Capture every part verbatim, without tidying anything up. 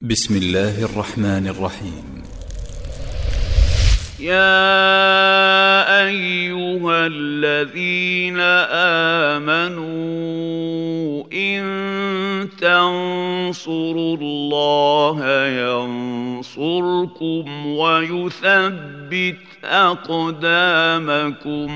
بسم الله الرحمن الرحيم. يا أيها الذين آمنوا إن تنصروا الله ينصركم ويثبت أقدامكم.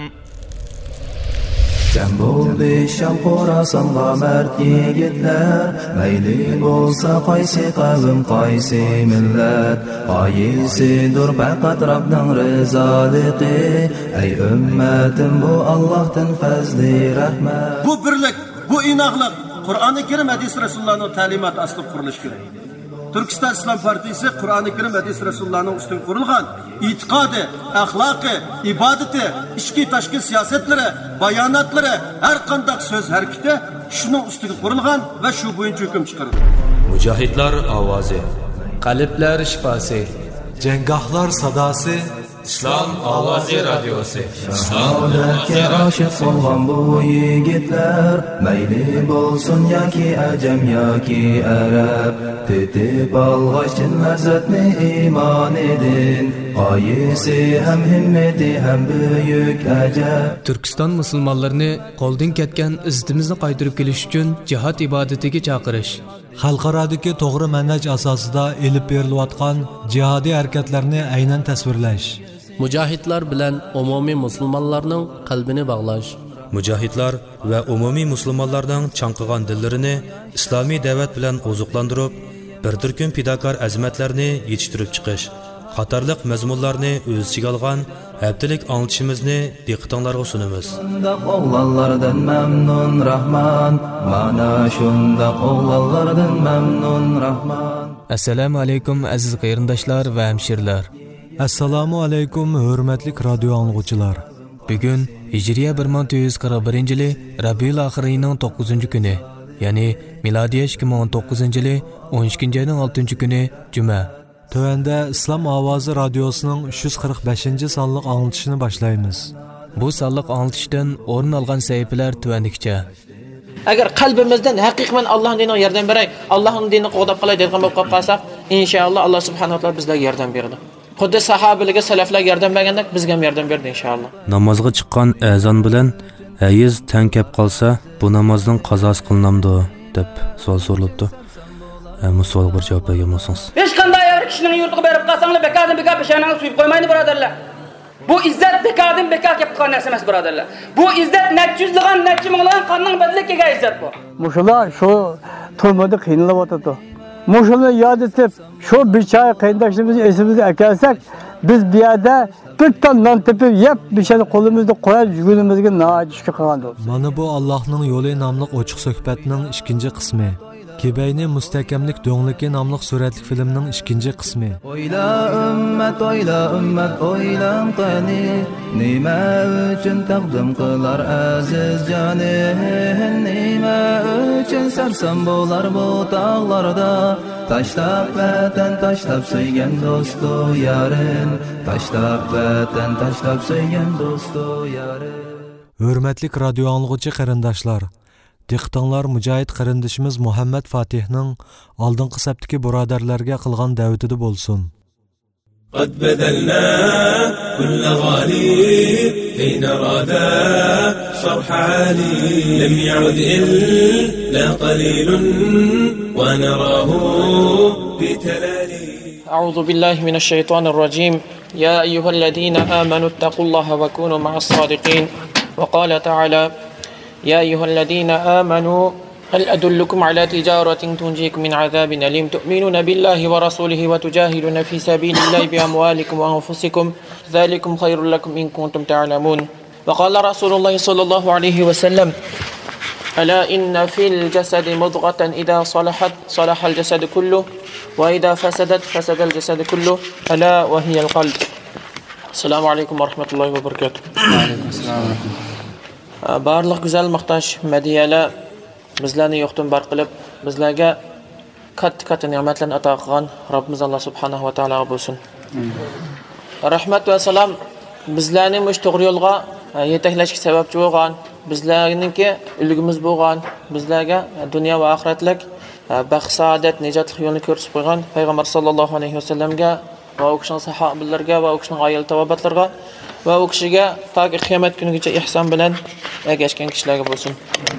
جەم بولدى شام خوراسانغا مەرد يىگىتلەر، مەيلى بولسا قايسى قەۋم، قايسى مىللەت، غايىسىدۇر پەقەت رەبنىڭ رىزالىقى. ئەي ئۈممەتىم، بۇ ئاللاھتىن پەزلى رەھمەت. بۇ بىرلىك، بۇ ئىناقلىق قۇرئانى كەرىم، ھەدىس رەسۇلۇللانىڭ تەلىماتى ئاستىدا قۇرۇلۇشى كېرەك. تۈركىستان ئىسلام پارتىيىسى قۇرئانى كەرىم، ھەدىس رەسۇلۇللانىڭ ئۈستىگە قۇرۇلغان ئېتىقادى، ئەخلاقى، ئىبادىتى، ئىچكى تاشقى سىياسەتلىرى، باياناتلىرى، ھەر قانداق سۆز ھەرىكىتى شۇنىڭ ئۈستىگە قۇرۇلغان ۋە شۇ بويىچە ھۆكۈم چىقىرىدۇ. مۇجاھىدلار ئاۋازى. قەلبلەر شىپاسى. جەڭگاھلار ساداسى. ئىسلام ئاۋازى رادىيوسى. شاھادەتكە ئاشىق بولغان بۇ يىگىتلەر، مەيلى بولسۇن ياكى ئەجەم ياكى ئەرەب، تېتىپ ئالغاچ چىن لەززەتنى ئىمانىدىن، غايىسى ھەم ھىممىتى ھەم بۈيۈك ئەجەب. تۈركىستان مۇسۇلمانلىرىنى قولدىن كەتكەن ئىززىتىمىزنى قايتۇرۇپ كېلىش ئۈچۈن جىھاد ئىبادىتىگە چاقىرىش. خەلقئارادىكى توغرا مەنھەج ئاساسىدا ئېلىپ بېرىلىۋاتقان جىھادىي ھەرىكەتلەرنى ئەينەن تەسۋىرلەش. مۇجاھىدلار بىلەن ئومۇمىي مۇسۇلمانلارنىڭ قەلبىنى باغلاش. مۇجاھىدلار ۋە ئومۇمىي مۇسۇلمانلارنىڭ چاڭقىغان دىللىرىنى ئىسلامىي دەۋەت بىلەن ئوزۇقلاندۇرۇپ، بىر تۈركۈم پىداكار ئەزىمەتلەرنى يېتىشتۈرۈپ چىقىش قاتارلىق مەزمۇنلارنى ئۆز ئىچىگە ئالغان ھەپتىلىك ئاڭلىتىشىمىزنى دىققىتىڭلارغا سۇنىمىز. شۇنداق ئوغلانلاردىن مەمنۇن راھمان، مانا شۇنداق ئوغلانلاردىن مەمنۇن راھمان. ئەسسالامۇ ئەلەيكۇم، ئەزىز قېرىنداشلار ۋە ھەمشىرىلەر. ئەسسالامۇ ئەلەيكۇم، ھۆرمەتلىك رادىيو ئاڭلىغۇچىلار. بۈگۈن ھىجرىيە بىر مىڭ تۆت يۈز قىرىق بىرىنچى يىلى رەبىئۇل ئاخىر ئېيىنىڭ توققۇزىنچى كۈنى، يەنى مىلادىيە ئىككى مىڭ ئون توققۇزىنچى يىلى ئون ئىككىنچى ئاينىڭ ئالتىنچى كۈنى، جۈمە. تۆۋەندە ئىسلام ئاۋازى رادىيوسىنىڭ ئۈچ يۈز قىرىق بەشىنچى سانلىق ئاڭلىتىشىنى باشلايمىز. بۇ سانلىق ئاڭلىتىشتىن ئورۇن ئالغان سەھىپىلەر تۆۋەندىكىچە. ئەگەر قەلبىمىزدىن ھەقىقەتەن ئاللاھنىڭ دىنىغا ياردەم بېرەي، ئاللاھنىڭ دىنىنى قوغداپ قالاي دەيدىغان بولۇپ قالىپ قالساق، ئىنشائاللا، ئاللا سۇبھانەھۇ ۋە تائالا بىزلەرگە ياردەم بېرىدۇ. خۇددى ساھابىلەرگە، سەلەفلەرگە ياردەم بەرگەندەك بىزگە ھەم ياردەم بېرىدۇ، ئىنشائاللا. نامازغا چىققان ئەزان بىلەن ھەيز تەڭ كەپ قالسا، بۇ نامازنىڭ قازاسى قىلىنامدۇ؟ دەپ سوئال سورىلىپتۇ. ئە، بۇ سوئالغا بىر جاۋاب بەرگەن بولسىڭىز. ھېچقانداق بىر كىشىنىڭ يۇرتىغا بېرىپ قالساڭلار، بىكاردىن بىكار پېشانىڭىزنى سۆيۈپ قويمايدۇ، بۇرادەرلەر. بۇ ئىززەت بىكاردىن بىكار كېلىپ قالغان نەرسە ئەمەس، بۇرادەرلەر. بۇ ئىززەت نەچچە يۈزلىغان، نەچچە مىڭلىغان قاننىڭ بەدىلىگە كەلگەن ئىززەت بۇ. مۇشۇلار شۇ تۈرمىدە قىينىلىۋاتىدۇ. مۇشۇلارنى ياد ئېتىپ، شۇ بىچارە قېرىنداشلىرىمىزنى ئېسىمىزگە ئەكەلسەك، بىز بۇ يەردە بىر تال نان تېپىپ يەپ، مۇشۇنى قولىمىزدا قويۇپ يۈرگىنىمىزگە ناھايىتى شۈكۈر قىلغان بولىمىز. مانا بۇ ئاللاھنىڭ يولى ناملىق ئوچۇق سۆھبەتنىڭ ئىككىنچى قىسمى. كېبەينى مۇستەھكەملىك دۆڭلۈكى ناملىق سۈرەتلىك فىلىمنىڭ ئىككىنچى قىسمى. ئويلا ئۈممەت، ئويلا ئۈممەت، ئويلان قېنى. نېمە ئۈچۈن تەقدىم قىلار ئەزىز جانى؟ نېمە ئۈچۈن سەرسان بولار بۇ تاغلاردا؟ تاشلاپ ۋەتەن، تاشلاپ سۆيگەن دوستۇ يارىن. تاشلاپ ۋەتەن، تاشلاپ سۆيگەن دوستۇ يارىن. ھۆرمەتلىك رادىيو ئاڭلىغۇچى قېرىنداشلار، دىققىتىڭلار مۇجاھىد قېرىندىشىمىز مۇھەممەد فاتىھنىڭ ئالدىنقى سەپتىكى بۇرادەرلەرگە قىلغان دەۋىتىدە بولسۇن. قد بذلنا كل غالي كي نرى ذا شرح عالي. لم يعد إلا قليل ونراه في تلالي. أعوذ بالله من الشيطان الرجيم. يا أيها الذين آمنوا اتقوا الله وكونوا مع الصادقين. وقال تعالى: يا أيها الذين آمنوا هل أدلكم على تجارة تنجيكم من عذاب أليم تؤمنون بالله ورسوله وتجاهدون في سبيل الله بأموالكم وأنفسكم ذلكم خير لكم إن كنتم تعلمون. وقال رسول الله صلى الله عليه وسلم: ألا إن في الجسد مضغة إذا صلحت صلح الجسد كله وإذا فسدت فسد الجسد كله ألا وهي القلب. السلام عليكم ورحمة الله وبركاته. بارلىق گۈزەل ماختاش، مەدھىيەلەر بىزلەرنى يوقتىن بار قىلىپ، بىزلەرگە كاتتا-كاتتا نېمەتلەرنى ئاتا قىلغان رەببىمىز ئاللا سۇبھانەھۇ ۋە تائالاغا بولسۇن. رەھمەت ۋە سالام بىزلەرنى مۇشۇ توغرا يولغا، ئە، يېتەكلەشكە سەۋەبچى بولغان، بىزلەرنىڭكى ئۈلگىمىز بولغان، بىزلەرگە، ئە، دۇنيا ۋە ئاخىرەتلىك بەخت-سائادەت، نىجاتلىق يولىنى كۆرسىتىپ قويغان پەيغەمبەر ساللاللاھۇ ئەلەيھى ۋەسەللەمگە ۋە ئۇ كىشىنىڭ ساھابىلىرىگە ۋە ئۇ كىشىنىڭ ئائىلە تاۋابىئاتلىرىغا ۋە ئۇ كىشىگە تاكى قىيامەت كۈنىگىچە ئېھسان بىلەن ئەگەشكەن كىشىلەرگە بولسۇن.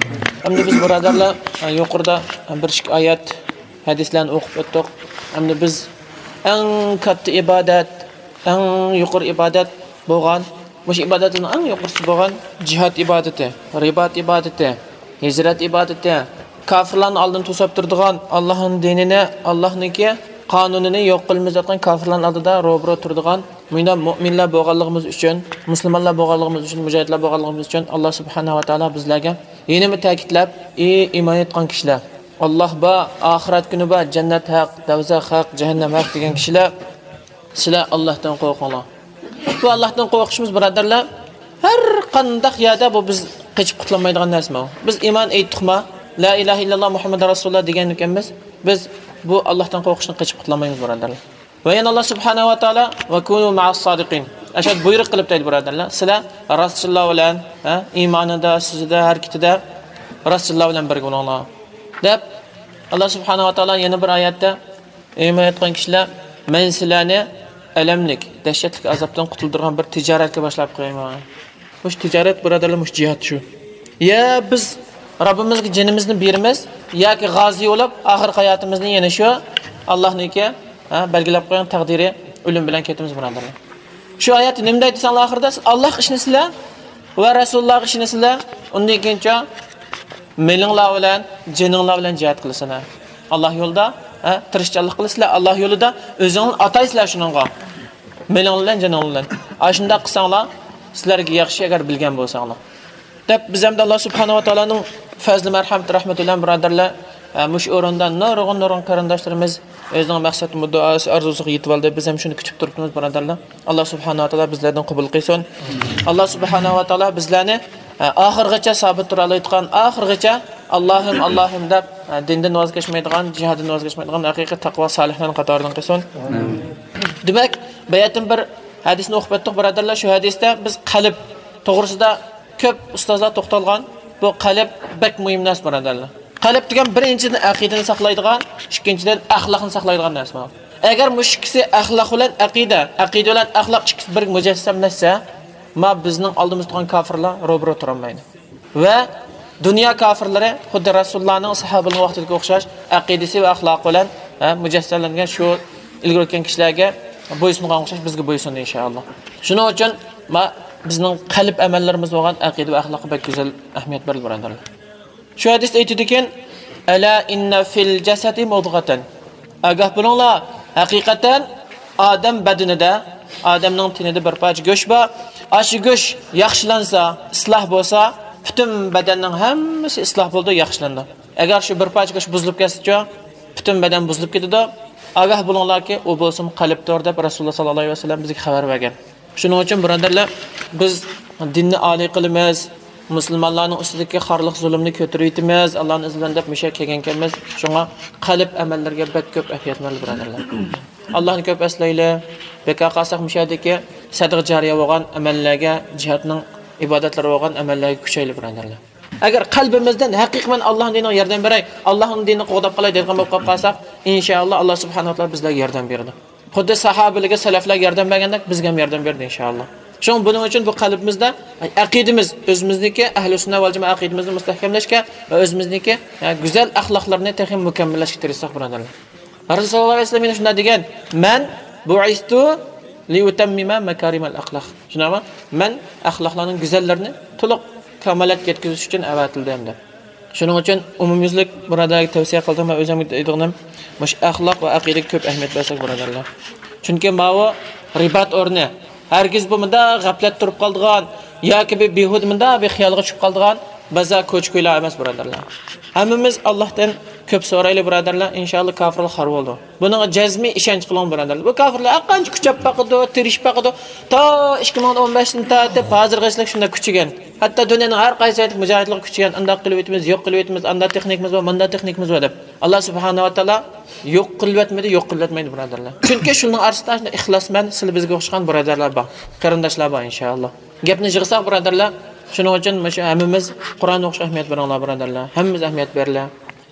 ئەمدى بىز، بۇرادەرلەر، يۇقىرىدا بىر ئىككى ئايەت ھەدىسلەرنى ئوقۇپ ئۆتتۇق. ئەمدى بىز ئەڭ كاتتا ئىبادەت، ئەڭ يۇقىرى ئىبادەت بولغان، مۇشۇ ئىبادەتلەرنىڭ ئەڭ يۇقىرىسى بولغان جىھاد ئىبادىتى، رىبات ئىبادىتى، ھىجرەت ئىبادىتى، كاپىرلارنى ئالدىن توساپ تۇرىدىغان، ئاللاھنىڭ دىنىنى، ئاللاھنىڭكى قانۇنىنى يوق قىلىمىز دەيدىغان كاپىرلارنىڭ ئالدىدا روبىرو تۇرىدىغان، مۇنداق مۆمىنلەر بولغانلىقىمىز ئۈچۈن، مۇسۇلمانلار بولغانلىقىمىز ئۈچۈن، مۇجاھىدلار بولغانلىقىمىز ئۈچۈن، ئاللا سۇبھانەھۇ ۋە تائالا بىزلەرگە يەنىمۇ تەكىتلەپ، ئى ئىمان ئېيتقان كىشىلەر، ئاللا بار، ئاخىرەت كۈنى بار، جەننەت ھەق، دوزاخ ھەق، جەھەننەم ھەق دېگەن كىشىلەر، سىلەر ئاللاھتىن قورقۇڭلار. بۇ ئاللاھتىن قورقۇشىمىز، بۇرادەرلەر، ھەر قانداق يەردە بۇ بىز قېچىپ قۇتۇلمايدىغان نەرسە بۇ. بىز ئىمان ئېيتتۇقما، لا ئىلاھە ئىللاللا مۇھەممەد رەسۇلۇللا دېگەن ئىكەنمىز، بىز بۇ ئاللاھتىن قورقۇشتىن قېچىپ قۇتۇلالمايمىز، بۇرادەرلەر. ۋە يەنە ئاللا سۇبھانەھۇ ۋە تائالا، «ۋە كۇنۇ مەئەس سادىقىن.» ئاشۇ بۇيرۇق قىلىپ دەيدۇ، بۇرادەرلەر. سىلەر راستچىللار بىلەن، ھە، ئىمانىدا، سۆزىدە، ھەرىكىتىدە راستچىللار بىلەن بىرگە بولۇڭلار، دەپ، ئاللا سۇبھانەھۇ ۋە تائالا يەنە بىر ئايەتتە، ئىمان ئېيتقان كىشىلەر، مەن سىلەرنى ئەلەملىك، دەھشەتلىك ئازابتىن قۇتۇلدۇرغان بىر تىجارەتكە باشلاپ قويىمەن. مۇشۇ تىجارەت، بۇرادەرلەر، مۇشۇ جىھاد شۇ. يا بىز رەببىمىزگە جېنىمىزنى بېرىمىز، ياكى غازى بولۇپ، ئاخىرقى ھاياتىمىزنى يەنە شۇ ئاللاھنىڭكى، ھە، بەلگىلەپ قويغان تەقدىرى ئۆلۈم بىلەن كېتىمىز، بۇرادەرلەر. شۇ ئايەتتە نېمە دەيدۇ دېسەڭلار، ئاخىرىدا، سىز ئاللاھقا ئىشىنىسىلەر ۋە رەسۇلۇللاھقا ئىشىنىسىلەر، ئۇندىن كېيىنچە مېلىڭلار بىلەن، جېنىڭلار بىلەن جىھاد قىلىسىلەر. ئاللاھ يولىدا، ھە، تىرىشچانلىق قىلىسىلەر، ئاللاھ يولىدا ئۆزۈڭلارنى ئاتايسىلەر شۇنىڭغا. مېلىڭلار بىلەن، جېنىڭلار بىلەن. ئاشۇنداق قىلساڭلار، سىلەرگە ياخشى، ئەگەر بىلگەن بولساڭلار. دەپ، بىز ئەمدى ئاللاھ سۇبھانەھۇ ۋە تائالانىڭ پەزلى، مەرھەمىتى، رەھمىتى بىلەن، بۇرادەرلەر، ئە، مۇشۇ ئورۇندا نۇرغۇن، نۇرغۇن قېرىنداشلىرىمىز ئۆزىنىڭ مەقسەت مۇددىئاسى، ئارزۇسىغا يېتىۋالدى. بىز ھەم شۇنى كۈتۈپ تۇرۇپتىمىز، بۇرادەرلەر. ئاللاھ سۇبھانەھۇ ۋە تائالا بىزلەردىن قوبۇل قىلسۇن. ئاللاھ سۇبھانەھۇ ۋە تائالا بىزلەرنى، ئە، ئاخىرغىچە سابىت تۇرالايدىغان، ئاخىرغىچە «ئاللاھىم، ئاللاھىم» دەپ، ئە، دىندىن ۋاز كەچمەيدىغان، جىھادتىن ۋاز كەچمەيدىغان ھەقىقىي تەقۋا سالىھلارنىڭ قاتارىدىن قىلسۇن. دېمەك، باياتىن بىر ھەدىسنى ئوقۇپ ئۆتتۇق، بۇرادەرلەر. شۇ ھەدىستە بىز قەلب توغرىسىدا كۆپ ئۇستازلار توختالغان. بۇ قەلب بەك مۇھىم نەرسە، بۇرادەرلەر. قەلب دېگەن بىرىنچىدىن ئەقىدىنى ساقلايدىغان، ئىككىنچىدىن ئەخلاقنى ساقلايدىغان نەرسە بۇ. ئەگەر مۇشۇ ئىككىسى، ئەخلاق بىلەن ئەقىدە، ئەقىدە بىلەن ئەخلاق ئىككىسى بىر مۇجەسسەملەشسە، ما بىزنىڭ ئالدىمىزدا تۇرغان كاپىرلار روبىرو تۇرالمايدۇ. ۋە دۇنيا كاپىرلىرى خۇددى رەسۇلۇللانىڭ، ساھابىلىرىنىڭ ۋاقتىدىكى ئوخشاش ئەقىدىسى ۋە ئەخلاقى بىلەن، ھە، مۇجەسسەملەنگەن شۇ ئىلگىرى ئۆتكەن كىشىلەرگە بويسۇنغان ئوخشاش بىزگە بويسۇندى، ئىنشائاللا. شۇنىڭ ئۈچۈن ما بىزنىڭ قەلب ئەمەللىرىمىز بولغان ئەقىدە ۋە ئەخلاققا بەك گۈزەل ئەھمىيەت بېرىلدى، بۇرادەرلەر. شۇ ھەدىستە ئېيتىدىكەن، «ئەلا ئىننە فىل جەسەدى مۇدغەتەن.» ئاگاھ بولۇڭلار، ھەقىقەتەن ئادەم بەدىنىدە، ئادەمنىڭ تېنىدە بىر پارچە گۆش بار. ئاشۇ گۆش ياخشىلانسا، ئىسلاھ بولسا، پۈتۈن بەدەننىڭ ھەممىسى ئىسلاھ بولىدۇ، ياخشىلىنىدۇ. ئەگەر شۇ بىر پارچە گۆش بۇزۇلۇپ كەتسىچۇ، پۈتۈن بەدەن بۇزۇلۇپ كېتىدۇ. ئاگاھ بولۇڭلاركى، ئۇ بولسىمۇ قەلبتۇر، دەپ رەسۇلۇللا ساللاللاھۇ ئەلەيھى ۋەسەللەم بىزگە خەۋەر بەرگەن. شۇنىڭ ئۈچۈن، بۇرادەرلەر، بىز دىننى ئالىي قىلىمىز، مۇسۇلمانلارنىڭ ئۈستىدىكى خارلىق، زۇلۇمنى كۆتۈرۈۋېتىمىز، ئاللانىڭ ئىزنى بىلەن دەپ مۇشۇ يەرگە كەلگەنكەنمىز. شۇڭا قەلب ئەمەللىرىگە بەك كۆپ ئەھمىيەت بېرىلىدۇ، بۇرادەرلەر. ئاللانى كۆپ ئەسلەيلى. بىكار قالساق، مۇشۇ يەردىكى سەدىقە جارىيە بولغان ئەمەللەرگە، جىھادنىڭ ئىبادەتلىرى بولغان ئەمەللەرگە كۈچەيلى، بۇرادەرلەر. ئەگەر قەلبىمىزدىن ھەقىقىي مەن ئاللانىڭ دىنىغا ياردەم بېرەي، ئاللانىڭ دىنىنى قوغداپ قالاي دەيدىغان بولۇپ قاپقالساق، ئىنشائاللا، ئاللا سۇبھانەھۇ ۋە تائالا بىزلەرگە ياردەم بېرىدۇ. خۇددى ساھابىلەرگە، سەلەفلەرگە ياردەم بەرگەندەك بىزگە ھەم ياردەم بېرىدۇ، ئىنشائاللا. شۇڭا بۇنىڭ ئۈچۈن بۇ قەلبىمىزدە ئەقىدىمىز، ئۆزىمىزنىڭكى ئەھلى سۈننە ۋەل جامائە ئەقىدىمىزنى مۇستەھكەملەشكە ۋە ئۆزىمىزنىڭكى، ھە، گۈزەل ئەخلاقلىرىنى تېخى مۇكەممەللەشكە تىرىشساق، بۇرادەرلەر. رەسۇل ساللاللاھۇ ئەلەيھى ۋەسەللەم يەنە شۇنداق دېگەن، «مەن بۇئىستۇ لىئۇتەممىمە مەكارىمەل ئەخلاق.» شۇنداقمۇ؟ مەن ئەخلاقلارنىڭ گۈزەللىرىنى تولۇق كامالەتكە يەتكۈزۈش ئۈچۈن ئەۋەتىلدىم، دەپ. شۇنىڭ ئۈچۈن ئومۇميۈزلۈك بۇرادەرلەرگە تەۋسىيە قىلدىم ۋە ئۆزۈمگە دەيدىغىنىم، مۇشۇ ئەخلاق ۋە ئەقىدىگە كۆپ ئەھمىيەت بەرسەك، بۇرادەرلەر. چۈنكى ماۋۇ رىبات ئورنى. ھەرگىز بۇ مۇنداق غەپلەتتە تۇرۇپ قالىدىغان ياكى بىر بىھۇدە مۇنداق بىر خىيالغا چۈشۈپ قالىدىغان بازار، كوچا-كويلار ئەمەس، بۇرادەرلەر. ھەممىمىز ئاللاھتىن كۆپ سورايلى، بۇرادەرلەر. ئىنشائاللا، كاپىرلار خار بولىدۇ. بۇنىڭغا جەزمىي ئىشەنچ قىلىڭ، بۇرادەرلەر. بۇ كاپىرلار ھەرقانچە كۈچەپ باقىدۇ، تىرىشىپ باقىدۇ. تا ئىككى مىڭ ئون بەشتىن تارتىپ ھازىرغىچىلىك شۇنداق كۈچىگەن. ھەتتا دۇنيانىڭ ھەر قايسى يېرىدىكى مۇجاھىدلارغا كۈچىگەن. ئانداق قىلىۋېتىمىز، يوق قىلىۋېتىمىز، ئانداق تېخنىكىمىز بار، مانداق تېخنىكىمىز بار دەپ. ئاللا سۇبھانەھۇ ۋە تائالا يوق قىلىۋەتمىدى، يوق قىلىۋەتمەيدۇ، بۇرادەرلەر. چۈنكى شۇنىڭ ئارىسىدا شۇنداق ئىخلاسمەن، سىلى بىزگە ئوخشىغان بۇرادەرلەر بار، قېرىنداشلار بار، ئىنشائاللا. گەپنى يىغساق، بۇرادەرلەر، شۇنىڭ ئۈچۈن مۇشۇ ھەممىمىز قۇرئان ئوقۇشقا ئەھمىيەت بېرىڭلار، بۇرادەرلەر. ھەممىمىز ئەھمىيەت بېرىلە.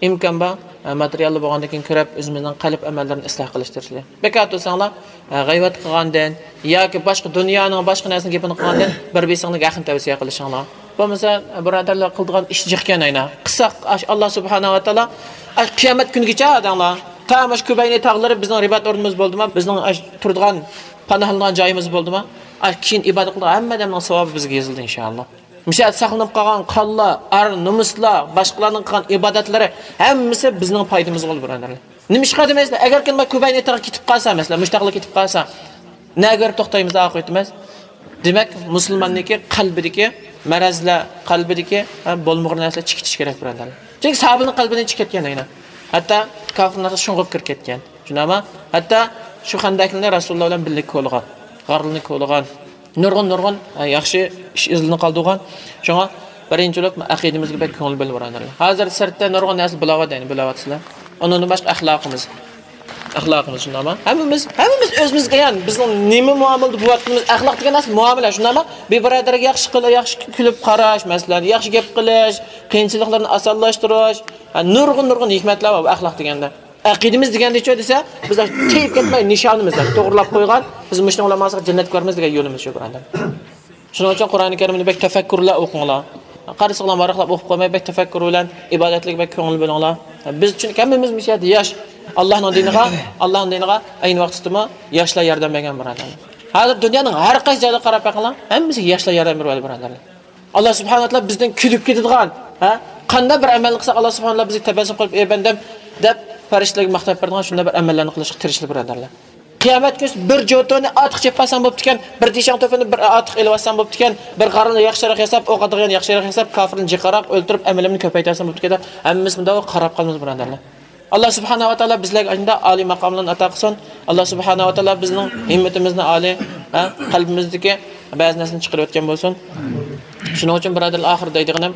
ئىمكان بار، ئە، ماتېرىياللار بولغاندىن كېيىن كۆرۈپ، ئۆزىمىزنىڭ قەلب ئەمەللىرىنى ئىسلاھ قىلىش تىرىشىلى. بىكار تۇرساڭلار، ئە، غەيۋەت قىلغاندىن ياكى باشقا دۇنيانىڭ باشقا نەرسىنىڭ گېپىنى قىلغاندىن بىر بىرسىڭلارغا ھەقنى تەۋسىيە قىلىشىڭلار. بولمىسا، بۇرادەرلەر، قىلىدىغان ئىش جىقكەن ئەينا. قىلساق، ئاش-، ئاللا سۇبھانەھۇ ۋە تائالا، ئاش قىيامەت كۈنىگىچە دەڭلار. تا ماش كۇبەينى تاغلىرى بىزنىڭ رىبات ئورنىمىز بولدىما، بىزنىڭ ئاش تۇرىدىغان، پاناھلىنىدىغان جايىمىز بولدىما، ئاش كېيىن ئىبادەت قىلىدىغان ھەممە ئادەمنىڭ ساۋابى بىزگە يېزىلدى، ئىنشائاللا. مۇشۇ يەردە ساقلىنىپ قالغان قانلار، ئار نومۇسلار، باشقىلارنىڭ قىلغان ئىبادەتلىرى ھەممىسى بىزنىڭ پايدىمىزغا بولىدۇ، بۇرادەرلەر. نېمىشقا دېمەيسىلەر؟ ئەگەر كىم كۇبەينى تاغى كېتىپ قالسا، مەسىلەن، مۇشۇ تاغلار كېتىپ قالسا، نەگە بېرىپ توختايمىز، ئاقىۋىتىمىز؟ دېمەك، مۇسۇلماننىڭكى قەلبىدىكى مەرەزلەر، قەلبىدىكى، ھە، بولمىغۇر نەرسىلەر چىقىشى كېرەك، بۇرادەرلەر. چۈنكى ساھابىنىڭ قەلبىدىن چىقىپ كەتكەن ئەينا. ھەتتا كاپىر نەرسە شۇڭغۇپ كىرىپ كەتكەن. شۇنداقمۇ؟ ھەتتا شۇ خەندەكلەرنى رەسۇلۇللا بىلەن بىللە كولىغان، غارلىرىنى كولىغان، نۇرغۇن، نۇرغۇن، ئە، ياخشى ئىش ئىزلىرىنى قالدۇرغان. شۇڭا بىرىنچى بولۇپ ئەقىدىمىزگە بەك كۆڭۈل بۆل، بۇرادەرلەر. ھازىر سىرتتا نۇرغۇن نەرسە بۇلاۋاتىدۇ، يەنى بۇلاۋاتىسىلەر. ئۇنىڭدىن باشقا ئەخلاقىمىز. ئەخلاقىمىز، شۇنداقمۇ؟ ھەممىمىز، ھەممىمىز ئۆزىمىزگە ئەيان، بىزنىڭ نېمە مۇئامىلىدە بولۇۋاتقىنىمىز، ئەخلاق دېگەن نەرسە مۇئامىلە، شۇنداقمۇ؟ بىر بۇرادەرگە ياخشى قىل-، ياخشى كۈلۈپ قاراش، مەسىلەن، ياخشى گەپ قىلىش، قىيىنچىلىقلارنى ئاسانلاشتۇرۇش، ھە، نۇرغۇن، نۇرغۇن ھېكمەتلەر بار بۇ ئەخلاق دېگەندە. ئەقىدىمىز دېگەندىچۇ دېسە، بىز تېيىپ كەتمەي نىشانىمىز، توغرىلاپ قويغان، بىز مۇشۇنىڭ بىلەن ماڭساق جەننەتكە بارىمىز دېگەن يولىمىز شۇ، بۇرادەر. شۇنىڭ ئۈچۈن قۇرئانى كەرىمنى بەك تەپەككۇر بىلەن ئوقۇڭلار. قارىسىڭلار ۋاراقلاپ ئوقۇپ قويماي، بەك تەپەككۇر بىلەن ئىبادەتلىك بەك كۆڭۈل بۆلۈڭلار. بىز چۈنكى ھەممىمىز مۇشۇ يەردە ياش. ئاللانىڭ دىنىغا، ئاللانىڭ دىنىغا ئەينى ۋاقىتتىمۇ ياشلار ياردەم بەرگەن، بۇرادەرلەر. ھازىر دۇنيانىڭ ھەر قايسى جايلىرىغا قاراپ بېقىڭلار، ھەممىسىگە ياشلار ياردەم بېرىۋاتىدۇ، بۇرادەرلەر. ئاللا سۇبھانەھۇ ۋە تائالا بىزدىن كۈلۈپ كېتىدىغان، ھە؟ قانداق بىر ئەمەلنى قىلساق، ئاللا سۇبھانەھۇ ۋە تائالا بىزگە تەبەسسۇم قىلىپ، «ئەي بەندەم» دەپ پەرىشتىلەرگە ماختاپ بېرىدىغان شۇنداق بىر ئەمەللەرنى قىلىشقا تىرىشىلى، بۇرادەرلەر. قىيامەت كۈنى بىر جوتونى ئارتۇق چېپىۋالسام بوپتىكەن، بىر دېشاڭ توپىنى بىر ئارتۇق ئېلىۋالسام بوپتىكەن، بىر غارنى ياخشىراق ياساپ، ئوق ئاتىدىغان ياخشىراق ياساپ، كاپىرنى جىقراق ئۆلتۈرۈپ، ئەمىلىمنى كۆپەيتەلىسەم بوپتىكەن دەپ، ھەممىسى مۇنداق قاراپ قالىمىز، بۇرادەرلەر. ئاللا سۇبھانەھۇ ۋە تائالا بىزلەرگە ئاشۇنداق ئالىي ماقاملارنى ئاتا قىلسۇن. ئاللا سۇبھانەھۇ ۋە تائالا بىزنىڭ ھىممىتىمىزنى ئالىي، ھە، قەلبىمىزدىكى بەزى نەرسىنى چىقىرىۋەتكەن بولسۇن. شۇنىڭ ئۈچۈن، بۇرادەرلەر، ئاخىرىدا دەيدىغىنىم،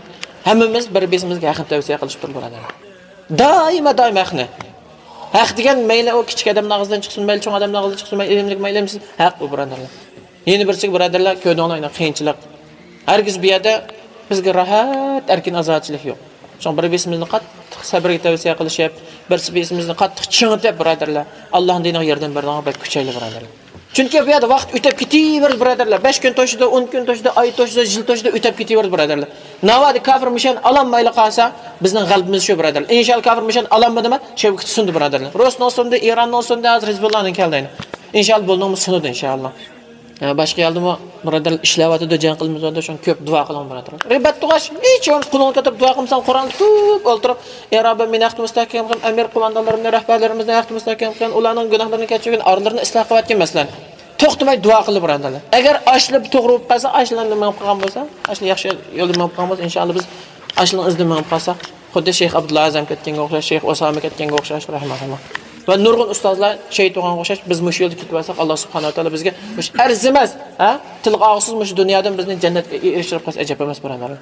ھەممىمىز بىر بىرىمىزگە ھەقنى تەۋسىيە قىلىشىپ تۇرۇڭ، بۇرادەرلەر. دائىما، دائىما ھەقنى. ھەق دېگەن مەيلى ئۇ كىچىك ئادەمنىڭ ئاغزىدىن چىقسۇن، مەيلى چوڭ ئادەمنىڭ ئاغزىدىن چىقسۇن، مەيلى ئىلىملىك، مەيلى ئىلىمسىز، ھەق ئۇ، بۇرادەرلەر. يەنە بىرسىگە، بۇرادەرلەر، كۆردۈڭلار، يەنە قىيىنچىلىق. ھەرگىز بۇ يەردە بىزگە راھەت، ئەركىن، ئازادىچىلىك يوق. شۇڭا بىر بىرىمىزنى قاتتىق سەبرگە تەۋسىيە قىلىشىپ، بىر بىرىمىزنى قاتتىق چىڭىتىپ، بۇرادەرلەر، ئاللانىڭ دىنىغا ياردەم بېرىدىغانغا بەك كۈچەيلى، بۇرادەرلەر. چۈنكى بۇ يەردە ۋاقىت ئۆتۈپ كېتىۋېرىدۇ، بۇرادەرلەر. بەش كۈن توشىدۇ، ئون كۈن توشىدۇ، ئاي توشىدۇ، يىل توشىدۇ، ئۆتۈپ كېتىۋېرىدۇ، بۇرادەرلەر. ناۋادا كاپىر مۇشۇنى ئالالمايلا قالسا، بىزنىڭ غەلىبىمىز شۇ، بۇرادەرلەر. ئىنشاللا كاپىر مۇشۇنى ئالالمىدىما، شەۋكىتى سۇندى، بۇرادەرلەر. رۇسنىڭ سۇندى، ئىراننىڭ سۇندى، ھازىر ھىزبۇللانىڭ كەلدى. ئىنشاللا بۇنىڭمۇ سۇنىدۇ، ئىنشاللا. ھە، باشقا يەردىمۇ بۇرادەرلەر ئىشلەۋاتىدۇ، جەڭ قىلىمىز دەۋاتىدۇ، شۇڭا كۆپ دۇئا قىلىڭ، بۇرادەرلەر. رىبات تۇغاش، ھېچ بولمىسا قولۇڭنى كۆتۈرۈپ دۇئا قىلمىساڭ، قۇرئان تۇتۇپ ئولتۇرۇپ، «يا رەببى، مېنى ھەقتە مۇستەھكەم قىلغىن، ئەمىر قوماندانلىرىمنى، رەھبەرلىرىمىزنى ھەقتە مۇستەھكەم قىلغىن، ئۇلارنىڭ گۇناھلىرىنى كەچۈرگىن، ئارىلىرىنى ئىسلاھ قىلىۋەتكىن» مەسىلەن. توختىماي دۇئا قىلدى، بۇرادەرلەر. ئەگەر ئاشۇلار توغرا بولۇپ قالسا، ئاشۇلارنى مېڭىپ قالغان بولسا، ئاشۇلار ياخشى يولدا مېڭىپ قالغان بولسا، ئىنشاللا بىز ئاشۇلارنىڭ ئىزىدىن مېڭىپ قالساق، خۇددى شەيخ ئابدۇللا ئەزەم كەتكەنگە ئوخشاش، شەيخ ئوسامە كەتكەنگە ئوخشاش، رەھىمەھۇللا. ۋە نۇرغۇن ئۇستازلار شېھىت بولغانغا ئوخشاش، بىز مۇشۇ يولدا كېتىۋالساق، ئاللا سۇبھانەھۇ ۋە تائالا بىزگە مۇشۇ ئەرزىمەس، ھە؟ تىلغا ئالغۇسىز مۇشۇ دۇنيادىن بىزنى جەننەتكە ئېرىشتۈرۈپ قويسا ئەجەب ئەمەس، بۇرادەرلەر.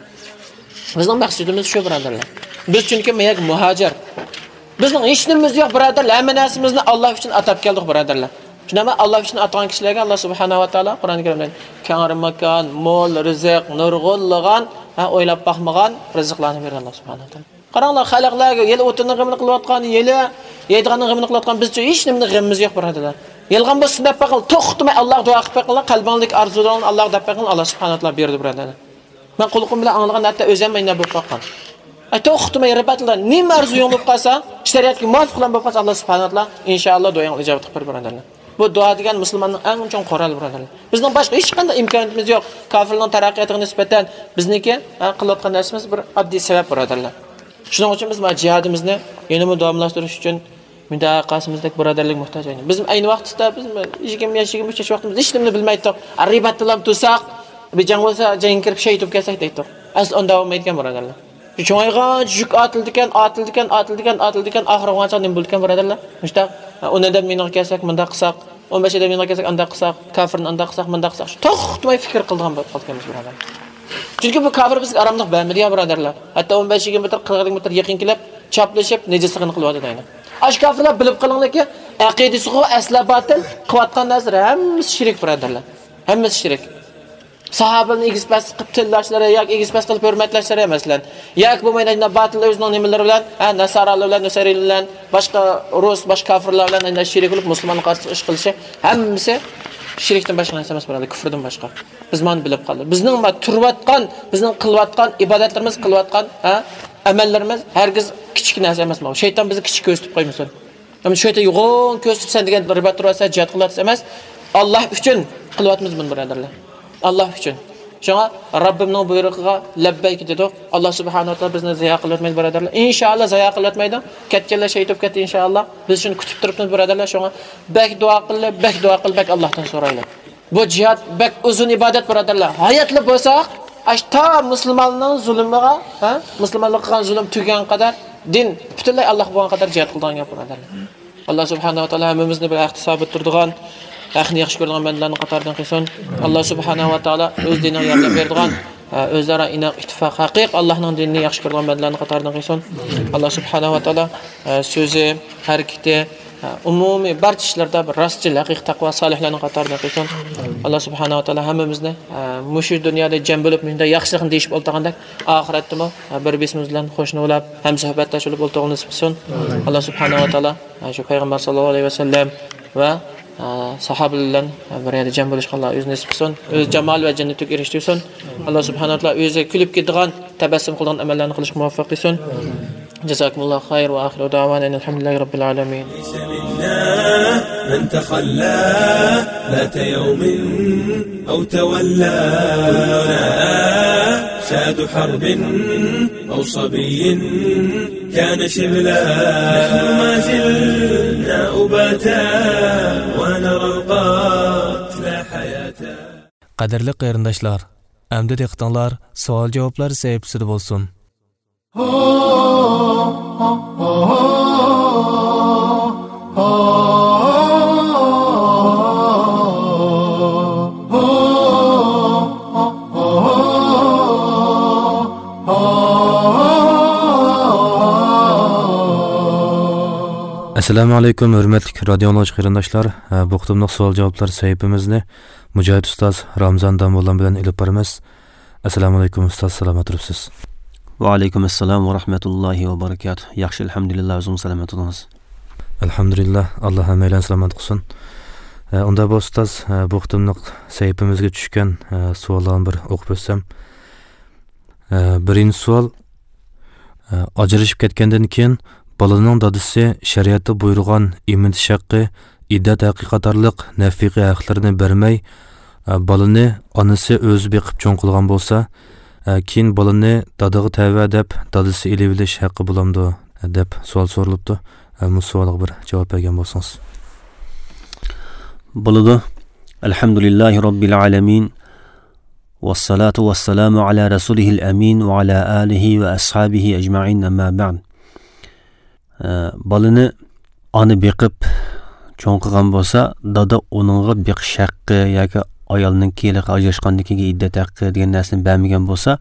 بىزنىڭ مەقسىتىمىز شۇ، بۇرادەرلەر. بىز چۈنكى بۇ يەرگە مۇھاجىر. بىزنىڭ ھېچ نېمىمىز يوق، بۇرادەرلەر. ھەممە نەرسىمىزنى ئاللا ئۈچۈن ئاتاپ كەلدۇق، بۇرادەرلەر. شۇنداقمۇ؟ ئاللا ئۈچۈن ئاتىغان كىشىلەرگە ئاللا سۇبھانەھۇ ۋە تائالا قۇرئان كەرىمدە كەڭرى ماكان، مول رىزىق، نۇرغۇنلىغان، ھە، ئويلاپ باقمىغان رىزىقلارنى بېرىدۇ ئاللا سۇبھانەھۇ ۋە تائالا. قاراڭلار، خەلقلەرگە يەنە ئوتۇننىڭ غېمىنى قىلىۋاتقان، يەنە يەيدىغاننىڭ غېمىنى قىلىۋاتقان، بىزچە ھېچ نېمىنىڭ غېمىمىز يوق، بۇرادەرلەر. يالغان بولسا دەپ بېقىڭ، توختىماي ئاللاغا دۇئا قىلىپ بېقىڭلار، قەلبىڭىزدىكى ئارزۇلىرىڭلارنى ئاللاغا دەپ بېقىڭلار، ئاللا سۇبھانەھۇ ۋە تائالا بېرىدۇ، بۇرادەرلەر. مەن قۇلىقىم بىلەن ئاڭلىغان، ھەتتا ئۆزۈم ئەينە بولۇپ باققان. ئەي، توختىماي رىباتلار، نېمە ئارزۇيۇڭ بولۇپ قالسا، شەرىئەتكە مۇۋاپىق بولۇپ قالسا، ئاللا سۇبھانەھۇ ۋە تائالا ئىنشائاللا دۇئاڭنى ئىجابەت قىلىپ بېرىدۇ، بۇرادەرلەر. بۇ دۇئا دېگەن مۇسۇلماننىڭ ئەڭ چوڭ قورالى، بۇرادەرلەر. بىزنىڭ باشقا ھېچقانداق ئىمكانىيىتىمىز يوق. كاپىرلارنىڭ تەرەققىياتىغا نىسبەتەن بىزنىڭكى، ھە، قىلىۋاتقان نەرسىمىز بىر ئاددىي سەۋەب، بۇرادەرلەر. شۇنىڭ ئۈچۈن بىز مانا جىھادىمىزنى يەنىمۇ داۋاملاشتۇرۇش ئۈچۈن مۇنداق قارىسىمىزدەك بۇرادەرلىك موھتاج ئەينى. بىز ئەينى ۋاقىتتا بىز يىگىرمە ياش، يىگىرمە ئۈچ ياش ۋاقتىمىزدا ھېچ نېمىنى بىلمەيتتۇق. رىباتتىلا تۇرساق، بىر جەڭ بولسا جەڭگە كىرىپ شېھىت بولۇپ كەتسەك دەيتتۇق. ئەسلى ئۇنداق بولمايدىكەن، بۇرادەرلەر. شۇ چوڭايغانچە يۈك ئارتىلىدىكەن، ئارتىلىدىكەن، ئارتىلىدىكەن، ئارتىلىدىكەن، ئاخىرى بولغانچە نېمە بولىدىكەن، بۇرادەرلەر؟ مۇشۇنداق، ئون ئادەم يېنىغا كەلسەك مۇنداق قىلساق، ئون بەش ئادەم يېنىغا كەلسەك ئانداق قىلساق، كاپىرنى ئانداق قىلساق، مۇنداق قىلساق، شۇ توختىماي پىكىر قىلىدىغان بولۇپ قالىدىكەنمىز، بۇرادەرلەر. چۈنكى بۇ كاپىر بىزگە ئاراملىق بەرمىدى يا، بۇرادەرلەر. ھەتتا ئون بەش يىگىرمە مېتىر، قىرىق مېتىر يېقىن كېلىپ، چاپلىشىپ، نىجىسلىقىنى قىلىۋاتىدۇ ئەينى. ئاشۇ كاپىرلار بىلىپ قېلىڭلاركى، ئەقىدىسىغۇ ئەسلا باتىل، قىلىۋاتقان نەرسىلىرى ھەممىسى شىرك، بۇرادەرلەر. ھەممىسى شىرك. ساھابىلەرنى ئېگىز پەس قىلىپ تىللاشلىرى ياكى ئېگىز پەس قىلىپ ھۆرمەتلەشلىرى ئەمەسلەن. ياكى بولمايدۇ، باتىل ئۆزىنىڭ نېمىلىرى بىلەن، ھە، ناسارالار بىلەن، نۇسەيرىلەر بىلەن، باشقا رۇس، باشقا كافىرلار بىلەن ئەندە شېرىك بولۇپ مۇسۇلمانغا قارشى ئىش قىلىشى، ھەممىسى شىركتىن باشقا نەرسە ئەمەس، بۇرادەر، كۇفردىن باشقا. بىز مانا بىلىپ قالدۇق. بىزنىڭ ما تۇرۇۋاتقان، بىزنىڭ قىلىۋاتقان ئىبادەتلىرىمىز، قىلىۋاتقان، ھە، ئەمەللىرىمىز ھەرگىز كىچىك نەرسە ئەمەس. شەيتان بىزنى كىچىك كۆرسىتىپ قويمىسۇن. ئەمما شۇ يەردە يوغان كۆرسىتىپ، سەن دېگەن رىبات تۇرۇۋاتىسەن، جىھاد قىلىۋاتىسەن ئەمەس. ئاللاھ ئۈچۈن قىلىۋاتىمىز بۇنى، بۇرادەرلەر. ئاللاھ ئۈچۈن. شۇڭا رەببىمنىڭ بۇيرۇقىغا لەببەيك دېدۇق. ئاللاھ سۇبھانەھۇ ۋە تائالا بىزنى زايە قىلىۋەتمەيدۇ، بۇرادەرلەر. ئىنشائاللاھ زايە قىلىۋەتمەيدۇ. كەتكەنلەر شېھىت بولۇپ كەتتى، ئىنشائاللاھ. بىز شۇنى كۈتۈپ تۇرۇپمىز، بۇرادەرلەر. شۇڭا بەك دۇئا قىلىلى، بەك دۇئا قىلىلى، بەك ئاللاھتىن سورايلى. بۇ جىھاد بەك ئۇزۇن ئىبادەت، بۇرادەرلەر. ھاياتلا بولساق، ئاش تا مۇسۇلماننىڭ زۇلۇمىغا، ھە؟ مۇسۇلمانلارغا قىلغان زۇلۇم تۈگىگەن قەدەر، دىن پۈتۈنلەي ئاللاھقا بولغان قەدەر جىھاد قىلىدىغان گەپ، بۇرادەرلەر. ئاللاھ سۇبھانەھۇ ۋە تائالا ھەممىمىزنى بىر ھەقتە سابىت تۇرىدىغان، ھەقنى ياخشى كۆرىدىغان بەندىلەرنىڭ قاتارىدىن قىلسۇن. ئاللاھ سۇبھانەھۇ ۋە تائالا ئۆز دىنىغا ياردەم بېرىدىغان، ئۆزئارا ئىناق، ئىتتىپاق، ھەقىقىي ئاللاھنىڭ دىنىنى ياخشى كۆرىدىغان بەندىلەرنىڭ قاتارىدىن قىلسۇن. ئاللاھ سۇبھانەھۇ ۋە تائالا سۆزى، ھەرىكىتى، ئومۇمىي بارچە ئىشلاردا بىر راستچىل، ھەقىقىي تەقۋا سالىھلارنىڭ قاتارىدىن قىلسۇن. ئاللاھ سۇبھانەھۇ ۋە تائالا ھەممىمىزنى مۇشۇ دۇنيادا جەم بولۇپ، مۇشۇنداق ياخشىلىقنى دېيىشىپ ئولتۇرغاندەك، ئاخىرەتتىمۇ بىر بىرىمىز بىلەن قوشنا بولاپ، ھەمسۆھبەتداش بولۇپ ئولتۇرغىلى نېسىپ قىلسۇن. ئاللاھ سۇبھانەھۇ ۋە تائالا شۇ پەيغەمبەر ساللاللاھۇ ئەلەيھى ۋەسەللەم ۋە ساھابىلەر بىلەن بىر يەردە جەم بولۇشقا ئاللاھ ئۆزى نېسىپ قىلسۇن. ئۆز جامال ۋە جەننىتىگە ئېرىشتۈرسۇن. ئاللاھ سۇبھانەھۇ ۋە تائالا ئۆزى كۈلۈپ كېتىدىغان، تەبەسسۇم قىلىدىغان ئەمەللەرنى قىلىشقا مۇۋەپپەق قىلسۇن. جازاكۇمۇللاھۇ خەير ۋە ئاخىرۇ دەۋانا ئەنىل ھەمدۇلىللاھى رەببىل ئالەمىن. ليس منا من تخلى ذات يوم أو تولى. كلنا أشاد حرب أو صبي كان شبلا. نحن ما زلنا أباتا ونرى القتلى حياة. قەدىرلىك قېرىنداشلار، ئەمدى دىققىتىڭلار سوئال-جاۋابلار سەھىپىسىدە بولسۇن. ئەسسالامۇ ئەلەيكۇم، ھۆرمەتلىك رادىيو ئاڭلىغۇچى قېرىنداشلار. بۇ قېتىملىق سوئال-جاۋابلار سەھىپىمىزنى مۇجاھىد ئۇستاز رامزان داموللام بىلەن ئېلىپ بارىمىز. ئەسسالامۇئەلەيكۇم ئۇستاز، سالامەت تۇرۇپسىز؟ ۋەئەلەيكۇم ئەسسالام ۋە رەھمەتۇللاھى ۋە بەرىكاتۇھ. ياخشى، ئەلھەمدۇلىللا، ئۆزىڭىز سالامەت تۇرۇڭىز. ئەلھەمدۇلىللا، ئاللا ھەممەيلەننى سالامەت قىلسۇن. ئە، ئۇنداق بولسا ئۇستاز، ئە، بۇ قېتىملىق سەھىپىمىزگە چۈشكەن، ئە، سوئاللارنى بىر ئوقۇپ ئۆتسەم. ئە، بىرىنچى سوئال، ئە، ئاجرىشىپ كەتكەندىن كېيىن بالىنىڭ دادىسى شەرىئەتتە بۇيرۇغان ئېمىتىش ھەققى، ئىددەت ھەققى قاتارلىق نەپىقە ھەقلىرىنى بەرمەي، ئە، بالىنى ئانىسى ئۆزى بېقىپ چوڭ قىلغان بولسا، ئە، كېيىن بالىنى دادىغا تەۋە دەپ دادىسى ئېلىۋېلىش ھەققى بولامدۇ؟ دەپ سوئال سورىلىپتۇ. ئە، بۇ سوئالغا بىر جاۋاب بەرگەن بولسىڭىز. بولىدۇ. ئەلھەمدۇلىللاھى رەببىل ئالەمىن. ۋەسسالاتۇ ۋەسسالامۇ ئالا رەسۇلىھىل ئەمىن ۋە ئالا ئالىھى ۋە ئەسھابىھى ئەجمەئىن، ئەمما بەئد. ئە، بالىنى ئانا بېقىپ چوڭ قىلغان بولسا، دادا ئۇنىڭغا بېقىش ھەققى ياكى ئايالنىڭكى ھېلىقى ئاجراشقاندىن كېيىنكى ئىددەت ھەققى دېگەن نەرسىنى بەرمىگەن بولسا،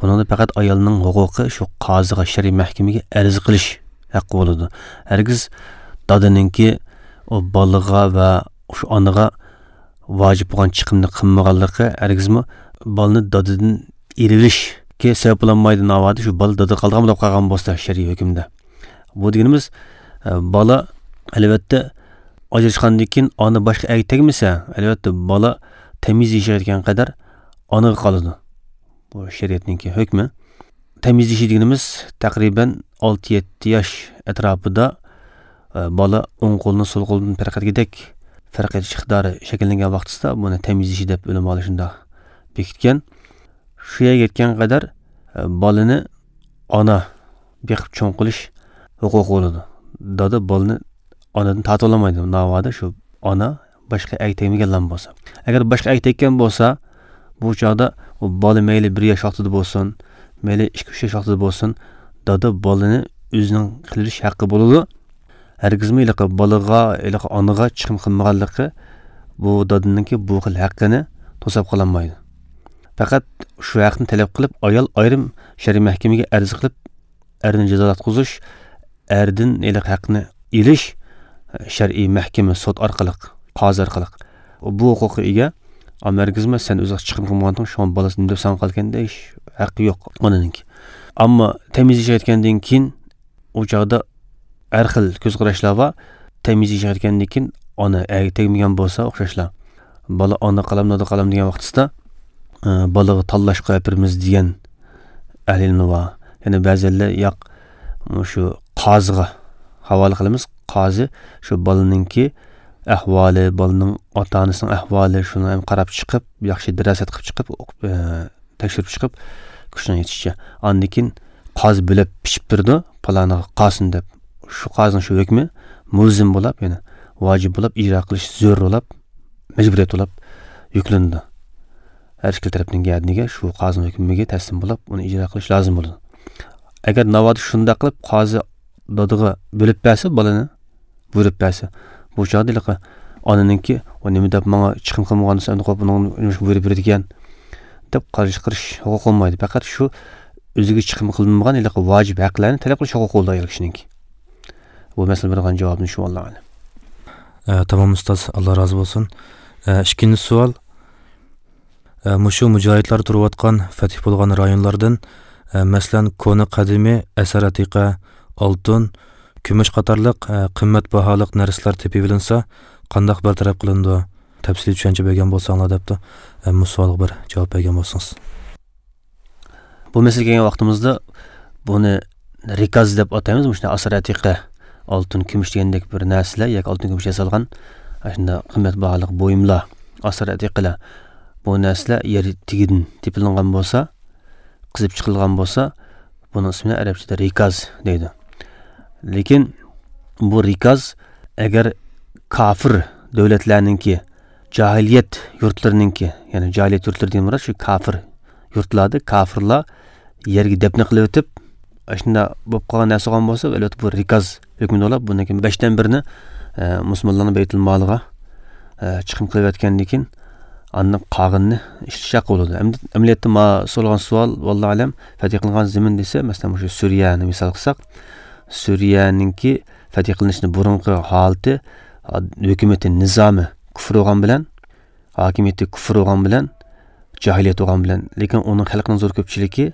بۇنىڭدا پەقەت ئايالنىڭ ھوقۇقى شۇ قازىغا، شەرئىي مەھكىمىگە ئەرز قىلىش ھەققى بولىدۇ. ھەرگىز دادىنىڭكى ئۇ بالىغا ۋە شۇ ئانىغا ۋاجىپ بولغان چىقىمنى قىلمىغانلىقى ھەرگىزمۇ بالىنى دادىدىن ئېلىۋېلىشكە سەۋەب بولالمايدۇ. ناۋادا شۇ بالا دادىدا قالىدىغان بولۇپ قالغان بولسا شەرئىي ھۆكۈمدە. بۇ دېگىنىمىز، ئە، بالا، ئەلۋەتتە، ئاجراشقاندىن كېيىن ئانا باشقا ئەرگە تەگمىسە، ئەلۋەتتە، بالا تەميىز يېشىغا يەتكەن قەدەر ئانىغا قالىدۇ. بۇ شەرىئەتنىڭكى ھۆكمى. تەميىز يېشى دېگىنىمىز تەقرىبەن ئالتە يەتتە ياش ئەتراپىدا، ئە، بالا ئوڭ قولىنى سول قولىدىن پەرق ئەتكۈدەك پەرق ئېتىش ئىقتىدارى شەكىللەنگەن ۋاقتىسىدا بۇنى تەميىز يېشى دەپ ئۆلىمالار شۇنداق بېكىتكەن. شۇ يەرگە يەتكەن قەدەر، ئە، بالىنى ئانا بېقىپ چوڭ قىلىش ھوقۇقى بولىدۇ. دادا بالىنى ئانىدىن تارتىۋالالمايدۇ، ناۋادا شۇ ئانا باشقا ئەرگە تەگمىگەنلا بولسا. ئەگەر باشقا ئەرگە تەگكەن بولسا، بۇ چاغدا ئۇ بالا مەيلى بىر ياش ۋاقتىدا بولسۇن، مەيلى ئىككى، ئۈچ ياش ۋاقتىدا بولسۇن، دادا بالىنى ئۆزىنىڭ قىلىۋېلىش ھەققى بولىدۇ. ھەرگىزمۇ ھېلىقى بالىغا، ھېلىقى ئانىغا چىقىم قىلمىغانلىقى بۇ دادىنىڭكى بۇ خىل ھەققىنى توساپ قالالمايدۇ. پەقەت شۇ ھەقنى تەلەپ قىلىپ، ئايال ئايرىم شەرئىي مەھكىمىگە ئەرز قىلىپ، ئەرنى جازالاتقۇزۇش، ئەردىن ھېلىقى ھەقنى ئېلىش شەرئىي مەھكىمە، سوت ئارقىلىق، قازى ئارقىلىق. بۇ ھوقۇققا ئىگە. ئەمما ھەرگىزمۇ سەن ئۆزۈڭ چىقىم قىلمىغاندىڭ، شۇڭا بالىسى نېمە دەپ ساڭا قالىكەن دەش ھەققى يوق ئانىنىڭكى. ئەمما تەميىز يېشىغا يەتكەندىن كېيىن ئۇ چاغدا ھەر خىل كۆز قاراشلار بار. تەميىز يېشىغا يەتكەندىن كېيىن ئانا ئەگە تەگمىگەن بولسا ئوخشاشلا، بالا ئانا قالام، دادا قالام دېگەن ۋاقتىسىدا، ئە، بالىغا تاللاشقا ئەپىرىمىز دېگەن ئەھلى ئىلمى بار. يەنە بەزىلەر ياق، مۇشۇ قازىغا ھاۋالە قىلىمىز. قازى شۇ بالىنىڭكى ئەھۋالى، بالىنىڭ ئاتا-ئانىسىنىڭ ئەھۋالى، شۇنى ھەم قاراپ چىقىپ، ياخشى دىراسەت قىلىپ چىقىپ، ئوقۇپ، ئە، تەكشۈرۈپ چىقىپ، كۈچىنىڭ يېتىشىچە. ئاندىن كېيىن قازى بۆلەپ پىشىپ بېرىدۇ، پالانىغا قالسۇن دەپ. شۇ قازىنىڭ شۇ ھۆكمى مۇلزىم بولاپ، يەنى ۋاجىپ بولاپ، ئىجرا قىلىش زۆرۈر بولاپ، مەجبۇرىيەت بولاپ يۈكلىنىدۇ. ھەر ئىككىلا تەرەپنىڭ گەدىنىگە شۇ قازىنىڭ ھۆكمىگە تەسلىم بولاپ، ئۇنى ئىجرا قىلىش لازىم بولىدۇ. ئەگەر ناۋادا شۇنداق قىلىپ قازى دادىغا بۆلۈپ بەرسە بالىنى، بۇيرۇپ بەرسە، بۇ چاغدا ھېلىقى ئانىنىڭكى، «ئۇ نېمە دەپ ماڭا چىقىم قىلمىغاندىسا، ئەمدى قويۇپ بۇنىڭ نېمە ئىشقا بۇيرۇپ بېرىدىكەن؟» دەپ قارشى قىلىش ھوقۇقى بولمايدۇ. پەقەت شۇ ئۆزىگە چىقىم قىلىنمىغان ھېلىقى ۋاجىپ ھەقلەرنى تەلەپ قىلىش ھوقۇقى بولىدۇ ئايال كىشىنىڭكى. بۇ مەسىلىگە بېرىدىغان جاۋابىم شۇ، ۋاللاھۇ ئەلەم. ئە، تامام ئۇستاز، ئاللا رازى بولسۇن. ئە، ئىككىنچى سوئال. ئە، مۇشۇ مۇجاھىدلار تۇرۇۋاتقان، فەتھ بولغان رايونلاردىن، ئە، مەسىلەن، كونا قەدىمىي، ئەسەر ئەتىقە، ئالتۇن، كۈمۈش قاتارلىق، ئە، قىممەت باھالىق نەرسىلەر تېپىۋېلىنسا، قانداق بىر تەرەپ قىلىنىدۇ؟ تەپسىلىي چۈشەنچە بەرگەن بولساڭلار دەپتۇ. ئە، مۇشۇ سوئالغا بىر جاۋاب بەرگەن بولسىڭىز. بۇ مەسىلىگە كەلگەن ۋاقتىمىزدا بۇنى رىكاز دەپ ئاتايمىز. مۇشۇنداق ئاسار ئەتىقە، ئالتۇن، كۈمۈش دېگەندەك بىر نەرسىلەر ياكى ئالتۇن، كۈمۈش ياسالغان ئاشۇنداق قىممەت باھالىق بۇيۇملار، ئاسار ئەتىقىلەر، بۇ نەرسىلەر يەر تېگىدىن تېپىلىنغان بولسا، قېزىپ چىقىلغان بولسا، بۇنىڭ ئىسمىنى ئەرەبچىدە رىكاز دەيدۇ. لېكىن بۇ رىكاز ئەگەر كاپىر دۆلەتلەرنىڭكى، جاھىلىيەت يۇرتلىرىنىڭكى، يەنى جاھىلىيەت يۇرتلىرى دېگەن مۇراد شۇ كاپىر يۇرتلاردا، كاپىرلار يەرگە دەپنە قىلىۋېتىپ، ئاشۇنداق بولۇپ قالغان نەرسە بولغان بولسا، ئەلۋەتتە بۇ رىكاز ھۆكمىدە بولۇپ، بۇنىڭكى بەشتىن بىرىنى، ئە، مۇسۇلمانلارنىڭ بەيتۇل مالىغا، ئە، چىقىم قىلىۋەتكەندىن كېيىن، ئاندىن قالغىنىنى ئىشلىتىش ھەققى بولىدۇ. ئەمدى ئەمەلىيەتتە ما سورىغان سوئال، ۋاللاھۇ ئەلەم، فەتھ قىلىنغان زېمىن دېسە، مەسىلەن، مۇشۇ سۈرىيەنى مىسال قىلساق، سۈرىيەنىڭكى فەتھ قىلىنىشىنىڭ بۇرۇنقى ھالىتى، ھۆكۈمىتى، نىزامى كۇفر بولغان بىلەن، ھاكىمىيىتى كۇفر بولغان بىلەن، جاھىلىيەت بولغان بىلەن، لېكىن ئۇنىڭ خەلقىنىڭ زور كۆپچىلىكى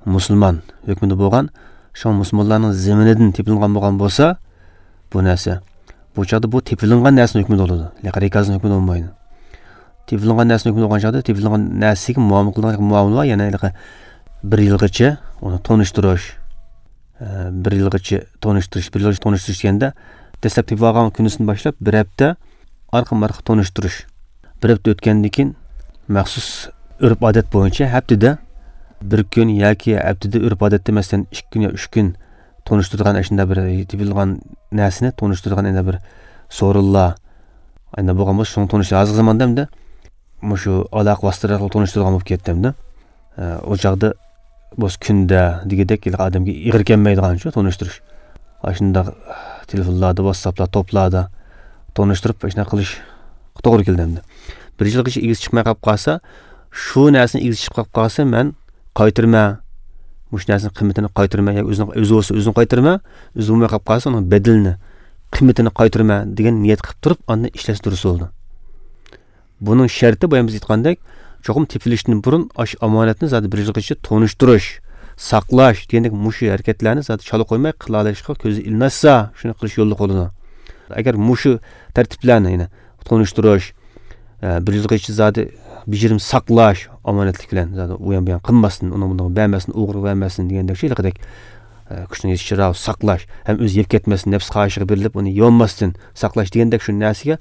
مۇسۇلمان ھۆكمىدە بولغان، شۇڭا مۇسۇلمانلارنىڭ زېمىنىدىن تېپىلغان بولغان بولسا، بۇ نەرسە، بۇ چاغدا بۇ تېپىلىنغان نەرسىنىڭ ھۆكمىدە بولىدۇ، لېكىن رىكازنىڭ ھۆكمىدە بولمايدۇ. تېپىلىنغان نەرسىنىڭ ھۆكمىدە بولغان چاغدا تېپىلىنغان نەرسىگە مۇئامىلە قىلىدىغان مۇئامىلە بار، يەنى ھېلىقى بىر يىلغىچە ئۇنى تونۇشتۇرۇش، ئە، بىر يىلغىچە تونۇشتۇرۇش، بىر يىلغىچە تونۇشتۇرۇش دېگەندە، دەسلەپ تېپىۋالغان كۈنىسىدىن باشلاپ بىر ھەپتە ئارقىمۇ ئارقا تونۇشتۇرۇش. بىر ھەپتە ئۆتكەندىن كېيىن مەخسۇس ئۆرپ-ئادەت بويىچە ھەپتىدە بىر كۈن ياكى ھەپتىدە ئۆرپ-ئادەتتە، مەسىلەن، ئىككى كۈن يا ئۈچ كۈن تونۇشتۇرىدىغان، ئاشۇنداق بىر تېپىلغان نەرسىنى تونۇشتۇرىدىغان، ئەنە بىر سورۇنلار، ئەنە بولغان بولسا، شۇنى تونۇش-، ھازىرقى زاماندا ئەمدى مۇشۇ ئالاقە ۋاسىتىلىرى ئارقىلىق تونۇشتۇرىدىغان بولۇپ كەتتى ئەمدى. ئە، ئۇ چاغدا بولسا كۈندە دېگۈدەك ھېلىقى ئادەمگە ئېغىر كەلمەيدىغان شۇ تونۇشتۇرۇش. ئاشۇنداق تېلېفونلاردا، ۋاتساپلار، توپلاردا تونۇشتۇرۇپ، ئاشۇنداق قىلىش توغرا كېلىدۇ ئەمدى. بىر يىلغىچە ئىگىسى چىقماي قاپ قالسا، شۇ نەرسىنى ئىگىسى چىقىپ قاپ قالسا، مەن قايتۇرىمەن. مۇشۇ نەرسىنىڭ قىممىتىنى قايتۇرىمەن. ياكى ئۆزىنىڭ، ئۆزى بولسا ئۆزىنى قايتۇرىمەن. ئۆزى بولماي قاپ قالسا، ئۇنىڭ بەدىلىنى، قىممىتىنى قايتۇرىمەن دېگەن نىيەت قىلىپ تۇرۇپ، ئاندىن ئىشلەتسە دۇرۇس بولىدۇ. بۇنىڭ شەرتى، بايام بىز ئېيتقاندەك، چوقۇم تېپىلىشتىن بۇرۇن ئاشۇ ئامانەتنى زادى بىر يىلغىچە تونۇشتۇرۇش، ساقلاش دېگەندەك مۇشۇ ھەرىكەتلەرنى زادى چالا قويماي قىلالىشقا كۆزى ئىلىنىشسا، شۇنى قىلىش يوللۇق بولىدۇ. ئەگەر مۇشۇ تەرتىپلەرنى، يەنى تونۇشتۇرۇش، ئە، بىر يىلغىچە زادى بېجىرىم ساقلاش، ئامانەتلىك بىلەن زادى ئۇيان بۇيان قىلماستىن، ئۇنىڭ بۇنىڭغا بەرمەستىن، ئوغرىغا بەرمەستىن دېگەندەك شۇ ھېلىقىدەك، ئە، كۈچنىڭ يېتىشىچە ساقلاش، ھەم ئۆزى يەپ كەتمەستىن، نەپس خاھىشىغا بېرىلىپ ئۇنى يولماستىن ساقلاش دېگەندەك شۇ نەرسىگە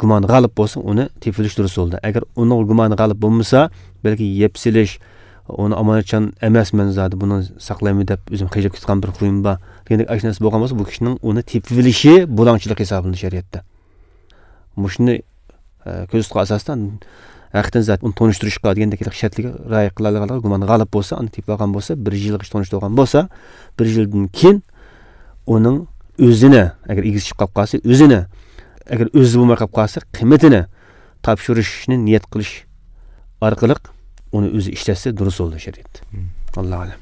گۇمان غالىب بولسا، ئۇنى تېپىۋېلىش دۇرۇس بولىدۇ. ئەگەر ئۇنىڭغا گۇمان غالىب بولمىسا، بەلكى يەپ سېلىش، ئۇنى ئامانەتچان ئەمەس، مەن زادى بۇنى ساقلايمەن دەپ ئۆزۈم خىجىلىپ كېتىدىغان بىر خۇيۇم بار دېگەندەك ئاشۇ نەرسە بولغان بولسا، بۇ كىشىنىڭ ئۇنى تېپىۋېلىشى بۇلاڭچىلىق ھېسابلىنىدۇ شەرىئەتتە. مۇشۇنى، ئە، كۆزىتىش ئاساسىدا ھەقىقەتەن زادى ئۇنى تونۇشتۇرۇشقا دېگەندەك شەرتلەرگە رىئايە قىلالىغانلىقىغا گۇمان غالىب بولسا، ئاندىن تېپىۋالغان بولسا، بىر يىلغىچە تونۇشتۇرغان بولسا، بىر يىلدىن كېيىن ئۇنىڭ ئۆزىنى، ئەگەر ئىگىسى چىقىپ قاپ قالسا، ئۆزىنى، ئەگەر ئۆزى بولماي قاپ قالسا، قىممىتىنى تاپشۇرۇشنى نىيەت قىلىش ئارقىلىق ئۇنى ئۆزى ئىشلەتسە دۇرۇس بولىدۇ شەرىئەتتە. مم. ئاللاھۇ ئەلەم.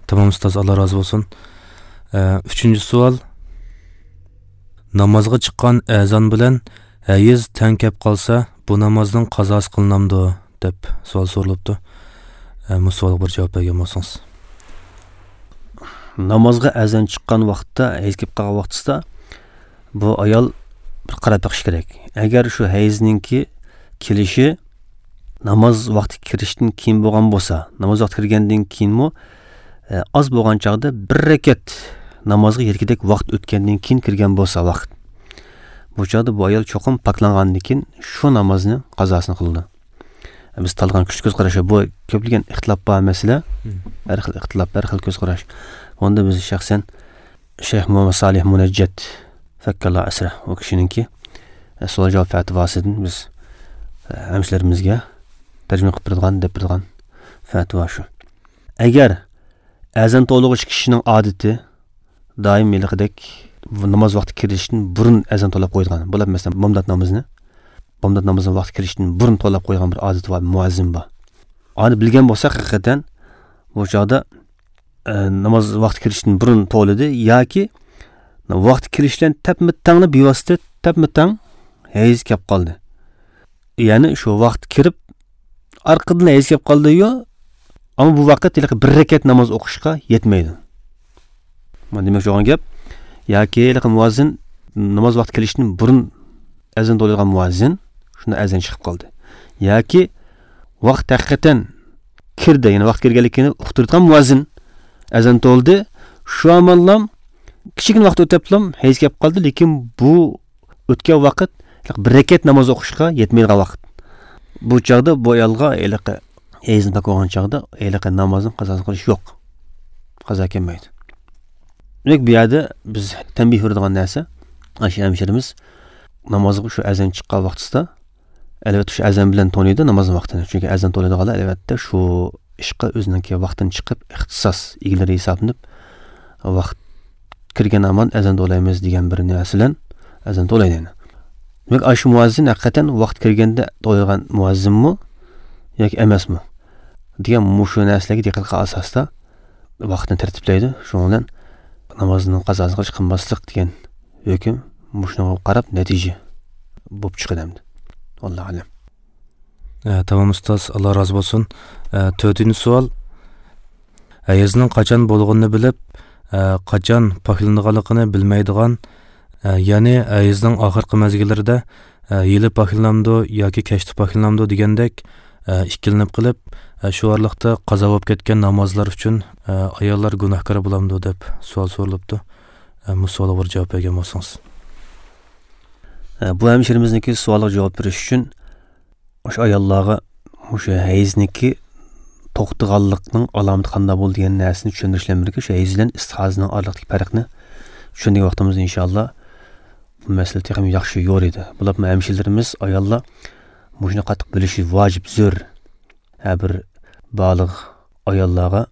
تامام ئۇستاز، ئاللا رازى بولسۇن. ئە، ئۈچىنچى سوئال. نامازغا چىققان ئەزان بىلەن ھەيز تەڭ كەپ قالسا، بۇ نامازنىڭ قازاسى قىلىنامدۇ؟ دەپ سوئال سورىلىپتۇ. ئە، مۇشۇ سوئالغا بىر جاۋاب بەرگەن بولسىڭىز. نامازغا ئەزان چىققان ۋاقىتتا، ھەيز كېلىپ قالغان ۋاقتىسىدا بۇ ئايال بىر قاراپ بېقىشى كېرەك. ئەگەر شۇ ھەيزنىڭكى كېلىشى ناماز ۋاقتى كىرىشتىن كېيىن بولغان بولسا، ناماز ۋاقتى كىرگەندىن كېيىنمۇ، ئە، ئاز بولغان چاغدا بىر رەكەت نامازغا يەتكۈدەك ۋاقىت ئۆتكەندىن كېيىن كىرگەن بولسا ۋاقىت، بۇ چاغدا بۇ ئايال چوقۇم پاكلانغاندىن كېيىن شۇ نامازنى قازاسىنى قىلىدۇ. بىز تاللىغان كۆز قاراشلار، بۇ كۆپلىگەن ئىختىلاپ بار مەسىلە. مم. ھەر خىل ئىختىلاپ، ھەر خىل كۆز قاراش. ئۇندا بىز شەخسەن شەيخ مۇھەممەد سالىھ مۇنەججەت، فەككەللا ئەسرە، ئۇ كىشىنىڭكى، ئە، سوئال جاۋاب پەتىۋاسىدىن بىز، ئە، ھەمشىلىرىمىزگە تەرجىمە قىلىپ بېرىدىغان، دەپ بېرىدىغان پەتىۋا شۇ. ئەگەر ئەزان توۋلىغۇچى كىشىنىڭ ئادىتى دائىم ھېلىقىدەك ناماز ۋاقتى كىرىشتىن بۇرۇن ئەزان توۋلاپ قويىدىغان، بۇلار مەسىلەن بامدات نامىزىنى، بامدات نامىزىنى ۋاقتى كىرىشتىن بۇرۇن توۋلاپ قويغان بىر ئادىتى بار، مۇئەززىن بار. ئانى بىلگەن بولساق ھەقىقەتەن بۇ چاغدا، ئە، ناماز ۋاقتى كىرىشتىن بۇرۇن توۋلىدى ياكى ۋاقتى كىرىش بىلەن تەپمۇ تەڭلا بىۋاسىتە تەپمۇ تەڭ ھەيز كەپ قالدى. يەنى شۇ ۋاقىت كىرىپ، ئارقىدىن ھەيز كەپ قالدى-يۇ، ئەمما بۇ ۋاقىت ھېلىقى بىر رەكەت ناماز ئوقۇشقا يەتمەيدۇ. مانا دېمەكچى بولغان گەپ، ياكى ھېلىقى مۇئەززىن ناماز ۋاقتى كېلىشتىن بۇرۇن ئەزان توۋلايدىغان مۇئەززىن شۇنداق ئەزان چىقىپ قالدى. ياكى ۋاقىت ھەقىقەتەن كىردى، يەنى ۋاقىت كىرگەنلىكىنى ئۇقتۇرىدىغان مۇئەززىن ئەزان توۋلىدى. شۇ ئاماللام كىچىككىنە ۋاقىت ئۆتەپلام ھەيز كەپ قالدى، لېكىن بۇ ئۆتكەن ۋاقىت بىر رەكەت ناماز ئوقۇشقا يەتمەيدىغان ۋاقىت. بۇ چاغدا بۇ ئايالغا ھېلىقى ھەيزنى پاك بولغان چاغدا ھېلىقى نامازنىڭ قازاسىنى قىلىش يوق. قازا كەلمەيدۇ. دېمەك، بۇ يەردە بىز تەنبىھ بېرىدىغان نەرسە، ئاشۇ ھەمشىرىمىز نامازغا شۇ ئەزان چىققان ۋاقتىسىدا، ئەلۋەتتە، شۇ ئەزان بىلەن تونۇيدۇ نامازنىڭ ۋاقتىنى. چۈنكى ئەزان توۋلايدىغانلار، ئەلۋەتتە، شۇ ئىشقا ئۆزىنىڭكى ۋاقتىنى چىقىپ، ئىختىساس ئىگىلىرى ھېسابلىنىپ، ۋاقىت كىرگەن ھامان ئەزان توۋلايمىز دېگەن بىر نەرسە بىلەن ئەزان توۋلايدۇ يەنە. دېمەك، ئاشۇ مۇئەززىن ھەقىقەتەن ۋاقىت كىرگەندە توۋلايدىغان مۇئەززىنمۇ ياكى ئەمەسمۇ دېگەن مۇشۇ نەرسىلەرگە دىققەت قىلغان ئاساستا ۋاقىتنى تەرتىپلەيدۇ. شۇنىڭ بىلەن نامازنىڭ قازاسىنى قىلىش قىلماسلىق دېگەن ھۆكۈم مۇشۇنىڭغا قاراپ نەتىجە بولۇپ چىقىدۇ ئەمدى. ۋاللاھۇ ئەلەم. ئە، تامام ئۇستاز، ئاللا رازى بولسۇن. ئە، تۆتىنچى سوئال. ھەيزنىڭ قاچان بولغىنىنى بىلىپ، ئە، قاچان پاكلىنىدىغانلىقىنى بىلمەيدىغان، ئە، يەنى ھەيزنىڭ ئاخىرقى مەزگىللىرىدە، ئە، ھېلى پاكلىنامدۇ ياكى كەچتە پاكلىنامدۇ دېگەندەك، ئە، ئىككىلىنىپ قېلىپ، ئە، شۇ ئارىلىقتا قازا بولۇپ كەتكەن نامازلار ئۈچۈن، ئە، ئاياللار گۇناھكار بولامدۇ دەپ سوئال سورىلىپتۇ. ئە، مۇشۇ سوئالغا بىر جاۋاب بەرگەن بولسىڭىز. ئە، بۇ ھەمشىرىمىزنىڭكى سوئالىغا جاۋاب بېرىش ئۈچۈن، مۇشۇ ئاياللارغا مۇشۇ ھەيزنىڭكى توختىغانلىقنىڭ ئالامىتى قانداق بولىدۇ دېگەن نەرسىنى چۈشەندۈرۈش بىلەن بىرگە، شۇ ھەيز بىلەن ئىستىھازىنىڭ ئارىلىقتىكى پەرقنى چۈشەنگەن ۋاقتىمىزدا، ئىنشاللا، بۇ مەسىلە تېخىمۇ ياخشى يورۇيدۇ. بولۇپمۇ ھەمشىرىلىرىمىز، ئاياللار مۇشۇنى قاتتىق بىلىشى ۋاجىپ، زۆرۈر. ھەر بىر بالىغ ئاياللارغا،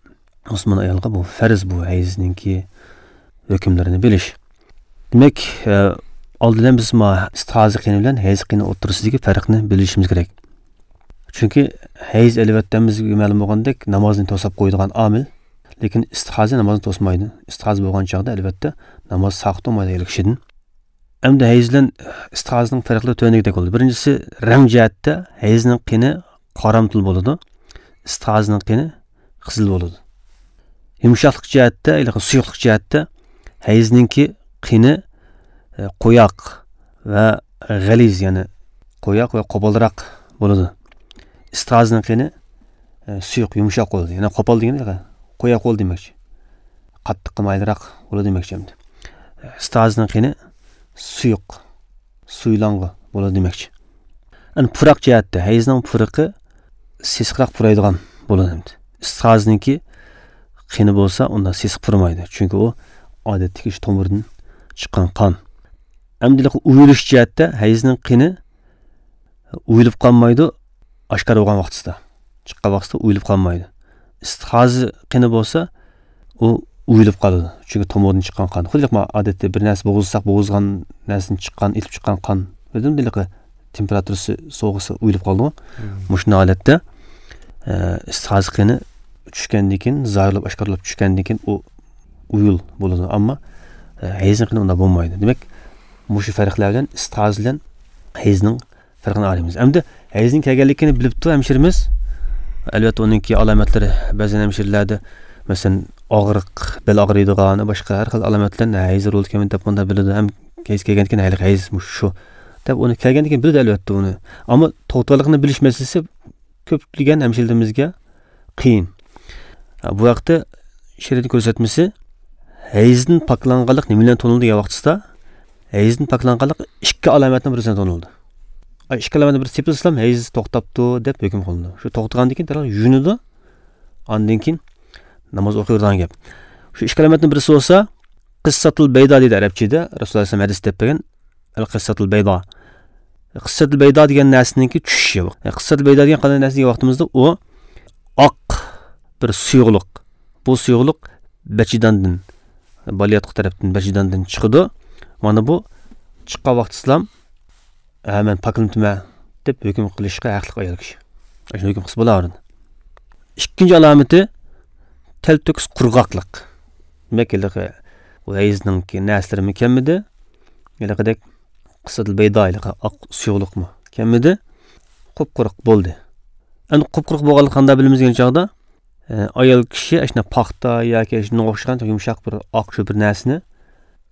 مۇسۇلمان ئايالغا بۇ پەرز، بۇ ھەيزنىڭكى ھۆكۈملىرىنى بىلىش. دېمەك، ئە، ئالدىدا بىز ما ئىستىھازە قېنى بىلەن ھەيز قېنى ئوتتۇرىسىدىكى پەرقنى بىلىشىمىز كېرەك. چۈنكى ھەيز، ئەلۋەتتە، بىزگە مەلۇم بولغاندەك، نامازنى توساپ قويىدىغان ئامىل، لېكىن ئىستىھازە نامازنى توسمايدۇ. ئىستىھازە بولغان چاغدا، ئەلۋەتتە، ناماز ساقىت بولمايدۇ ھېلىقى كىشىدىن. ئەمدى ھەيز بىلەن ئىستىھازىنىڭ پەرقلىرى تۆۋەندىكىدەك بولىدۇ. بىرىنچىسى، رەڭ جەھەتتە ھەيزنىڭ قېنى قارامتۇل بولىدۇ، ئىستىھازىنىڭ قېنى قىزىل بولىدۇ. يۇمشاقلىق جەھەتتە، ھېلىقى سۇيۇقلۇق جەھەتتە ھەيزنىڭكى قېنى، ئە، قويۇق ۋە غەلىز، يەنى قويۇق ۋە قوپالراق بولىدۇ. ئىستىھازىنىڭ قېنى، ئە، سۇيۇق، يۇمشاق بولىدۇ. يەنى قوپال دېگەن قويۇق بولىدۇ دېمەكچى. قاتتىققا مايىلراق بولىدۇ دېمەكچى ئەمدى. ئىستىھازىنىڭ قېنى سۇيۇق، سۇيۇلغان بولىدۇ دېمەكچى. ئەنە پۇراق جەھەتتە ھەيزنىڭ پۇرىقى سېسىقراق پۇرايدىغان بولىدۇ ئەمدى. ئىستىھازىنىڭكى قېنى بولسا ئۇنداق سېسىق پۇرىمايدۇ. چۈنكى ئۇ ئادەتتىكى شۇ تومۇردىن چىققان قان. ئەمدى ئۇيۇلۇش جەھەتتە ھەيزنىڭ قېنى ئۇيۇلۇپ قالمايدۇ، ئاشكارا بولغان ۋاقتىسىدا. چىققان ۋاقتىسىدا ئۇيۇلۇپ قالمايدۇ. ئىستىھازا قېنى بولسا، ئۇ ئۇيۇلۇپ قالىدۇ. چۈنكى تومۇردىن چىققان قان. خۇددى ما ئادەتتە بىر نەرسە بوغۇزلىساق، بوغۇزلىغان نەرسىدىن چىققان، ئېتىلىپ چىققان قان. بىلدىڭمۇ، ھېلىقى تېمپېراتۇرىسى سوغۇسا ئۇيۇلۇپ قالىدۇ. مم. مۇشۇنداق ھالەتتە، ئە، ئىستىھازا قېنى چۈشكەندىن كېيىن، زاھىرلاپ، ئاشكارىلاپ چۈشكەندىن كېيىن ئۇ ئۇيۇل بولىدۇ. ئەمما، ئە، ھەيزنىڭ قېنى ئۇنداق بولمايدۇ. دېمەك، مۇشۇ پەرقلەر بىلەن ئىستىھازا بىلەن ھەيزنىڭ پەرقىنى ئايرىمىز. ئەمدى ھەيزنىڭ كەلگەنلىكىنى بىلىپتۇ ھەمشىرىمىز. ئەلۋەتتە، ئۇنىڭكى ئالامەتلىرى بەزەن ھەمشىرىلەردە، مەسىلەن، ئاغرىق، بەل ئاغرىيدىغان، باشقا ھەر خىل ئالامەت بىلەن ھەيز رول كەلگەن دەپ مۇنداق بىلىدۇ. ھەم ھەيز كەلگەندىكىن ھەيز مۇشۇ شۇ دەپ ئۇنى كەلگەندىكىن بىلىدۇ ئەلۋەتتە ئۇنى. ئەمما توختىغانلىقىنى بىلىش مەسىلىسى كۆپلىگەن ھەمشىرىلىرىمىزگە قىيىن. بۇ ھەقتە شەرىئەتنىڭ كۆرسەتمىسى، ھەيزدىن پاكلانغانلىق نېمە بىلەن تونۇلىدۇ دېگەن ۋاقتىسىدا، ھەيزدىن پاكلانغانلىق ئىككى ئالامەتنىڭ بىرسىدىن تونۇلىدۇ. ئاي، ئىككى ئالامەتنىڭ بىرسى تېپىلسىلا ھەيز توختاپتۇ دەپ ھۆكۈم قىلىنىدۇ. شۇ توختىغاندىن كېيىن دەرھال يۇيۇنىدۇ، ئاندىن كېيىن ناماز ئوقۇيدىغان گەپ. شۇ ئىككى ئالامەتنىڭ بىرسى بولسا، قىسساتۇل بەيدا دەيدۇ ئەرەبچىدە، رەسۇلۇللاھ ئەلەيھىسسالام ھەدىس دەپ بەرگەن، ئەل قىسساتۇل بەيدا. قىسساتۇل بەيدا دېگەن نەرسىنىڭكى چۈشۈشى. قىسساتۇل بەيدا دېگەن قانداق نەرسە دېگەن ۋاقتىمىزدا، ئۇ ئاق بىر سۇيۇقلۇق. بۇ سۇيۇقلۇق بەچىداندىن، بالىياتقۇ تەرەپتىن بەچىداندىن چىقىدۇ. مانا بۇ چىققان ۋاقتىسىلام، ھە، مەن پاكلىنىپتىمەن دەپ ھۆكۈم قىلىشقا ھەقلىق ئايال كىشى. شۇ ھۆكۈم قىلسا بولاۋېرىدۇ. ئىككىنچى ئالامىتى، تەلتۆكۈس قۇرغاقلىق. دېمەك، ھېلىقى بۇ ھەيزنىڭكى نەرسىلىرىمۇ كەلمىدى. ھېلىقىدەك قىسساتۇل بەيدا، ھېلىقى ئاق سۇيۇقلۇقمۇ كەلمىدى. قۇپقۇرۇق بولدى. ئەمدى قۇپقۇرۇق بولغانلىقى قانداق بىلىمىز دېگەن چاغدا، ئە، ئايال كىشى ئاشۇنداق پاختا ياكى شۇنىڭغا ئوخشىغان يۇمشاق بىر ئاق شۇ بىر نەرسىنى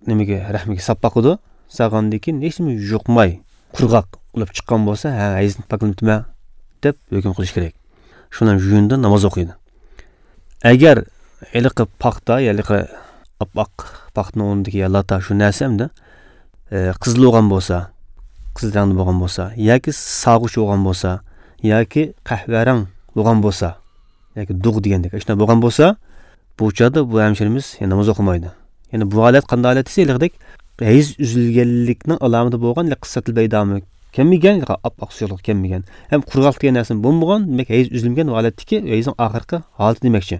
نېمىگە، رەھمىگە ساپ باقىدۇ. سالغاندىن كېيىن ھېچنېمە يۇقماي، قۇرغاق بولۇپ چىققان بولسا، ھە، ھەيزدىن پاكلىنىپتىمەن دەپ ھۆكۈم قىلىش كېرەك. شۇنىڭ يۇيۇنىدۇ، ناماز ئوقۇيدۇ. ئەگەر ھېلىقى پاختا، ھېلىقى ئاپئاق پاختىنىڭ ئورنىدىكى يا لاتا شۇ نەرسە ئەمدى، ئە، قىزىل بولغان بولسا، قىزىل رەڭدە بولغان بولسا، ياكى سارغۇچ بولغان بولسا، ياكى قەھۋە رەڭ بولغان بولسا، ياكى دۇغ دېگەندەك، ئاشۇنداق بولغان بولسا، بۇ چاغدا بۇ ھەمشىرىمىز يەنە ناماز ئوقۇمايدۇ. يەنە بۇ ھالەت قانداق ھالەت دېسە، ھېلىقىدەك ھەيز ئۈزۈلگەنلىكنىڭ ئالامىتى بولغان، يەنى قىسسەتىل بەيدامۇ كەلمىگەن، ئاپئاق سۇيۇقلۇق كەلمىگەن، ھەم قۇرغاقلىق دېگەن نەرسىمۇ بولمىغان، دېمەك، ھەيز ئۈزۈلمىگەن ھالەتتىكى ھەيزنىڭ ئاخىرقى ھالىتى دېمەكچى.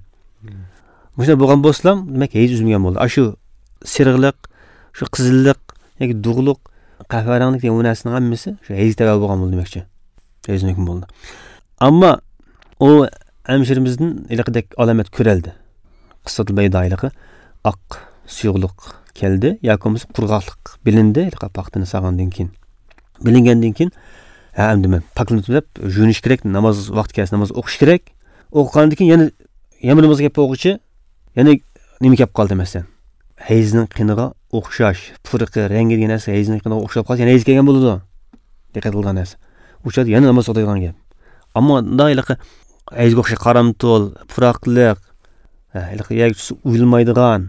مۇشۇنداق بولغان بولسىلا، دېمەك، ھەيز ئۈزۈلمىگەن بولدى. ئاشۇ سېرىقلىق، شۇ قىزىللىق ياكى دۇغلۇق، قەھۋە رەڭلىك دېگەن بۇ نەرسىنىڭ ھەممىسى شۇ ھەيز تەۋە بولغان بولدى دېمەكچى. ھەيز ھۆكمى بولدى. ئەمما ئۇ ھەمشىرىمىزدىن ھېلىقىدەك ئالامەت كۆرەلدى. قىسسەتۇل بەيدا، ھېلىقى ئاق سۇيۇقلۇق كەلدى ياكى بولمىسا قۇرغاقلىق بىلىندى، ھېلىقى پاختىنى سالغاندىن كېيىن. بىلىنگەندىن كېيىن، ھە، ئەمدى مەن پاكلىنىپ دەپ يۇيۇنۇش كېرەك، ناماز ۋاقتى كەلسە ناماز ئوقۇش كېرەك. ئوقۇغاندىن كېيىن يەنە، يەنە بىر نامازغا كەپ بولغۇچە يەنە نېمە كەپ قالدى مەسىلەن؟ ھەيزنىڭ قېنىغا ئوخشاش، پۇرىقى، رەڭگى دېگەن نەرسە ھەيزنىڭ قېنىغا ئوخشاپ قالسا، يەنە ھەيز كەلگەن بولىدۇ. دىققەت قىلغان نەرسە. ئۇ چاغدا يەنە ناماز ئوقۇيدىغان گەپ. ئەمما مۇنداق ھېلىقى ھەيزگە ئوخشاش قارامتۇل، پۇراقلىق، ھە، ھېلىقى يەرگە چۈشسە ئۇيۇلمايدىغان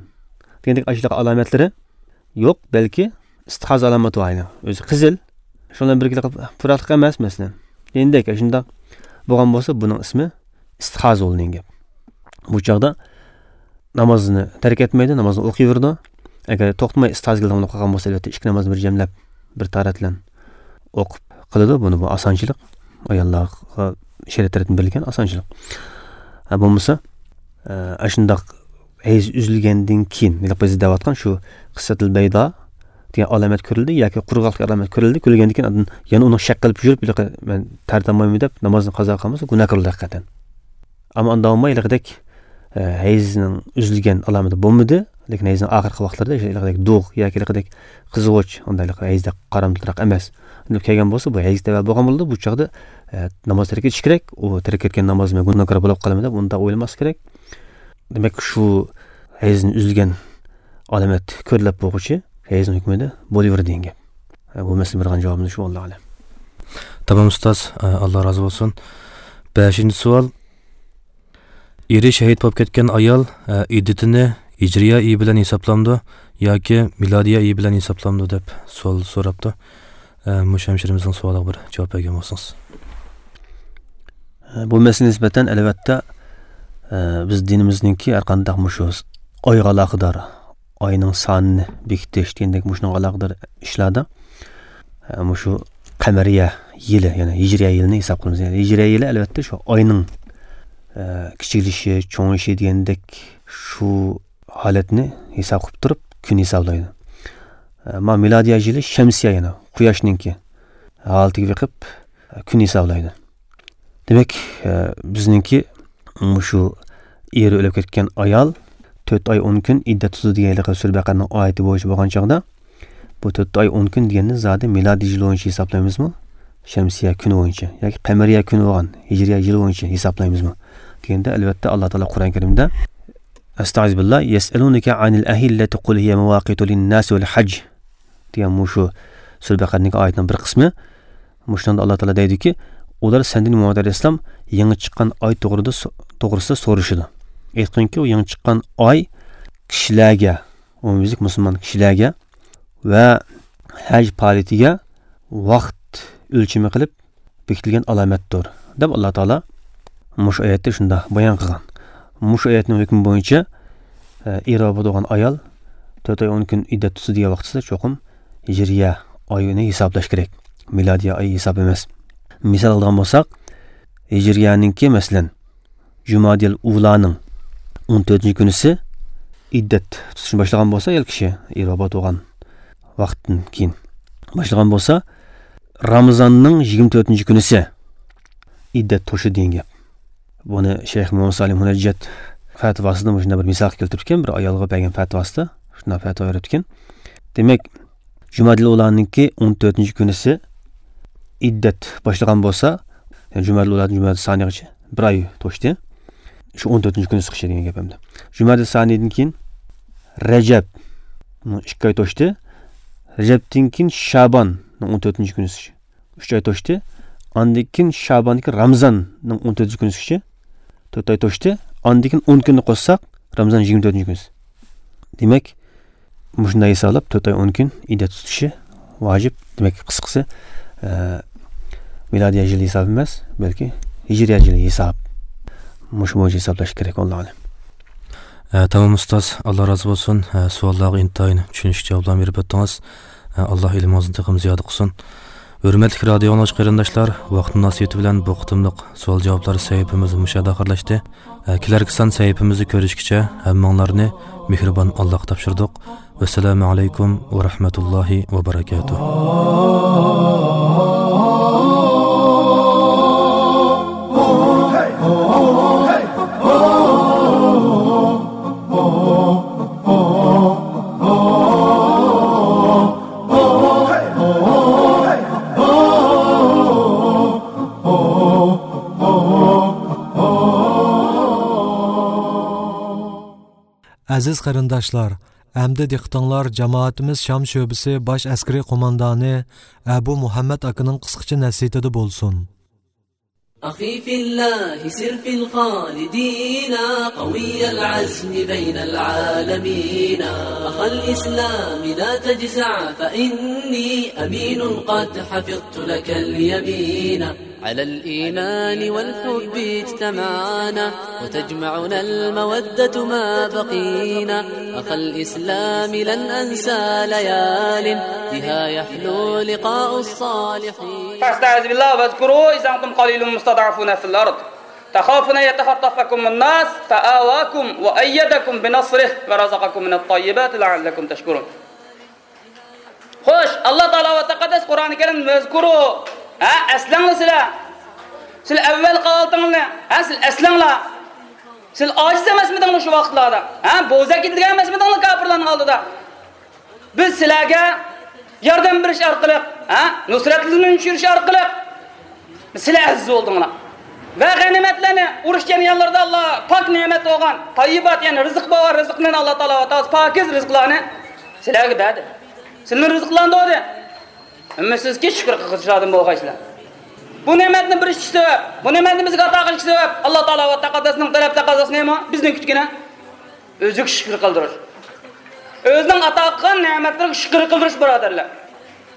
دېگەندەك ئاشۇنداق ئالامەتلىرى يوق، بەلكى ئىستىھازا ئالامىتى بار ئەينى. ئۆزى قىزىل. شۇنىڭ بىلەن بىرگە پۇراقلىق ئەمەس، مەسىلەن. دېگەندەك، شۇنداق بولغان بولسا، بۇنىڭ ئىسمى ئىستىھازا بولىدۇ دېگەن گەپ. بۇ چاغدا نامازنى تەرك ئەتمەيدۇ، نامازنى ئوقۇيۋېرىدۇ. ئەگەر توختىماي ئىستىھازىگە داۋاملىق قىلغان بولسا، ئەلۋەتتە، ئىككى نامازنى بىر جەملەپ، بىر تارەتلەن ئوقۇپ قىلىدۇ. بۇنى بۇ ئاسانچىلىق. ئاياللارغا شەرىئەت تەرەپتىن بېرىلگەن ئاسانچىلىق. ھە، بولمىسا، ئە، ئاشۇنداق ھەيز ئۈزۈلگەندىن كېيىن، ھېلىقى بىز دەۋاتقان شۇ قىسسەتىل بەيدا دېگەن ئالامەت كۆرۈلدى ياكى قۇرغاقلىق ئالامەت كۆرۈلدى. كۆرۈلگەندىن كېيىن ئاندىن يەنە ئۇنى شەك قىلىپ يۈرۈپ، ھېلىقى مەن تارتالمايمەن دەپ نامازنى قازا قىلمىسا گۇناھكار بولىدۇ ھەقىقەتەن. ئەمما ئاندا بولماي ھېلىقىدەك، ئە، ھەيزنىڭ ئۈزۈلگەن ئالامىتى بولمىدى، لېكىن ھەيزنىڭ ئاخىرقى ۋاقىتلىرىدا ھېلىقىدەك دۇغ ياكى ھېلىقىدەك قىزغۇچ، ئانداق ھېلىقى ھەيزدەك قارامتۇلراق ئەمەس. ئۇنداق كەلگەن بولسا، بۇ ھەيز تەۋە بولغان بولىدۇ. بۇ چاغدا، ئە، ناماز تەرك ئېتىش كېرەك. ئۇ تەرك ئەتكەن ناماز مەن گۇناھكار بولۇپ قالىمەن دەپ ئۇنداق ئويلىماسلىق كېرەك. دېمەك، شۇ ھەيزدىن ئۈزۈلگەن ئالامەت كۆرۈلۈپ بولغۇچە ھەيزنىڭ ھۆكمىدە بولۇۋېرىدۇ دېگەن گەپ. ئە، بۇ مەسىلىگە بېرىدىغان جاۋابىمىز شۇ، ۋاللاھۇ ئەلەم. تامام ئۇستاز، ئە، ئاللا رازى بولسۇن. بەشىنچى سوئال. ئېرى شېھىت بولۇپ كەتكەن ئايال، ئە، ئىددىتىنى ھىجرىيە ئېيى بىلەن ھېسابلامدۇ ياكى مىلادىيە ئېيى بىلەن ھېسابلامدۇ دەپ سوئال سوراپتۇ. ئە، مۇشۇ ھەمشىرىمىزنىڭ سوئالىغا بىر جاۋاب بەرگەن بولسىڭىز. ئە، بۇ مەسىلىگە نىسبەتەن، ئەلۋەتتە، ئە، بىز دىنىمىزنىڭكى ھەر قانداق مۇشۇ ئايغا ئالاقىدار، ئاينىڭ سانىنى بېكىتىش دېگەندەك مۇشۇنىڭغا ئالاقىدار ئىشلاردا، ئە، مۇشۇ قەمەرىيە يىلى، يەنى ھىجرىيە يىلىنى ھېساب قىلىمىز. يەنى ھىجرىيە يىلى، ئەلۋەتتە، شۇ ئاينىڭ، ئە، كىچىكلىشى، چوڭىيىشى دېگەندەك شۇ ھالەتنى ھېساب قىلىپ تۇرۇپ كۈن ھېسابلايدۇ. ئەمما مىلادىيە يىلى شەمسىيە، يەنى قۇياشنىڭكى ھالىتىگە بېقىپ، ئە، كۈن ھېسابلايدۇ. دېمەك، ئە، بىزنىڭكى مۇشۇ ئېرى ئۆلۈپ كەتكەن ئايال تۆت ئاي ئون كۈن ئىددەت تۇتىدۇ دېگەن ھېلىقى سۈرە بەقەرىنىڭ ئايىتى بويىچە بولغان چاغدا، بۇ تۆت ئاي ئون كۈن دېگەننى زادى مىلادىي يىل بويىچە ھېسابلايمىزمۇ؟ شەمسىيە كۈنى بويىچە ياكى قەمەرىيە كۈنى بولغان ھىجرىيە يىلى بويىچە ھېسابلايمىزمۇ دېگەندە، ئەلۋەتتە، ئاللا تائالا قۇرئان كەرىمدە، ئەستەئىزۇبىللا، يەسئەلۇنەكە ئەنىل ئەھىللەتى قۇل ھىيە مەۋاقىتۇ لىنناسى ۋەل ھەج دېگەن مۇشۇ سۈرە بەقەرەنىڭكى ئايىتىنىڭ بىر قىسمى. مۇشۇنىڭدا ئاللا تائالا دەيدۇكى، ئۇلار سەندىن، مۇھەممەد ئەلەيھىسسالام، يېڭى چىققان ئاي توغرىدا سو-، توغرىسىدا سورىشىدۇ. ئېيتقىنكى، ئۇ يېڭى چىققان ئاي كىشىلەرگە، ئومۇميۈزلۈك مۇسۇلمان كىشىلەرگە ۋە ھەج پائالىيىتىگە ۋاقىت ئۆلچىمى قىلىپ بېكىتىلگەن ئالامەتتۇر، دەپ ئاللا تائالا مۇشۇ ئايەتتە شۇنداق بايان قىلغان. مۇشۇ ئايەتنىڭ ھۆكمى بويىچە، ئە، ئېرى بولغان ئايال تۆت ئاي ئون كۈن ئىددەت تۇتسا دېگەن ۋاقتىدا چوقۇم ھىجرىيە ئايىنى ھېسابلاش كېرەك. مىلادىيە ئايى ھېساب ئەمەس. مىسال ئالىدىغان بولساق، ھىجرىيەنىڭكى، مەسىلەن، جۇمادىل ئۇلانىڭ ئون تۆتىنچى كۈنىسى ئىددەت تۇتۇشنى باشلىغان بولسا، ئايال كىشى ئېرى ۋاپات بولغان ۋاقىتتىن كېيىن باشلىغان بولسا، رامىزاننىڭ يىگىرمە تۆتىنچى كۈنىسى ئىددەت توشىدۇ دېگەن گەپ. بۇنى شەيخ مۇھەممەد سالىھ مۇنەججەت پەتىۋاسىدا مۇشۇنداق بىر مىسالغا كەلتۈرۈپتىكەن، بىر ئايالغا بەرگەن پەتىۋاسىدا شۇنداق پەتىۋا بېرىپتىكەن. دېمەك، جۇمادىل ئۇلانىڭكى ئون تۆتىنچى كۈنىسى ئىددەت باشلىغان بولسا، يەنى جۇمادىل ئۇلادىن جۇمادىل سانىيغىچە بىر ئاي توشتى. شۇ ئون تۆتىنچى كۈنى چىقىشى دېگەن گەپ ئەمدى. جۇمادىل سانىيدىن كېيىن رەجەب، بۇ ئىككى ئاي توشتى. رەجەبتىن كېيىن شاباننىڭ ئون تۆتىنچى كۈنى چىقىشى، ئۈچ ئاي توشتى. ئاندىن كېيىن شاباندىكى رامىزاننىڭ ئون تۆتىنچى كۈنى چىقىشى، تۆت ئاي توشتى. ئاندىن كېيىن ئون كۈننى قوشساق، رامىزان يىگىرمە تۆتىنچى كۈنى. دېمەك، مۇشۇنداق ھېسابلاپ، تۆت ئاي ئون كۈن ئىددەت تۇتۇشى ۋاجىپ. دېمەك، قىسقىسى، ئە، مىلادىيە يىلى ھېسابى ئەمەس، بەلكى ھىجرىيە يىلى ھېساب. مۇشۇ بويىچە ھېسابلاش كېرەك، ۋاللاھۇ ئەلەم. ئە، تامام ئۇستاز، ئاللا رازى بولسۇن. ئە، سوئاللارغا ئىنتايىن چۈشىنىشلىك جاۋابلارنى بېرىپ ئۆتتىڭىز. ئە، ئاللا ئىلمىڭىزنى تېخىمۇ زىيادە قىلسۇن. ھۆرمەتلىك رادىئو ئاڭلىغۇچى قېرىنداشلار، ۋاقىت مۇناسىۋىتى بىلەن بۇ قېتىملىق سوئال-جاۋابلار سەھىپىمىز مۇشۇ يەردە ئاخىرلاشتى. ئە، كېلەركى سان سەھىپىمىزدە كۆرۈشكىچە ھەممىڭلارنى مېھرىبان ئاللاغا تاپشۇردۇق. ۋەسسالامۇ ئەلەيكۇم ۋە رەھمەتۇللاھى ۋە بەرەكاتۇھ. ئەزىز قېرىنداشلار، ئەمدى دىققىتىڭلار جامائىتىمىز شام شۆبىسى باش ئەسكىرىي قوماندانى ئەبۇ مۇھەممەد ئاكىنىڭ قىسقىچە نەسىھىتىدە بولسۇن. أخي في الله سر في الخالدين، قوي العزم بين العالمين. أخا الإسلام لا تجزع، فإني أمين قد حفظت لك اليمين. على الإيمان والحب اجتمعنا، وتجمعنا المودة ما بقينا. أخا الإسلام لن أنسى ليال، بها يحلو لقاء الصالحين. فاستعذ بالله واذكروا إذ أنتم قليل مستضعفون في الأرض تخافون أن يتخطفكم الناس فآواكم وأيدكم بنصره ورزقكم من الطيبات لعلكم تشكرون. خوش، ئاللا تائالا ۋە تەقەددەس قۇرئان كەرىم، ۋەزكۇرۇ، ھە، ئەسلەڭلار سىلەر. سىلەر ئەۋۋەلقى ھالىتىڭلارنى، ھە، سىلەر ئەسلەڭلار. سىلەر ئاجىز ئەمەسمىدىڭلار شۇ ۋاقىتلاردا؟ ھە، بوزەك ئىدىگەن ئەمەسمىدىڭلار كاپىرلارنىڭ ئالدىدا؟ بىز سىلەرگە ياردەم بېرىش ئارقىلىق، ھە، نۇسرەتلىرىنى چۈشۈرۈش ئارقىلىق سىلەر ئەزىز بولدۇڭلار. ۋە غەنىيمەتلەرنى، ئۇرۇش جەريانلىرىدا ئاللا پاك نېمەت بولغان تاييىبات، يەنى رىزىق بار، رىزىقنى ئاللا تائالا ۋە تائالا پاكىز رىزىقلارنى سىلەرگە بەردى. سىلەرنى رىزىقلاندۇردى. ئۈمىدسىزكى، شۈكۈر قىلغۇچىلاردىن بولغايسىلەر. بۇ نېمەتنى بېرىشكە سەۋەب، بۇ نېمەتنى بىزگە ئاتا قىلىشقا سەۋەب، ئاللا تائالا ۋە تەقەددەسنىڭ تەلەپ تەقەززاسى نېمە؟ بىزدىن كۈتكىنى ئۆزىگە شۈكۈر قىلدۇرۇش. ئۆزىنىڭ ئاتا قىلغان نېمەتلىرىگە شۈكۈر قىلدۇرۇش، بۇرادەرلەر.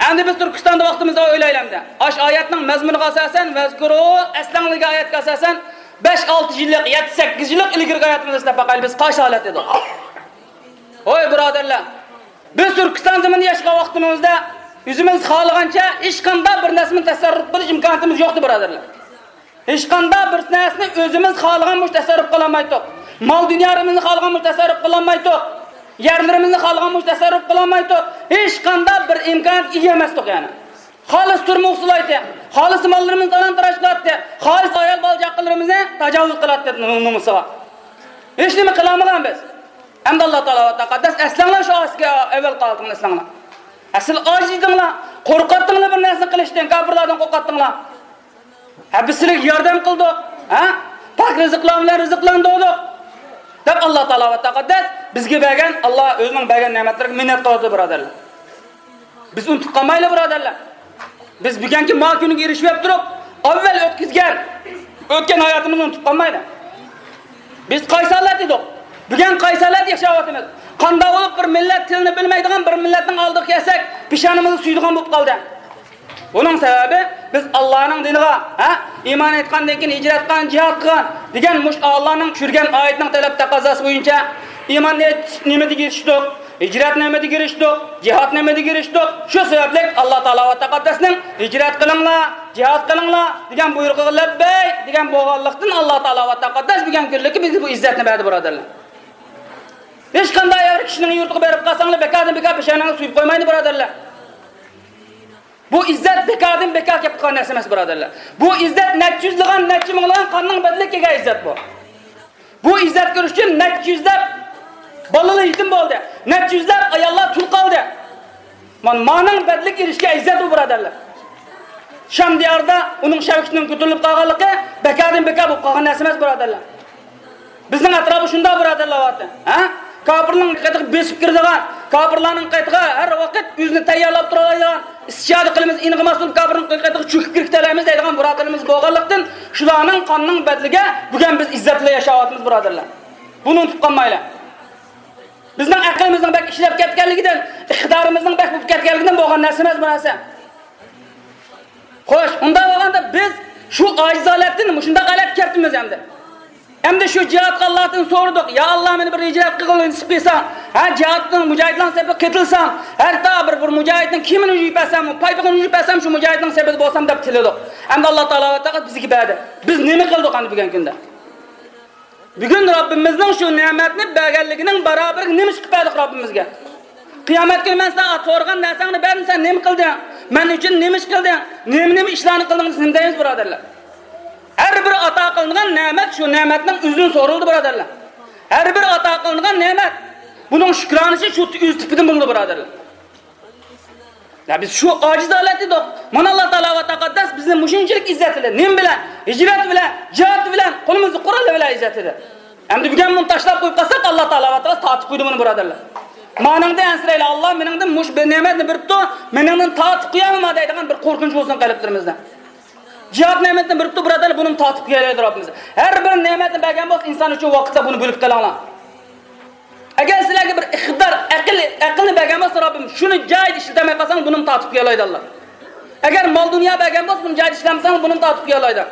ئەمدى بىز تۈركىستاندا ۋاقتىمىزدا ئويلايلى ئەمدى. ئاش ئايەتنىڭ مەزمۇنىغا ئاساسەن، ۋەزكۇرۇ، ئەسلەڭلىگەن ئايەتكە ئاساسەن، بەش ئالتە يىللىق، يەتتە سەككىز يىللىق ئىلگىرىكى ئايەتىمىزنى ئىسلاپ باقايلى، بىز قايسى ھالەتتە ئىدۇق؟ ھوي، بۇرادەرلەر، بىز تۈركىستان زېمىنىدا ياشىغان ۋاقتىمىزدا ئۆزىمىز خالىغانچە ھېچقانداق بىر نەرسىنى تەسەررۇپ قىلىش ئىمكانىيىتىمىز يوقتى، بۇرادەرلەر. ھېچقانداق بىر نەرسىنى ئۆزىمىز خالىغان بويىچە تەسەررۇپ قىلالمايتتۇق. مال دۇنيالىرىمىزنى خالىغان بويىچە تەسەررۇپ قىلالمايتتۇق. يەرلىرىمىزنى خالىغان بويىچە تەسەررۇپ قىلالمايتتۇق. ھېچقانداق بىر ئىمكانىيەتكە ئىگە ئەمەستۇق يەنى. خالىسا تۈرمە ئۇسسۇل ئايتتى. خالىسا ماللىرىمىزنى تالان-تاراج قىلاتتى. خالىسا ئايال بالا-چاقىلىرىمىزنى تاجاۋۇز قىلاتتى نومۇسىغا. ھېچنېمە قىلالمىغان بىز. ئەمدى ئاللا تائالا ۋە تەقەددەس ئەسلەڭلار شۇ ئەسكى ئەۋۋەلقى ھالىتىڭلارنى ئەسلەڭلار. ئەسلى ئاجىز ئىدىڭلار، قورقاتتىڭلار بىر نەرسىنى قىلىشتىن، كاپىرلاردىن قورقاتتىڭلار. ھە، بىز سىلەرگە ياردەم قىلدۇق، ھە، پاك رىزىقلار بىلەن رىزىقلاندۇردۇق، دەپ ئاللا تائالا ۋە تەقەددەس بىزگە بەرگەن، ئاللا ئۆزىنىڭ بەرگەن نېمەتلىرىگە مىننەت قىلىدۇ، بۇرادەرلەر. بىز ئۇنتۇپ قالمايلى، بۇرادەرلەر. بىز بۈگۈنكى ما كۈنگە ئېرىشىۋەپ تۇرۇپ، ئەۋۋەل ئۆتكۈزگەن، ئۆتكەن ھاياتىمىزنى ئۇنتۇپ قالمايلى. بىز قايسى ھالەت ئىدۇق؟ بۈگۈن قايسى ھالەت ياشاۋاتىمىز؟ قانداق بولۇپ بىر مىللەت تىلىنى بىلمەيدىغان بىر مىللەتنىڭ ئالدىغا كەلسەك، پېشانىمىزنى سۈيىدىغان بولۇپ قالدى. بۇنىڭ سەۋەبى، بىز ئاللانىڭ دىنىغا، ھە، ئىمان ئېيتقاندىن كېيىن ھىجرەت قىلغان، جىھاد قىلغان دېگەن مۇشۇ ئاللانىڭ چۈشۈرگەن ئايىتىنىڭ تەلەپ تەقەززاسى بويىچە ئىمان ئېيتىش نېمىدە ئېرىشتۇق؟ ھىجرەت نېمىدە ئېرىشتۇق؟ جىھاد نېمىدە ئېرىشتۇق؟ شۇ سەۋەبلىك ئاللا تائالا ۋە تەقەددەسنىڭ ھىجرەت قىلىڭلار، جىھاد قىلىڭلار دېگەن بۇيرۇقىغا لەببەي دېگەن بولغانلىقتىن، ئاللا تائالا ۋە تەقەددەس بۈگۈنكى كۈنلۈككە بىزگە بۇ ئىززەتنى بەردى، بۇرادەرلەر. ھېچقانداق يەر كىشىنىڭ يۇرتىغا بېرىپ قالساڭلار، بىكاردىن بىكار پېشانىڭىزنى سۈيۈپ قويمايدۇ، بۇرادەرلەر. بۇ ئىززەت بىكاردىن بىكار كېلىپ قالغان نەرسە ئەمەس، بۇرادەرلەر. بۇ ئىززەت نەچچە يۈزلىغان، نەچچە مىڭلىغان قاننىڭ بەدىلىگە كەلگەن ئىززەت بۇ. بۇ ئىززەت كۆرۈش ئۈچۈن نەچچە يۈزلەپ بالىلار يېتىم بولدى، نەچچە يۈزلەپ ئاياللار تۇل قالدى. مانا مانىڭ بەدىلىگە ئېرىشكەن ئىززەت بۇ، بۇرادەرلەر. شام دىيارىدا ئۇنىڭ شەۋكىتىنىڭ كۆتۈرۈلۈپ قالغانلىقى بىكاردىن بىكار بولۇپ قالغان نەرسە ئەمەس، بۇرادەرلەر. بىزنىڭ ئەتراپى شۇنداق، بۇرادەرلەر، ۋاتىن. ھە؟ كاپىرلارنىڭ قېتىغا بېسىپ كىرىدىغان، كاپىرلارنىڭ قېتىغا ھەر ۋاقىت ئۆزىنى تەييارلاپ تۇرالايدىغان، ئىستىشادە قىلىمىز، ئېنىقىماس بولۇپ كاپىرنىڭ قېتىغا چۆكۈپ كىرىپ كېتەلەيمىز دەيدىغان بۇرادەرلىرىمىز بولغانلىقتىن، شۇلارنىڭ قانىنىڭ بەدىلىگە بۈگۈن بىز ئىززەت بىلەن ياشاۋاتىمىز، بۇرادەرلەر. بۇنى ئۇنتۇپ قالمايلى. بىزنىڭ ئەقلىمىزنىڭ بەك ئىشلەپ كەتكەنلىكىدىن، ئىقتىدارىمىزنىڭ بەك بولۇپ كەتكەنلىكىدىن بولغان نەرسە ئەمەس بۇ نەرسە. خوش، ئۇنداق بولغاندا بىز شۇ ئاجىز ھالەتتىن مۇشۇنداق ھالەتكە كەپتىمىز ئەمدى. ئەمدى شۇ جىھادقا ئاللادىن سورىدۇق، يا ئاللا، مېنى بىر ھىجرەت قىلغىلى نېسىپ قىلساڭ، ھە، جىھادنىڭ، مۇجاھىدلارنىڭ سېپىگە قېتىلسام، ھەتتا بىر، بىر مۇجاھىدنىڭ كىيىمىنى يۇيۇپ بەرسەم، پايپىقىنى يۇيۇپ بەرسەم، شۇ مۇجاھىدنىڭ سېپىدە بولسام دەپ تىلىدۇق. ئەمدى ئاللا تائالا ۋە تەقەددەس بىزگە بەردى. بىز نېمە قىلدۇق ئەمدى بۈگۈنكى كۈندە؟ بۈگۈن رەببىمىزنىڭ شۇ نېمەتنى بەرگەنلىكىنىڭ بارابىرىگە نېمە ئىش قىلىپ بەردۇق رەببىمىزگە؟ قىيامەت كۈنى مەن ساڭا سورىغان نەرسەڭنى بەردىم، سەن نېمە قىلدىڭ؟ مەن ئۈچۈن نېمە ئىش قىلدىڭ؟ نېمە، نېمە ئىشلارنى قىلدىڭ دېسە، نېمە دەيمىز، بۇرادەرلەر؟ ھەر بىر ئاتا قىلىنغان نېمەت شۇ نېمەتنىڭ ئۆزىدىن سورىلىدۇ، بۇرادەرلەر. ھەر بىر ئاتا قىلىنغان نېمەت، بۇنىڭ شۈكرانىسى شۇ ئۆز تېپىدىن بولىدۇ، بۇرادەرلەر. يا بىز شۇ ئاجىز ھالەتتە ئىدۇق. مانا ئاللا تائالا ۋە تەقەددەس بىزنى مۇشۇنچىلىك ئىززەتلىدى. نېمە بىلەن؟ ھىجرەت بىلەن، جىھاد بىلەن، قولىمىزدا قوراللار بىلەن ئىززەتلىدى. ئەمدى بۈگۈن بۇنى تاشلاپ قويۇپ قالساق، ئاللا تائالا ۋە تەقەددەس تارتىپ قويىدۇ بۇنى، بۇرادەرلەر. مانىڭدىن ئەنسىرەيلى، ئاللا مېنىڭدىن مۇشۇ بىر نېمەتنى بېرىپتۇ، مېنىڭدىن تارتىپ قويامدىما دەيدىغان بىر قورقۇنچ بولسۇن قەلبلىرىمىزدە. جىھاد نېمەتنى بېرىپتۇ، بۇرادەرلەر، بۇنىمۇ تارتىپ قويالايدۇ رەببىمىز. ھەر بىر نېمەتنى بەرگەن بولسا، ئىنسان ئۈچۈن ۋاقىتتا بۇنى بۆلۈپ قېلىڭلار. ئەگەر سىلەرگە بىر ئىقتىدار، ئەقىل، ئەقىلنى بەرگەن بولسا رەببىم، شۇنى جايىدا ئىشلىتەلمەي قالساڭ، بۇنىمۇ تارتىپ قويالايدۇ ئاللا. ئەگەر مال دۇنيا بەرگەن بولسا، بۇنى جايىدا ئىشلەتمىسەڭ، بۇنىمۇ تارتىپ قويالايدۇ.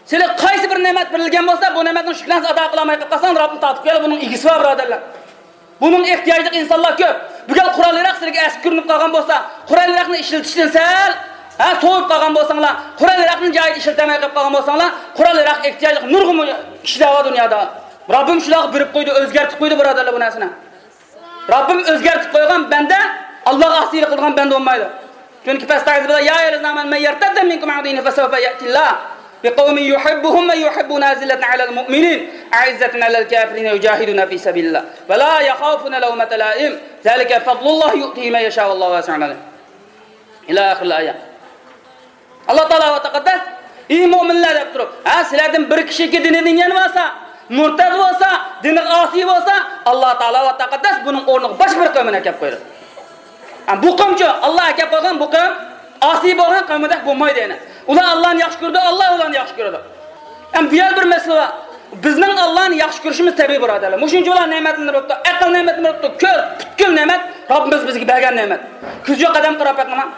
سىلەر قايسى بىر نېمەت بېرىلگەن بولسا، بۇ نېمەتنىڭ شۈكرانىسىنى ئادا قىلالماي قېلىپ قالساڭ، رەببىم تارتىپ قويالايدۇ، بۇنىڭ ئىگىسى بار، بۇرادەرلەر. بۇنىڭ ئېھتىياجلىق ئىنسانلار كۆپ. بۈگۈن قورال ياراق سىلەرگە ئەسكى كۆرۈنۈپ قالغان بولسا، قورال ياراقنى ئىشلىتىشتىن سەل، ھە، سوۋۇپ قالغان بولساڭلار، قورال ياراقنى جايىدا ئىشلىتەلمەي قېلىپ قالغان بولساڭلار، قورال ياراق ئېھتىياجلىق نۇرغۇن كىشىلەر بار دۇنيادا. رەببىم شۇلارغا بېرىپ قويدى، ئۆزگەرتىپ قويدى، بۇرادەرلەر، بۇ نەرسىنى. رەببىم ئۆزگەرتىپ قويغان بەندە ئاللاغا ئاسىيلىق قىلىدىغان بەندە بولمايدۇ. چۈنكى پەستە ئايىتىدە، يا أيها الذين آمنوا من يرتد منكم عن دينه فسوف يأتي الله بقوم يحبهم ويحبونه أذلة على المؤمنين أعزة على الكافرين يجاهدون في سبيل الله ولا يخافون لومة لائم ذلك فضل الله يؤتيه من يشاء والله واسع عليم. إلى آخر الآية. ئاللا تائالا ۋە تەقەددەس، ئى مۆمىنلەر دەپ تۇرۇپ، ھە، سىلەردىن بىر كىشىكى دىنىدىن يەنە بولسا، مۇرتەد بولسا، دىنىغا ئاسىي بولسا، ئاللا تائالا ۋە تەقەددەس بۇنىڭ ئورنىغا باشقا بىر قەۋمنى ئەكەپ قويىدۇ. ھە، بۇ قەۋمچۇ، ئاللا ئەكەپ قويغان بۇ قەۋم ئاسىي بولغان قەۋمدەك بولمايدۇ يەنە. ئۇلار ئاللانى ياخشى كۆرىدۇ، ئاللا ئۇلارنى ياخشى كۆرىدۇ. ھەم بۇ يەردە بىر مەسىلە بار. بىزنىڭ ئاللانى ياخشى كۆرۈشىمىز تەبىئىي، بۇرادەرلەر. مۇشۇنچە ئۇلار نېمەتلەرنى بېرىپتۇ، ئەقىل نېمەتىنى بېرىپتۇ، كۆز، پۈتكۈل نېمەت رەببىمىز بىزگە بەرگەن نېمەت. كۆزى يوق ئادەمگە قاراپ بېقىڭلار.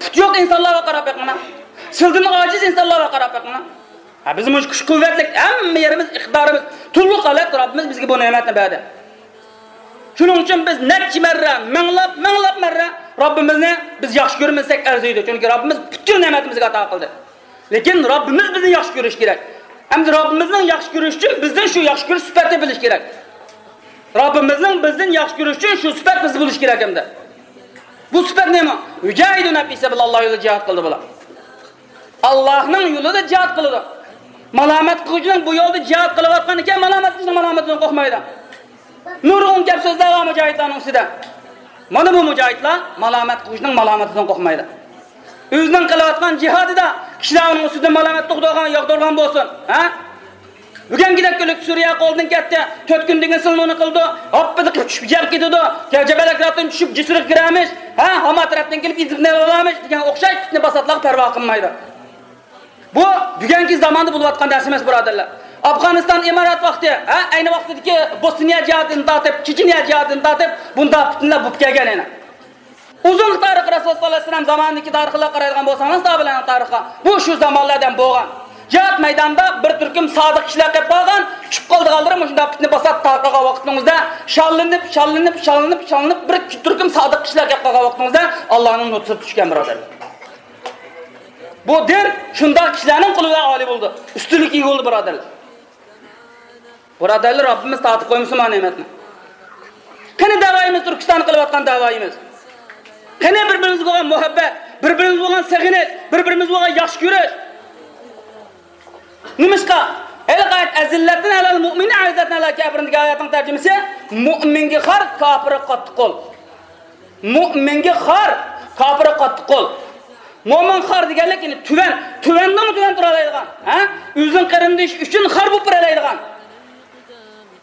پۇتى يوق ئىنسانلارغا قاراپ بېقىڭلار. سىلىدىن ئاجىز ئىنسانلارغا قاراپ بېقىڭلار. ھە، بىز مۇشۇ كۈچ قۇۋۋەتلىك، ھەممە يېرىمىز، ئىقتىدارىمىز تولۇق ھالەتتە رەببىمىز بىزگە بۇ نېمەتنى بەردى. شۇنىڭ ئۈچۈن بىز نەچچە مەررە، مىڭلاپ، مىڭلاپ مەررە رەببىمىزنى بىز ياخشى كۆرمىسەك ئەرزىيدۇ. چۈنكى رەببىمىز پۈتكۈل نېمەتنى بىزگە ئاتا قىلدى. لېكىن رەببىمىز بىزنى ياخشى كۆرۈشى كېرەك. ئەمدى رەببىمىزنىڭ ياخشى كۆرۈشى ئۈچۈن بىزدىن شۇ ياخشى كۆرۈش سۈپەتنى بىلىش كېرەك. رەببىمىزنىڭ بىزدىن ياخشى كۆرۈشى ئۈچۈن شۇ سۈپەت بىزدە بولۇشى كېرەك ئەمدى. بۇ سۈپەت نېمە؟ يۇجاھىدۇنە فى سەبىلىللاھ، ئاللا يولىدا جىھاد قىلدى بۇلار. ئاللانىڭ يولىدا جىھاد قىلىدۇ. مالامەت قىلغۇچىنىڭ بۇ يولدا جىھاد قىلىۋاتقان ئىكەن، مالامەت قىلغۇچىنىڭ مالامىتىدىن قورقمايدۇ. نۇرغۇن گەپ سۆزلەر بار مۇجاھىدلارنىڭ ئۈستىدە. مانا بۇ مۇجاھىدلار مالامەت قىلغۇچىنىڭ مالامىتىدىن قورقمايدۇ. ئۆزىنىڭ قىلىۋاتقان جىھادىدا كىشىلەر ئۇنىڭ ئۈستىدىن مالامەت تۇغدۇرغان، ياغدۇرغان بولسۇن. ھە؟ بۈگۈنكىدەك كۈنلۈك سۈرىيە قولدىن كەتتى، تۆت كۈندىن كېيىن سىلىنى قىلىدۇ، ھاپپىدە چۈشۈپ يەپ كېتىدۇ، جەبەل ئەكراتتىن چۈشۈپ جىسىرغا كىرەرمىش، ھە، ھاما تەرەپتىن كېلىپ ئىزدىنىپ ئالارمىش دېگەن ئوخشاش پىتنە پاساتلارغا پەرۋا قىلمايدۇ. بۇ بۈگۈنكى زاماندا بولۇۋاتقان نەرسە ئەمەس، بۇرادەرلەر. ئافغانىستان، ئىمارات ۋاقتى، ھە، ئەينى ۋاقتىدىكى بوسنىيە جىھادىدىن تارتىپ، چېچىنىيە جىھادىدىن تارتىپ، بۇنداق پىتنىلەر بولۇپ كەلگەن يەنە. ئۇزۇنقى تارىخ، رەسۇل ساللاللاھۇ ئەلەيھى ۋەسەللەم زامانىدىكى تارىخلارغا قارايدىغان بولساڭلار، ساھابىلەرنىڭ تارىخىغا، بۇ شۇ زامانلاردىن بولغان. جىھاد مەيدانىدا بىر تۈركۈم سادىق كىشىلەر قېلىپ قالغان، چۈشۈپ قالىدىغانلىرى مۇشۇنداق پىتنە پاسات تارقىغان ۋاقتىڭىزدا، شاللىنىپ، شاللىنىپ، شاللىنىپ، شاللىنىپ، بىر تۈركۈم سادىق كىشىلەر قېلىپ قالغان ۋاقتىڭىزدا، ئاللانىڭ نۇسرىتى چۈشكەن، بۇرادەرلەر. بۇ دىن شۇنداق كىشىلەرنىڭ قولىدا ئالىي بولىدۇ، ئۈستۈنلۈككە ئىگە بولىدۇ، بۇرادەرلەر. بۇرادەرلەر، رەببىمىز تارتىپ قويمىسۇن مانا نېمەتنى. قېنى دەۋايىمىز، تۈركىستاندا قىلىۋاتقان دەۋايىمىز؟ قېنى بىر-بىرىمىزگە بولغان مۇھەببەت، بىر-بىرىمىزگە بولغان سېغىنىش، بىر-بىرىمىزگە بولغان ياخشى كۆرۈش؟ نېمىشقا؟ ھېلىقى ئايەت، «ئەزىللەتىن ئەلەل مۇئمىنى ئەززەتىن ئەلەل كافىرىن» دېگەن ئايەتنىڭ تەرجىمىسى، مۇئمىنگە خار، كاپىرغا قاتتىق قول. مۇئمىنگە خار، كاپىرغا قاتتىق قول. مۇئمىن خار دېگەنلىك، يەنى تۆۋەن، تۆۋەندىنمۇ تۆۋەن تۇرالايدىغان، ھە؟ ئۆزىنىڭ قېرىندىشى ئۈچۈن خار بولۇپ بېرەلەيدىغان.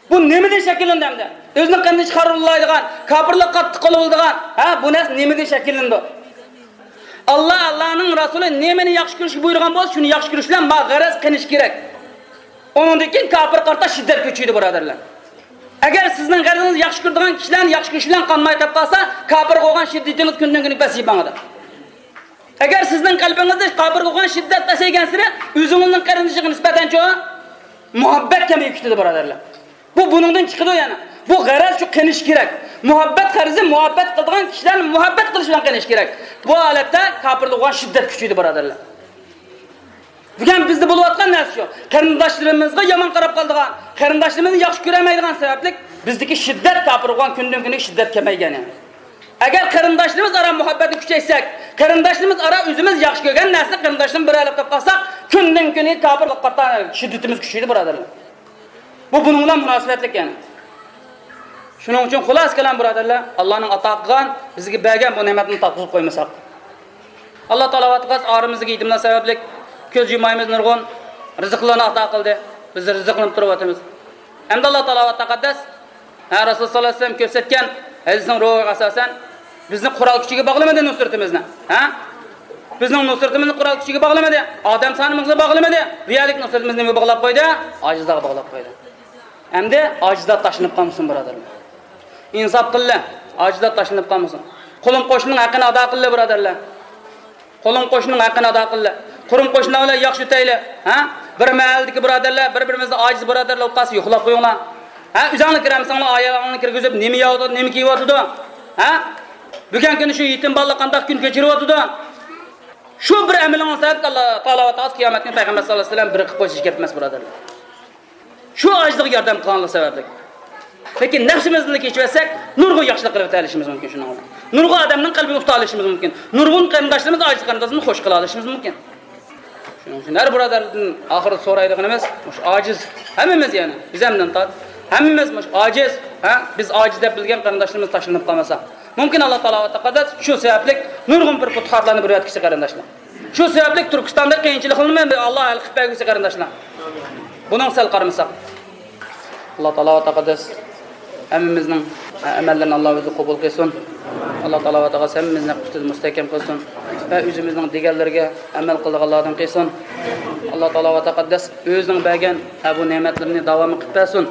بۇ نېمىدىن شەكىللىنىدۇ ئەمدى؟ ئۆزىنىڭ قېرىندىشى خار بولالايدىغان، كاپىرلىققا قاتتىق قول بولىدىغان، ھە؟ بۇ نەرسە نېمىدىن شەكىللىنىدۇ؟ ئاللا، ئاللانىڭ رەسۇلى نېمىنى ياخشى كۆرۈشكە بۇيرۇغان بولسا، شۇنى ياخشى كۆرۈش بىلەن ماڭا غەرەز قېنىش كېرەك. ئۇنىڭدىن كېيىن كاپىرغا قارىتا شىددەت كۈچىيىدۇ، بۇرادەرلەر. ئەگەر سىزنىڭ غەرىزىڭىز ياخشى كۆرىدىغان كىشىلەرنى ياخشى كۆرۈش بىلەن قانماي قېلىپ قالسا، كاپىرغا بولغان شىددىتىڭىز كۈندىن كۈنگە پەسىيىپ ماڭىدۇ. ئەگەر سىزنىڭ قەلبىڭىزدە كاپىرغا بولغان شىددەت پەسەيگەنسېرى، ئۆزىڭىزنىڭ قېرىندىشىغا نىسبەتەن چوڭ مۇھەببەت كەمىيىپ كېتىدۇ، بۇرادەرلەر. بۇ بۇنىڭدىن چىقىدۇ يەنە. بۇ غەرەز شۇ قېنىش كېرەك. مۇھەببەت غەرىزى، مۇھەببەت قىلىدىغان كىشىلەرنى مۇھەببەت قىلىش بىلەن قېنىش كېرەك. بۇ ھالەتتە كاپىرلىق بولغان شىددەت كۈچىيىدۇ، بۇرادەرلەر. بۈگۈن بىزدە بولۇۋاتقان نەرسە شۇ. قېرىنداشلىرىمىزغا يامان قاراپ قالىدىغان، قېرىنداشلىرىمىزنى ياخشى كۆرەلمەيدىغان سەۋەبلىك بىزدىكى شىددەت كاپىرغا بولغان كۈندىن كۈنگە شىددەت كەمەيگەن يەنە. ئەگەر قېرىنداشلىرىمىز ئارا مۇھەببەتنى كۈچەيتسەك، قېرىنداشلىرىمىز ئارا ئۆزىمىز ياخشى كۆرگەن نەرسىنى قېرىنداشلىرىمىز بىر ئايلاپ تاپقانساق، كۈندىن كۈنگە كاپىرلىققا قارىتا شىددىتىمىز كۈچىيىدۇ، بۇرادەرلەر. بۇ بۇنىڭ بىلەن مۇناسىۋەتلىك يەنى. شۇنىڭ ئۈچۈن خۇلاسە كالام، بۇرادەرلەر، ئاللانىڭ ئاتا قىلغان، بىزگە بەرگەن بۇ نېمەتنى تاپقۇزۇپ قويمىساق. ئاللا تائالا ۋە تەقەددەس ئارىمىزدىكى يېتىملەر سەۋەبلىك كۆز يۇمايمىز، نۇرغۇن رىزىقلارنى ئاتا قىلدى. بىز رىزىقلىنىپ تۇرۇۋاتىمىز. ئەمدى ئاللا تائالا ۋە تەقەددەس، ھە، رەسۇل ساللاللاھۇ ئەلەيھى ۋەسەللەم كۆرسەتكەن ھەدىسنىڭ روھىغا ئاساسەن، بىزنى قورال كۈچىگە باغلىمىدى نۇسرىتىمىزنى، ھە؟ بىزنىڭ نۇسرىتىمىزنى قورال كۈچىگە باغلىمىدى، ئادەم سانىمىزغا باغلىمىدى. بۇ يەردىكى نۇسرىتىمىزنى نېمىگە باغلاپ قويدى؟ ئاجىزلارغا باغلاپ قويدى. ئەمدى ئاجىزلار تاشلىنىپ قالمىسۇن، بۇرادەرلەر. ئىنساپ قىللى، ئاجىزلار تاشلىنىپ قالمىسۇن. قولۇم قوشنىنىڭ ھەققىنى ئادا قىللى، بۇرادەرلەر. قولۇم قوشنىنىڭ ھەققىنى ئادا قىللى. قۇرۇم قوشنىلار بىلەن ياخشى ئۆتەيلى. ھە؟ بىر مەھەللىدىكى بۇرادەرلەر بىر-بىرىمىزنى ئاجىز بۇرادەرلەر بولۇپ قالسا يوقلاپ قويۇڭلار. ھە؟ ئۆزۈڭلار كىرەلمىسەڭلار ئايالىڭلارنى كىرگۈزۈپ، نېمە يەۋاتىدۇ، نېمە كىيىۋاتىدۇ؟ ھە؟ بۈگۈنكى كۈندە شۇ يېتىم بالىلار قانداق كۈن كەچۈرۈۋاتىدۇ؟ شۇ بىر ئەمىلىڭىز سەۋەبلىك ئاللا تائالا ۋە تەقەددەس قىيامەتكۈنى پەيغەمبەر ساللاللاھۇ ئەلەيھى ۋەسەللەم بىر قىلىپ قويۇشى گەپ ئەمەس، بۇرادەرلەر. شۇ ئاجىزلىققا ياردەم قىلغانلىق سەۋەبلىك. لېكىن نەپسىمىزنى كېچىۋەتسەك، نۇرغۇن ياخشىلىق قىلىۋېتەلىشىمىز مۇمكىن شۇنىڭ بىلەن. نۇرغۇن ئادەمنىڭ قەلبىنى ئۇتالىشىمىز مۇمكىن. نۇرغۇن قېرىنداشلىرىمىز، ئاجىز قېرىنداشلىرىمىزنى خوش قىلالىشىمىز مۇمكىن. شۇنىڭ ئۈچۈن ھەر بۇرادەردىن ئاخىرىدا سورايدىغىنىمىز، مۇشۇ ئاجىز، ھەممىمىز يەنى، بىز ھەمدىن تارت، ھەممىمىز مۇشۇ ئاجىز، ھە؟ بىز ئاجىز دەپ بىلگەن قېرىنداشلىرىمىز تاشلىنىپ قالمىسا، مۇمكىن ئاللا تائالا ۋە تەقەددەس شۇ سەۋەبلىك نۇرغۇن بىر پۇتۇھاتلارنى بېرىۋەتكۈسى قېرىنداشلار. شۇ سەۋەبلىك تۈركىستاندا قىيىنچىلىقلارنى ئاللا ھەل قىلىپ بەرگۈسى قېرىنداشلار. بۇنىڭغا سەل قارىمىساق. ئاللا تائالا ۋە تەقەددەس ھەممىمىزنىڭ ئەمەللىرىنى ئاللا ئۆزى قوبۇل قىلسۇن. ئاللا تائالا ۋە تەقەددەس ھەممىمىزنى ھەق ئۈستىدە مۇستەھكەم قىلسۇن ۋە ئۆزىمىزنىڭ دېگەنلىرىگە ئەمەل قىلىدىغانلاردىن قىلسۇن. ئاللا تائالا ۋە تەقەددەس ئۆزىنىڭ بەرگەن ھە بۇ نېمەتلىرىنى داۋاملىق قىلىپ بەرسۇن.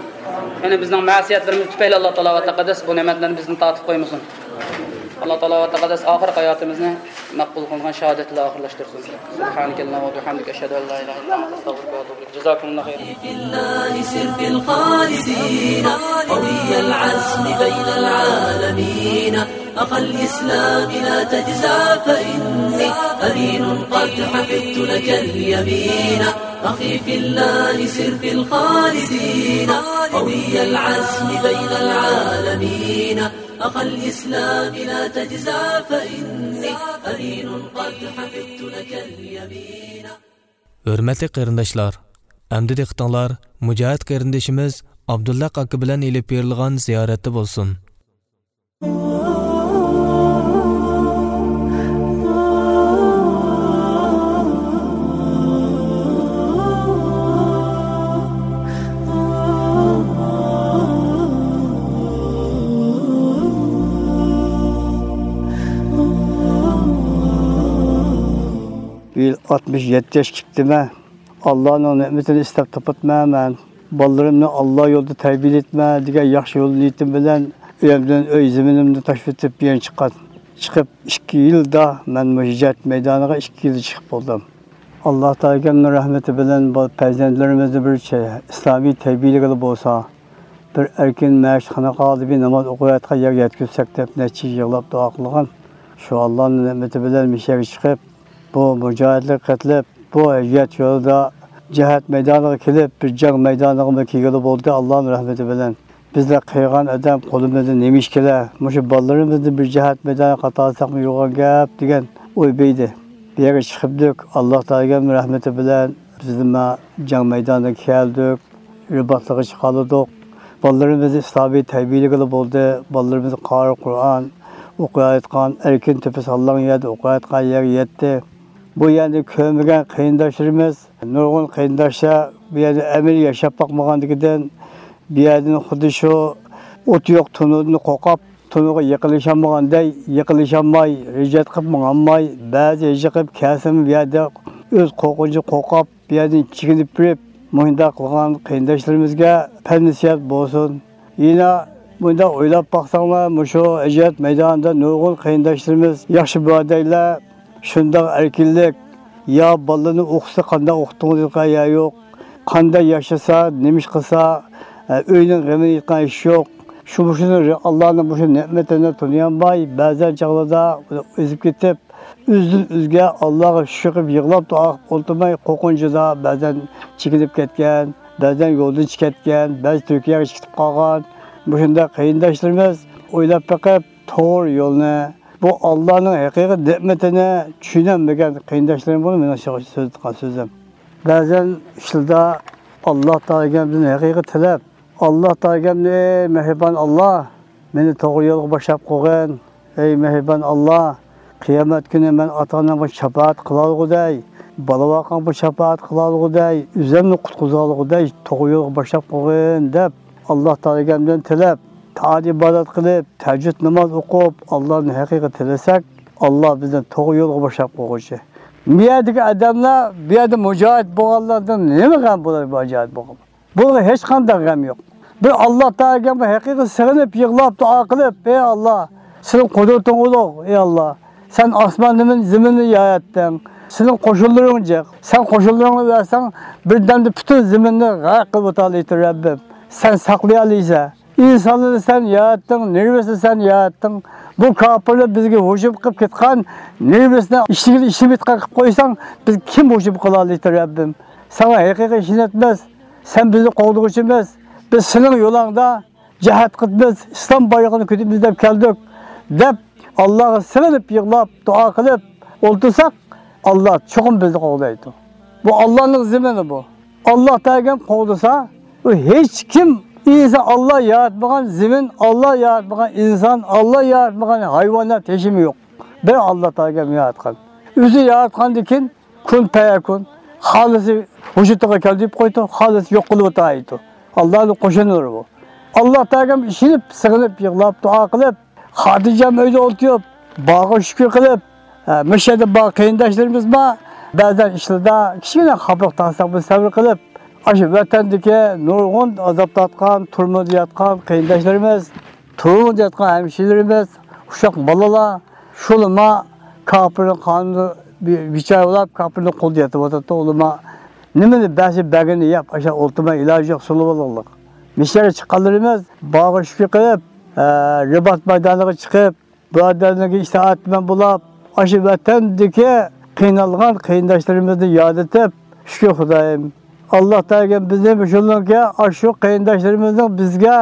يەنى بىزنىڭ مەسىيەتلىرىمىز تۈپەيلى ئاللا تائالا ۋە تەقەددەس بۇ نېمەتلەرنى بىزدىن تارتىپ قويمىسۇن. ئاللا تائالا ۋە تەقەددەس ئاخىرقى ھاياتىمىزنى مەقبۇل قىلغان شاھادەت بىلەن ئاخىرلاشتۇرسۇن. سبحانك اللهم وبحمدك، أشهد أن لا إله إلا أنت، أستغفرك وأتوب إليك. جزاكم الله خيرا. في الله سر في الخالدين، قوي العزم بين العالمين. أخا الإسلام لا تجزع فإني أمين قد حفظت لك اليمين. أخي في الله سر في الخالدين، قوي العزم بين العالمين. أخا الإسلام لا تجزع فإني أمين قد حفظت لك اليمين. ھۆرمەتلىك قېرىنداشلار، ئەمدى دىققىتىڭلار مۇجاھىد قېرىندىشىمىز ئابدۇللا ئاكا بىلەن ئېلىپ بېرىلغان زىيارەتتە بولسۇن. بۇ يىل ئاتمىش يەتتە ياش كېپتىمەن. ئاللانىڭ نېمىتىنى ئىستەپ تاپاتمەن مەن. بالىلىرىمنى ئاللا يولىدا تەربىيەلەيتمەن دېگەن ياخشى يول نىيىتىم بىلەن ئۆيۈمدىن، ئۆي زېمىنىمنى تاشلىۋېتىپ بۇ يەرگە چىققان. چىقىپ ئىككى يىلدا مەن مۇشۇ ھۆججەت مەيدانىغا ئىككى يىلدا چىقىپ بولدۇم. ئاللا تائالا رەھمىتى بىلەن بۇ پەرزەنتلىرىمىزنى بىر چە-، ئىسلامىي تەربىيەلىگىلى بولسا، بىر ئەركىن مەسچىت خانىقالىدا بىر ناماز ئوقۇياتقان يەرگە يەتكۈزسەك دەپ نەچچە يىل يىغلاپ دۇئا قىلغان. شۇ ئاللانىڭ نېمىتى بىلەن مۇشۇ يەرگە چىقىپ، بۇ مۇجاھىدلەرگە قېتىلىپ، بۇ ھۆججەت يولىدا جىھاد مەيدانىغا كېلىپ، بىر جەڭ مەيدانىغىمۇ كەلگىلى بولدى ئاللانىڭ رەھمىتى بىلەن. بىزلەر قىلغان ئادەم قولىمىزدا نېمە ئىش كېلە؟ مۇشۇ بالىلىرىمىزنى بىر جىھاد مەيدانىغا قاتارساقمۇ يوغان گەپ دېگەن ئوي بەيدى. بۇ يەرگە چىقىپتۇق، ئاللا تائالا رەھمىتى بىلەن بىزمۇ جەڭ مەيدانىغا كەلدۇق. رىباتلىققا چىقالىدۇق. بالىلىرىمىزنى ئىسلامىي تەربىيەلىگىلى بولدى. بالىلىرىمىز قارى قۇرئان ئوقۇياتقان، ئەركىن تۆپە ساللان يەردە ئوقۇياتقان يەرگە يەتتى. بۇ يەرنى كۆرمىگەن قېرىنداشلىرىمىز، نۇرغۇن قېرىنداشلار بۇ يەردە ئەمەلىي ياشاپ باقمىغاندىكىدىن، بۇ يەردىن خۇددى شۇ ئوتى يوق تونۇردىن قورقۇپ، تونۇرغا يېقىنلىشالمىغاندەك، يېقىنلىشالماي، ھۆججەت قىلىپ ماڭالماي، بەزى ھۆججە قىلىپ كەلسىمۇ بۇ يەردە ئۆز قورقۇنچىدىن قورقۇپ، بۇ يەردىن چېكىنىپ بېرىپ، مۇشۇنداق قىلغان قېرىنداشلىرىمىزغا پەند نەسىھەت بولسۇن. يەنە مۇنداق ئويلاپ باقساڭلار، مۇشۇ ھۆججەت مەيدانىدا نۇرغۇن قېرىنداشلىرىمىز ياخشى بۇرادەرلەر، شۇنداق ئەركىنلىك، يا بالىلىرىنى ئوقۇتسا قانداق ئوقۇتتۇڭىز دېگەن يەر يوق، قانداق ياشىسا، نېمە ئىش قىلسا، ئە، ئۆينىڭ غېمىنى يەيدىغان ئىش يوق. شۇ، مۇشۇنى، ئاللانىڭ مۇشۇ نېمىتىنى تونۇيالماي، بەزەن چاغلاردا ئېزىپ كېتىپ، ئۆزىدىن ئۆزىگە ئاللاغا شۈكۈر قىلىپ يىغلاپ دۇئا قىلىپ ئولتۇرماي، قورقۇنچىدا بەزەن چېكىنىپ كەتكەن، بەزەن يولدىن چىقىپ كەتكەن، بەزى تۈركىيەگە چىقىپ قالغان. مۇشۇنداق قېرىنداشلىرىمىز ئويلاپ بېقىپ، توغرا يولنى، بۇ ئاللانىڭ ھەقىقىي نېمىتىنى چۈشىنەلمىگەن قېرىنداشلىرىم بۇ مېنىڭ سۆزلەيدىغان سۆزۈم. بەزەن ئىشلىرىدا ئاللا تائالاغا بىزنى ھەقىقىي تىلەپ، ئاللا تائالاغا، ئەي مېھرىبان ئاللا، مېنى توغرا يولغا باشلاپ قويغىن. ئەي مېھرىبان ئاللا، قىيامەت كۈنى مەن ئاتا-ئانامغا شاپائەت قىلالىغۇدەي، بالا-ۋاقاڭغا شاپائەت قىلالىغۇدەي، ئۆزۈمنى قۇتقۇزالىغۇدەي توغرا يولغا باشلاپ قويغىن دەپ، ئاللا تائالاغا بىلەن تىلەپ، تائەت ئىبادەت قىلىپ، تەھەججۇد ناماز ئوقۇپ، ئاللانى ھەقىقىي تىلىسەك، ئاللا بىزنى توغرا يولغا باشلاپ قويغۇچى. بۇ يەردىكى ئادەملەر، بۇ يەردە مۇجاھىد بولغانلاردىن نېمە غەم بولار، مۇجاھىد بولغان؟ بۇلارغا ھېچقانداق غەم يوق. بىر ئاللا تائالاغا ھەقىقىي سېغىنىپ، يىغلاپ، دۇئا قىلىپ، ئەي ئاللا، سېنىڭ قۇدرىتىڭ ئۇلۇغ، ئەي ئاللا. سەن ئاسماننى، زېمىننى ياراتتىڭ. سېنىڭ قوشۇنلىرىڭ جىق. سەن قوشۇنلىرىڭنى بەرسەڭ، بىردەمدە پۈتۈن زېمىننى غەرق قىلىۋېتەلەيتتى رەببىم. سەن ساقلىيالايسەن. ئىنسانلارنى سەن ياراتتىڭ، نېرۋىسىنى سەن ياراتتىڭ. بۇ كاپىرلار بىزگە ھۇجۇم قىلىپ كەتكەن، نېرۋىسىنى ئىشلىگىلى ئىشلىمەيدىغان قىلىپ قويساڭ، بىز كىم ھۇجۇم قىلالايتتى رەببىم؟ ساڭا ھەقىقىي ئىشىنىمىز، سەن بىزنى قوغدىغۇچىمىز، بىز سېنىڭ يولۇڭدا جىھاد قىلىمىز، ئىسلام بايرىقىنى كۆتۈرىمىز دەپ كەلدۇق، دەپ ئاللاغا سېغىنىپ يىغلاپ دۇئا قىلىپ ئولتۇرساق، ئاللا چوقۇم بىزنى قوغدايدۇ. بۇ ئاللانىڭ زېمىنى بۇ. ئاللا تائالا قوغدىسا، ئۇ ھېچ كىم، ئىنسان، ئاللا ياراتمىغان زېمىن، ئاللا ياراتمىغان ئىنسان، ئاللا ياراتمىغان ھايۋانات ھېچنېمە يوق. بىر ئاللا تائالا ياراتقان. ئۆزى ياراتقاندىن كېيىن كۇن پەيەكۇن. خالىسى ۋۇجۇدىغا كەل دەپ قويىدۇ، خالىسى يوق قىلىۋېتىدۇ. ئاللانىڭ قوشۇنلىرى بۇ. ئاللا تائالاغا ئىشىنىپ، سېغىنىپ، يىغلاپ، دۇئا قىلىپ، خاتىرجەم ئۆيدە ئولتۇرۇپ، بارغا شۈكۈر قىلىپ، ھە، مۇشۇ يەردە بار قېرىنداشلىرىمىز بار. بەزەن ئىشلىرىدا كىچىككىنە خاپىلىق تارتساقمۇ سەۋر قىلىپ، ئاشۇ ۋەتەندىكى نۇرغۇن ئازاب تارتقان، تۈرمىدە ياتقان قېرىنداشلىرىمىز، تۈرمىدە ياتقان ھەمشىرىلىرىمىز، ئۇششاق بالىلار، شۇلىما كاپىرنىڭ قانىدا بى-، بىچارە بولاپ، كاپىرنىڭ قولىدا يېتىۋاتىدۇ. ئۇلىما نېمىنى بەرسە بەرگىنىنى يەپ، ئاشۇ ئولتۇرماي ئىلاجى يوق، سۇلۇۋالغانلىق. مۇشۇ يەرگە چىققانلىرىمىز بارغا شۈكۈر قىلىپ، ئە، رىبات مەيدانىغا چىقىپ، بۇرادەرلەرگە ئىتائەتمەن بولاپ، ئاشۇ ۋەتەندىكى قىينالغان قېرىنداشلىرىمىزنى ياد ئېتىپ، شۈكۈر خۇدايىم. ئاللا تائالا بىزنى مۇشۇنىڭكى، ئاشۇ قېرىنداشلىرىمىزنىڭ بىزگە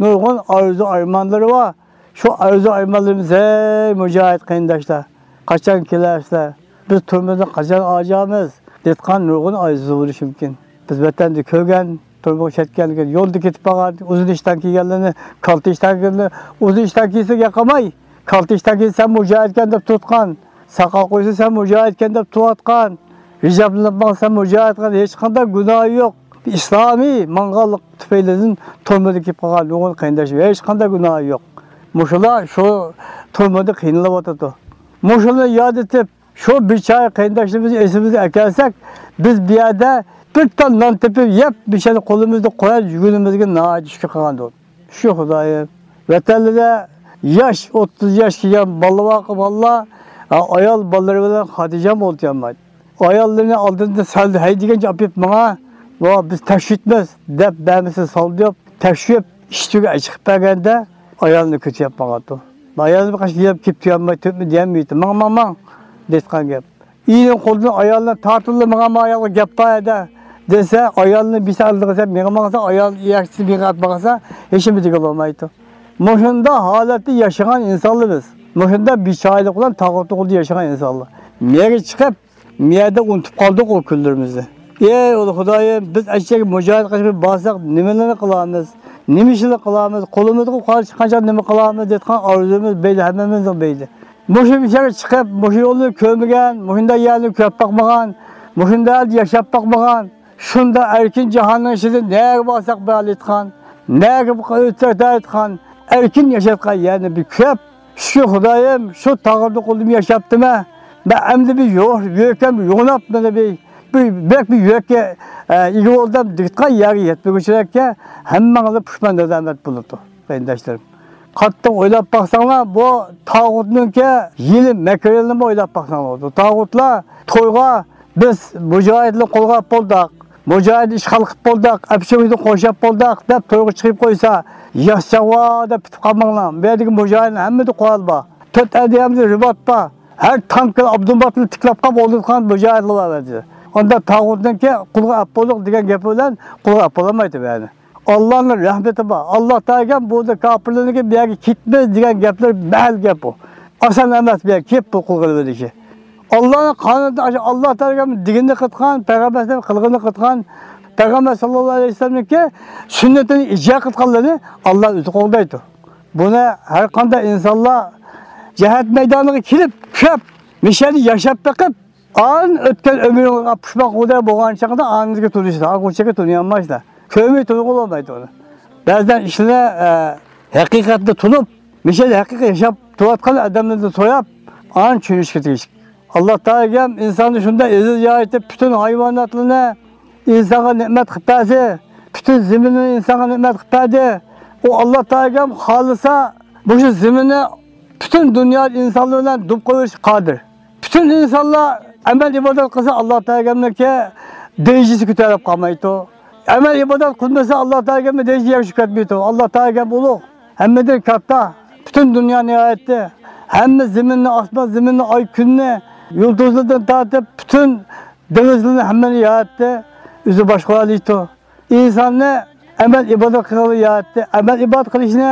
نۇرغۇن ئارزۇ ئارمانلىرى بار. شۇ ئارزۇ ئارمانلىرىمىز، ھەي مۇجاھىد قېرىنداشلار، قاچان كېلەرسىلەر؟ بىز تۈرمىدىن قاچان ئاجامىز؟ دەيدىغان نۇرغۇن ئارزۇ بولۇشى مۇمكىن. بىز ۋەتەندە كۆرگەن، تۈرمىگە چەتكەندىن كېيىن يولدا كېتىپ قالغان، ئۇزۇن ئىشتان كىيگەنلىرىنى، كالتە ئىشتان كىيگەنلىرىنى، ئۇزۇن ئىشتان كىيسە ياقماي، كالتە ئىشتان كىيسە سەن مۇجاھىدكەن دەپ تۇرۇۋاتقان، ساقال قويسا سەن مۇجاھىدكەن دەپ تۇرۇۋاتقان، ھىجابلىنىپ ماڭسا سەن مۇجاھىدكەن، ھېچقانداق گۇناھى يوق. ئىسلامىي ماڭغانلىق تۈپەيلىدىن تۈرمىدە كېلىپ قالغان نۇرغۇن قېرىنداش ھېچقانداق گۇناھى يوق. مۇشۇلار شۇ تۈرمىدە قىينىلىۋاتىدۇ. مۇشۇلارنى ياد ئېتىپ، شۇ بىچارە قېرىنداشلىرىمىزنى ئېسىمىزگە ئەكەلسەك، بىز بۇ يەردە بىر تال نان تېپىپ يەپ، مۇشۇنى قولىمىزدا قويۇپ يۈرگىنىمىزگە ناھايىتى شۈكۈر قىلغان بولدۇق. شۇ خۇدايىم، ۋەتەنلىرىدە ياش، ئوتتۇز ياش كىرگەن بالىلار، بالىلار، ئايال بالىلىرى بىلەن خاتىرجەم ئولتۇرالمايدۇ. ئاياللىرىنى ئالدىندا سەل ھەيدىگەنچە ئاپىرىپ ماڭا، ۋا بىز تەكشۈرتمەس دەپ بەرمىسە سالدى يوق، تەكشۈرۈپ ئىشىكتىن چىقىپ بەرگەندە ئايالنى كۆتۈرۈپ ماڭاتتى. ئايالنى بىر قاچا يەپ كېلىپ تۇرالماي، تۆتمە دېيەلمەيتتى. ماڭ، ماڭ، ماڭ دەيدىغان گەپ. ئېرىنىڭ قولىدىن ئايالنى تارتىۋېلىپ ماڭا، ماڭ، ئايالغا گەپ بار ئەدە دېسە، ئايالنى بىسە ئالدىغا سەپ مېڭە ماڭسا، ئايال ئىيەكچىسى مېڭە ئاتمىغانسا، ھېچنېمە دېگىلى بولمايدۇ. مۇشۇنداق ھالەتتە ياشىغان ئىنسانلار بىز. مۇشۇنداق بىچارىلىق بىلەن تاغۇتنىڭ قولىدا ياشىغان ئىنسانلار. مېرى چىقىپ، مۇ يەردە ئۇنتۇپ قالدۇق ئۇ كۈنلىرىمىزنى. ئەي ئۇلۇغ خۇدايىم، بىز ئەشەگە مۇجاھىدە قىلىشقا بارساق نېمىلەرنى قىلارمىز؟ نېمە ئىشلار قىلارمىز؟ قولىمىزغا قارشى چىققانچە نېمە قىلارمىز دەيدىغان ئارزۇمىز بەيلى، ھەممىمىزنىڭ بەيلى. مۇشۇ يەرگە چىقىپ، مۇشۇ يولنى كۆرمىگەن، مۇشۇنداق يەرنى كۆرۈپ باقمىغان، مۇشۇنداق يەردە ياشاپ باقمىغان، شۇنداق ئەركىن جاھاننىڭ ئىچىدە نەگە بارساق بارلىتقان، نەگە ئۆتسەك دەيدىغان ئەركىن ياشايدىغان يەرنى بىر كۆرۈپ، شۈكۈر خۇدايىم، شۇ تاغۇتنىڭ قولىدا ياشاپتىمەن. مەن ئەمدى بىر يو-، يۆكەم يوغىناپ، مانا بىر، بىر، بەك بىر يۆككە، ئە، ئىگە بولدۇم دېگىدىغان يەرگە يەتمىگۈچىلىككە ھەممىڭلار پۇشمان نادامەت بولىدۇ، قېرىنداشلىرىم. قاتتىق ئويلاپ باقساڭلار، بۇ تاغۇتنىڭكى ھىيلە مەكرىنىمۇ ئويلاپ باقساڭلار. بۇ تاغۇتلار تويغا بىز مۇجاھىدلارنى قولغا ئاپ بولدۇق، مۇجاھىدنى ئىشغال قىلىپ بولدۇق، ئەپچىقىدىن قوشاپ بولدۇق دەپ تويغا چىقىپ قويسا، ياش چاغ بار دەپ پۈتۈپ قالماڭلار. بۇ يەردىكى مۇجاھىدلار ھەممىدە قورال بار. تۆت ئەدىيەمدە رىبات بار. ھەر تانكىدا ئابدۇمباتنى تىكلەپ قاپ ئولتۇرغان مۇجاھىدلار بار ئەمدى. ئاندا تاغۇتنىڭكى قولغا ئاپ بولدۇق دېگەن گەپ بىلەن قولغا ئاپ بولالمايدۇ يەنى. ئاللانىڭ رەھمىتى بار. ئاللا تائالام بۇ كاپىرلارنىڭكى بۇ يەرگە كەتمەس دېگەن گەپلەر مەھەل گەپ بۇ. ئاسان ئەمەس بۇ يەرگە كېلىپ بۇ قىلغىلى بېرىشى. ئاللانىڭ قانۇنىدا ئاشۇ ئاللا تائالام دېگىنىنى قىلغان، پەيغەمبەر قىلغىنىنى قىلغان، پەيغەمبەر ساللاللاھۇ ئەلەيھى ۋەسەللەمنىڭكى سۈننىتىنى ئىجرا قىلغانلارنى ئاللا ئۆزى قوغدايدۇ. بۇنى ھەر قانداق ئىنسانلار جىھاد مەيدانىغا كېلىپ، كۆپ مىشەدە ياشاپ بېقىپ، ئان ئۆتكەن ئۆمرىڭىزگە پۇشمان قىلغۇدەك بولغان چاغدا ئانىڭىزگە تونۇشىسىز، ئاغۇچىگە تونۇيالمايسىلەر. كۆرمەي تونۇغىلى بولمايدۇ ئۇنى. بەزىدە ئىشلىرى، ئە، ھەقىقەتنى تونۇپ، مىشەدە ھەقىقىي ياشاپ تۇرۇۋاتقان ئادەملەردىن سوراپ، ئان چۈشىنىشكە تېگىشلىك. ئاللا تائالام ئىنساننى شۇنداق ئەزىز يارىتىپ، پۈتۈن ھايۋاناتلارنى ئىنسانغا نېمەت قىلىپ بەرسە، پۈتۈن زېمىننى ئىنسانغا نېمەت قىلىپ بەردى. ئۇ ئاللا تائالام خالىسا، مۇشۇ زېمىننى پۈتۈن دۇنيا ئىنسانلار بىلەن دۇم قىلىۋېتىشكە قادىر. پۈتۈن ئىنسانلار ئەمەل ئىبادەت قىلسا، ئاللا تائالامنىڭكى دەرىجىسى كۆتەرىلىپ قالمايدۇ. ئەمەل ئىبادەت قىلمىسا، ئاللا تائالامنىڭ دەرىجىسى يەرگە چۈشۈپ كەتمەيدۇ. ئاللا تائالام ئۇلۇغ، ھەممىدىن كاتتا. پۈتۈن دۇنيانى ياراتتى. ھەممە زېمىننى، ئاسمان زېمىننى، ئاي كۈننى، يۇلتۇزلىرىدىن تارتىپ پۈتۈن دېڭىزلىرىنى ھەممىنى ياراتتى. ئۆزى باشقۇرالايدۇ. ئىنساننى ئەمەل ئىبادەت قىلغىلى ياراتتى. ئەمەل ئىبادەت قىلىشنى،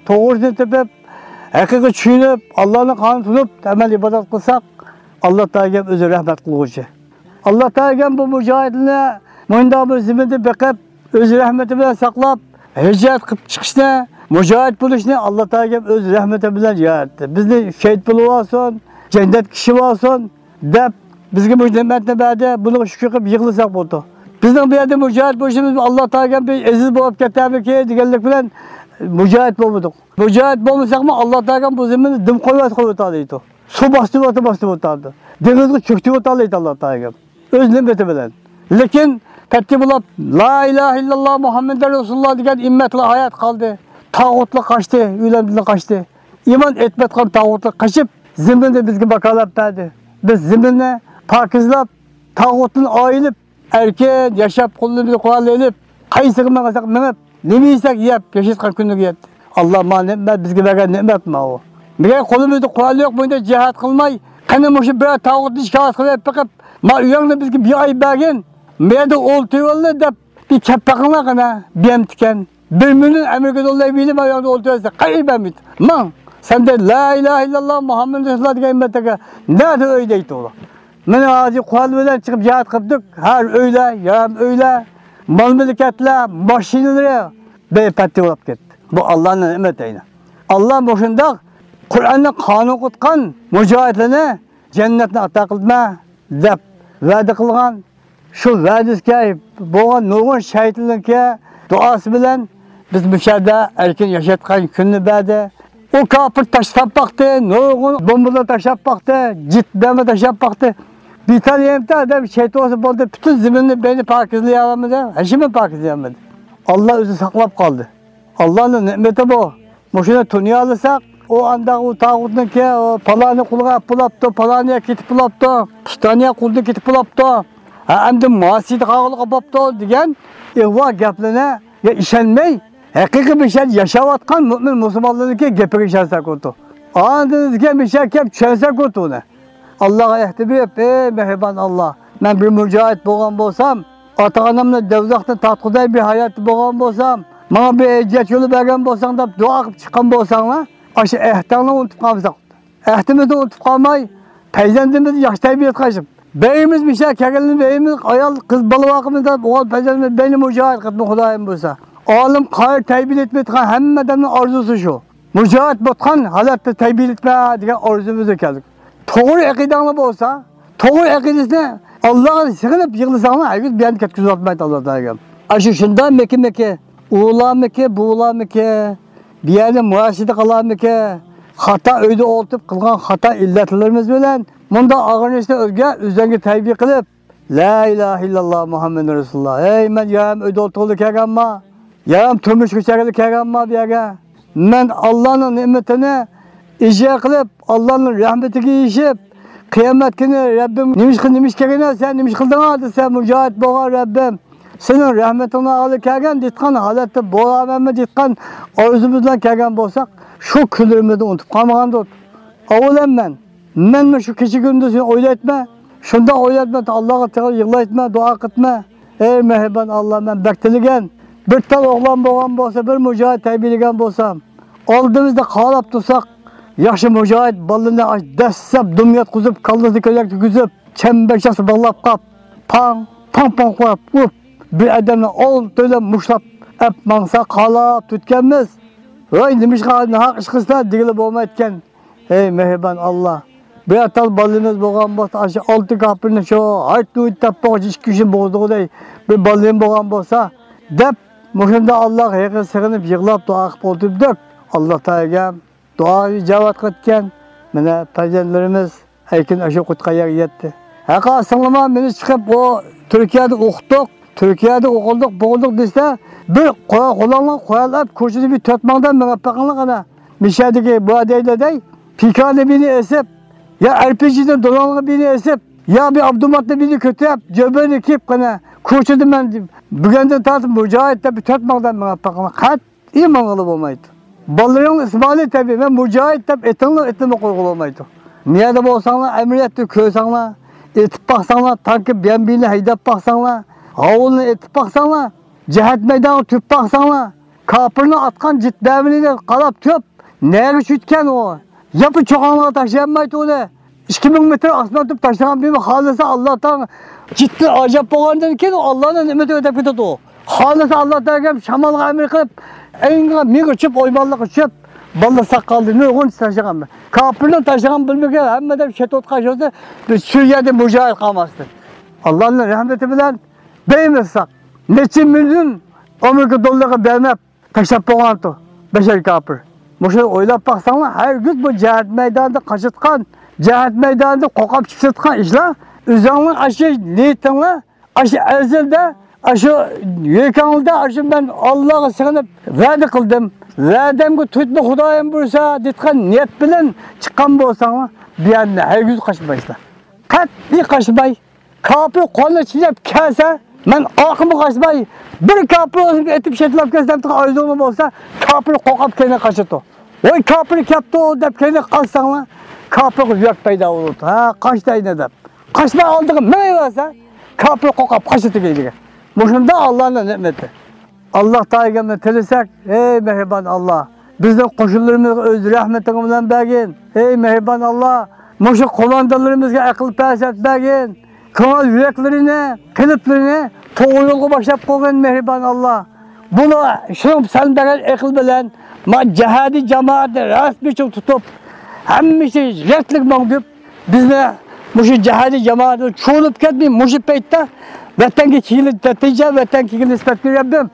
توغرىسىنى تېپىپ، ھەقىقىي چۈشىنىپ، ئاللانىڭ قانۇنىنى تونۇپ ئەمەل ئىبادەت قىلساق، ئاللا تائالام ئۆزى رەھمەت قىلغۇچى. ئاللا تائالام بۇ مۇجاھىدلارنى مۇنداق بىر زېمىندا بېقىپ، ئۆز رەھمىتى بىلەن ساقلاپ، ھىجرەت قىلىپ چىقىشنى، مۇجاھىد بولۇشنى ئاللا تائالام ئۆز رەھمىتى بىلەن ياراتتى. بىزنى شېھىت بولۇۋالسۇن، جەننەت كىشى بولسۇن دەپ، بىزگە مۇشۇ نېمەتنى بەردى، بۇنىڭغا شۈكۈر قىلىپ يىغلىساق بولىدۇ. بىزنىڭ بۇ يەردە مۇجاھىد بولۇشىمىز ئاللا تائالام بىر ئەزىز بولۇپ كەتەرمىكىن دېگەنلىك بىلەن مۇجاھىد بولمىدۇق. مۇجاھىد بولمىساقمۇ ئاللا تائالام بۇ زېمىننى دۇم قويۇۋەتسە قويۇۋېتەلەيدۇ. سۇ باستۇرۇۋەتسە باستۇرۇۋېتەلەيدۇ. دېڭىزغا چۆكتۈرۈۋېتەلەيدۇ ئاللا تائالام. ئۆز نېمىتى بىلەن. لېكىن پەتى بولۇپ، لا ئىلاھە ئىللاللا مۇھەممەدۇر رەسۇلۇللا دېگەن ئۈممەتلەر ھايات قالدى. تاغۇتلار قاچتى، ئۆيلىرىدىن قاچتى. ئىمان ئېيتمايدىغان تاغۇتلار قېچىپ، زېمىننى بىزگە ۋاكالەت بەردى. بىز زېمىننى پاكىزلاپ، تاغۇتتىن ئايرىلىپ، ئەركىن ياشاپ، قولىمىزدا قورال ئېلىپ، قايسىغا ماڭساق مېڭىپ، نېمە يېسەك يەپ ياشايدىغان كۈنگە يەتتى. ئاللا مانا نېمەت، بىزگە بەرگەن نېمەت ماۋۇ. مەگەر قولىمىزدا قورال يوق، بۇ يەردە جىھاد قىلماي، قېنى مۇشۇ بىر تاغۇتنى شىكايەت قىلىپ بېقىپ، ما ئۆيۈڭنى بىزگە بىر ئاي بەرگىن، بۇ يەردە ئولتۇرۇۋاللا دەپ بىر كەپ بېقىڭلار قېنى، بىيەمتىكەن. بىر مىليون ئامېرىكا دوللار بېرىپ، ئاياغدا ئولتۇرسا، قەتئىي بەرمەيدۇ. ماڭ، سەندە لا ئىلاھە ئىللاللا مۇھەممەدۇر رەسۇلۇللا دېگەن ئۈممەتلەرگە نەدە ئۆي دەيدۇ ئۇلار. مانا ھازىر قورال بىلەن چىقىپ جىھاد قىپتۇق. ھەر ئۆيلەر، يارام ئۆيلەر، مال-مۈلكەتلەر، ماشىنىلىرى بىر پەتتە بولاپ كەتتى. بۇ ئاللانىڭ نېمىتى ئەينى. ئاللا مۇشۇنداق قۇرئاننى قانۇن قىلغان مۇجاھىدلارنى جەننەتنى ئاتا قىلىمەن دەپ ۋەدە قىلغان. شۇ ۋەدىسىگە بولغان نۇرغۇن شەھىدلەرنىڭكى دۇئاسى بىلەن بىز مۇشۇ يەردە ئەركىن ياشايدىغان كۈننى بەردى. ئۇ كاپىر تاشلاپ باقتى، نۇرغۇن بومبىلار تاشلاپ باقتى، جىت بەمە تاشلاپ باقتى. بىتار يېرىمتە ئادەم شېھىت بولسا بولدى، پۈتۈن زېمىننى بەينى پاكىزلىيالامدۇ؟ ھېچنېمە پاكىزلىيالمىدى. ئاللا ئۆزى ساقلاپ قالدى. ئاللانىڭ نېمىتى بۇ. مۇشۇنى تونۇيالىساق، ئۇ ئانداق ئۇ تاغۇتنىڭكى، ئۇ پالانى قۇلغا ئەپ بولاپتۇ، پالانى كېتىپ بولاپتۇ، پۇستانىيە قۇلدىن كېتىپ بولاپتۇ، ھە، ئەمدى ماسىدا قالغىلى بوپتۇ دېگەن ئىغۋا گەپلىرىگە ئىشەنمەي، ھەقىقىي بىر شەھەردە ياشاۋاتقان مۆمىن مۇسۇلمانلارنىڭكى گېپىگە ئىشەنسەك بولىدۇ. ئاندىن كېيىن بىر شەھەرگە كەپ چۈشەنسەك بولىدۇ ئۇنى. ئاللاغا ئەھدە بېرىپ، ئەي مېھرىبان ئاللا، مەن بىر مۇجاھىد بولغان بولسام، ئاتا-ئانامنى دوزاختىن تارتقۇدەك بىر ھاياتتا بولغان بولسام، ماڭا بىر ھىجرەت يولى بەرگەن بولساڭ دەپ دۇئا قىلىپ چىققان بولساڭلار، ئاشۇ ئەھدىڭلارنى ئۇنتۇپ قالمىساق. ئەھدىمىزنى ئۇنتۇپ قالماي، پەرزەنتىمىزنى ياخشى تەربىيە قىلىپ، بەيىمىز مىشە كەلگەنلىرىنى بەيىمىز ئايال، قىز بالا باقىمىز دەپ، ئوغۇل پەرزەنتىمىز بەينى مۇجاھىد قىلىپ خۇدايىم بولسا. ئالىم، قارى تەربىيەلىتىپ ئېيتقان ھەممە ئادەمنىڭ ئارزۇسى شۇ. مۇجاھىد بولغان ھالەتتە تەربىيەلىتمە دېگەن ئارزۇمىزغا كەلدۇق. توغرا ئەقىدەڭلار بولسا، توغرا ئەقىدىسىنى ئاللاغا سېغىنىپ يىغلىساڭلار، ھەرگىز بۇ يەردىن كەتكۈزۈۋاتمايدۇ ئاللا تائالا. ئاشۇ شۇنداق مەككە مەككە، ئۇلارمىكى، بۇلارمىكى، بۇ يەردە مۇراسىدە قالارمىكى، خاتا ئۆيدە ئولتۇرۇپ قىلغان خاتا ئىللەتلىرىمىز بىلەن مۇنداق ئاغرىنىشتىن ئۆزگە ئۆزۈڭگە تەربىيە قىلىپ، لا ئىلاھە ئىللاللا مۇھەممەدۇر رەسۇلۇللا. ئەي، مەن يارىم ئۆيدە ئولتۇرغىلى كەلگەنما؟ يارىم تۇرمۇشقا چىققىلى كەلگەنما بۇ يەرگە؟ مەن ئاللانىڭ نېمىتىنى ئىجرا قىلىپ، ئاللانىڭ رەھمىتىگە ئېرىشىپ، قىيامەت كۈنى رەببىم نېمىشقا، نېمىش كەلگەن سەن، نېمىش قىلدىڭ دېسە، مۇجاھىد بولغان رەببىم، سېنىڭ رەھمىتىڭنى ئالغىلى كەلگەن دېيىتقان ھالەتتە بولامەنمۇ دېيىتقان ئارزۇمىز بىلەن كەلگەن بولساق، شۇ كۈنلىرىمىزنى ئۇنتۇپ قالمىغاندۇق. ئاۋۋالەن مەن، مەنمۇ شۇ كېچە كۈندۈزنى ئويلايتمەن. شۇنداق ئويلايتمەن، ئاللاغا تېخى يىغلايتمەن، دۇئا قىلىتمەن. ئەي مېھرىبان ئاللا، مەن بەك تىلىگەن. بىر تال ئوغلان بولغان بولسا، بىر مۇجاھىد تەربىيەلىگەن بولسام، ئالدىمىزدا قالاپ تۇرساق، ياخشى مۇجاھىد بالىنى ئاش-، دەسسەپ دۇم ياتقۇزۇپ، كاللىسىنى كۆيلەككە كىرگۈزۈپ، چەمبەرچاس باغلاپ قاپ، پاڭ، پاڭ، پاڭ قويۇپ ئۇرۇپ، بىر ئادەمنى ئالتىلەپ مۇشتلاپ ئەپ ماڭسا قالاپ تۇرىدىكەنمىز. ۋاي، نېمىشقا ناھەق ئىش قىلسا دېگىلى بولمايدىكەن. ئەي مېھرىبان ئاللا، بىر تال بالىمىز بولغان بولسا، ئاشۇ ئالتە كاپىرنى شۇ ھايت ھۇيت دەپ بولغۇچە ئىككى كۈنى بوغدىغۇدەك بىر بالىم بولغان بولسا، دەپ مۇشۇنداق ئاللاغا ھېغىر سېغىنىپ يىغلاپ دۇئا قىلىپ ئولتۇردۇق. ئاللا تائالا دۇئا ئىجابەت قىلىدىكەن. مانا پەرزەنتلىرىمىز ئەركىن ئاشۇ قۇتقان يەرگە يەتتى. ھەققى ئاستىڭلىما مېنى چىقىپ ئۇ تۈركىيەدە ئوقۇتتۇق، تۈركىيەدە ئوقۇدۇق، بوغدۇق دېسە، بىر قورال قولۇڭلار قورال ئەپ، كوچىدا بىر تۆت مىڭدەك مېڭىپ بېقىڭلار قانا. مىشەدىكى بۇ دەيدۇ دەي، پىكانى بىنى ئېسىپ، يا ئەرپىجىنى دولانغا بىنى ئېسىپ، يا بىر ئابدۇماتنى بىنى كۆتۈرۈپ، جۆبىنى كىيىپ قانا، كوچىدا مەن بۈگۈندىن تارتىپ مۇجاھىد دەپ بىر تۆت مىڭدەك مېڭىپ بېقىڭلار. قەت ئى ماڭغىلى بولمايدۇ. بالىلىرىڭ ئىسمائىل تەبىئىي، مەن مۇجاھىد دەپ ئېتىڭلار، ئېتىمنى قويغىلى بولمايدۇ. نېرىدا بولساڭلار، ئەمەلىيەتتە كۆرسەڭلار، ئېتىپ باقساڭلار، تانكى بىيەمبىنى ھەيدەپ باقساڭلار، ھاۋۇلنى ئېتىپ باقساڭلار، جىھاد مەيدانىغا تۈرۈپ باقساڭلار، كاپىرنىڭ ئاتقان جىت بەمىنىگە قاراپ تۇرۇپ، نەگە چۈشىدىكەن ئۇ؟ ياپا چوقانلارغا تاشلىيالمايدۇ ئۇنى. ئىككى مىڭ مېتىر ئاسمان تۇرۇپ تاشلىغان بىمۇ خالىسا ئاللا تائالا جىتتىن ئاجاب بولغاندىن كېيىن ئاللانىڭ نېمىتى ئۆتەپ كېتىدۇ. خالىسا ئاللا تائالا شامالغا ئەمر قىلىپ، ئەينىغا مىڭ ئۇچۇپ، ئويمانلىق ئۇچۇپ، باللا ساقالدى نۇرغۇن تاشلىغان. كاپىرنىڭ تاشلىغان بىلمىگەن ھەممە ئادەم شېھىت قاچۇرسا، بىز شۇ يەردە مۇجاھىد قالماستى. ئاللانىڭ رەھمىتى بىلەن بەيمىز ساق. نەچچە مىليون ئامېرىكا دوللىرىغا بەرمەپ، تاشلاپ بولغانتۇ بەشەر كاپىر. مۇشۇنى ئويلاپ باقساڭلار، ھەرگىز بۇ جىھاد مەيدانىدا قاچىتقان، جىھاد مەيدانىدا قوقاپ چۈشۈۋاتقان ئىشلار، ئۆزۈڭلار ئاشۇ نىيىتىڭلار، ئاشۇ ئەزەلدە، ئاشۇ يۈرىكىڭلاردا، ئاشۇ مەن ئاللاغا سىغىنىپ ۋەدە قىلدىم، ۋەدەمگە تۇتما خۇدايىم بۇيرۇسا دېيىتقان نىيەت بىلەن چىققان بولساڭلار، بۇ يەردىن ھەرگىز قاچمايسىلەر. قەتئىي قاچماي. كاپىر قولىنى چىللاپ كەلسە، مەن ئارقىمغا قاچماي، بىر كاپىر ئۆزۈمگە ئېتىپ شېتىلاپ كەلسەم دېگەن ئارزۇڭلار بولسا، كاپىر قورقۇپ كەينىگە قاچىدۇ. ۋاي، كاپىر كەپتۇ دەپ كەينىگە قاچساڭلار، كاپىرغا يۈرەك پەيدا بولىدۇ. ھە، قاچتى ئەينە دەپ. قاچماي ئالدىغا مېڭىۋەرسە، كاپىر قورقۇپ قاچىدۇ كەينىگە. مۇشۇنداق ئاللانىڭ نېمىتى. ئاللا تائالاغا تىلىسەك، ئەي مېھرىبان ئاللا، بىزنىڭ قوشۇنلىرىمىزغا ئۆز رەھمىتىڭ بىلەن بەرگىن. ئەي مېھرىبان ئاللا، مۇشۇ قوماندانلىرىمىزغا ئەقىل پەراسەت بەرگىن. كۆڭۈل يۈرەكلىرىنى، قېلىپلىرىنى توغرا يولغا باشلاپ قويغىن مېھرىبان ئاللا. بۇلار شۇنىڭ سەن بەرگەن ئەقىل بىلەن ما جىھادىي جامائەتنى رەسمىي چىڭ تۇتۇپ، ھەممىسى رەتلىك ماڭدۇرۇپ، بىزنى مۇشۇ جىھادىي جامائەتنى چۇۋۇلۇپ كەتمەي، مۇشۇ پەيتتە ۋەتەنگە كېلىپ، نەتىجە ۋەتەنگە كېلىپ نىسبەت بېرىپ رەببىم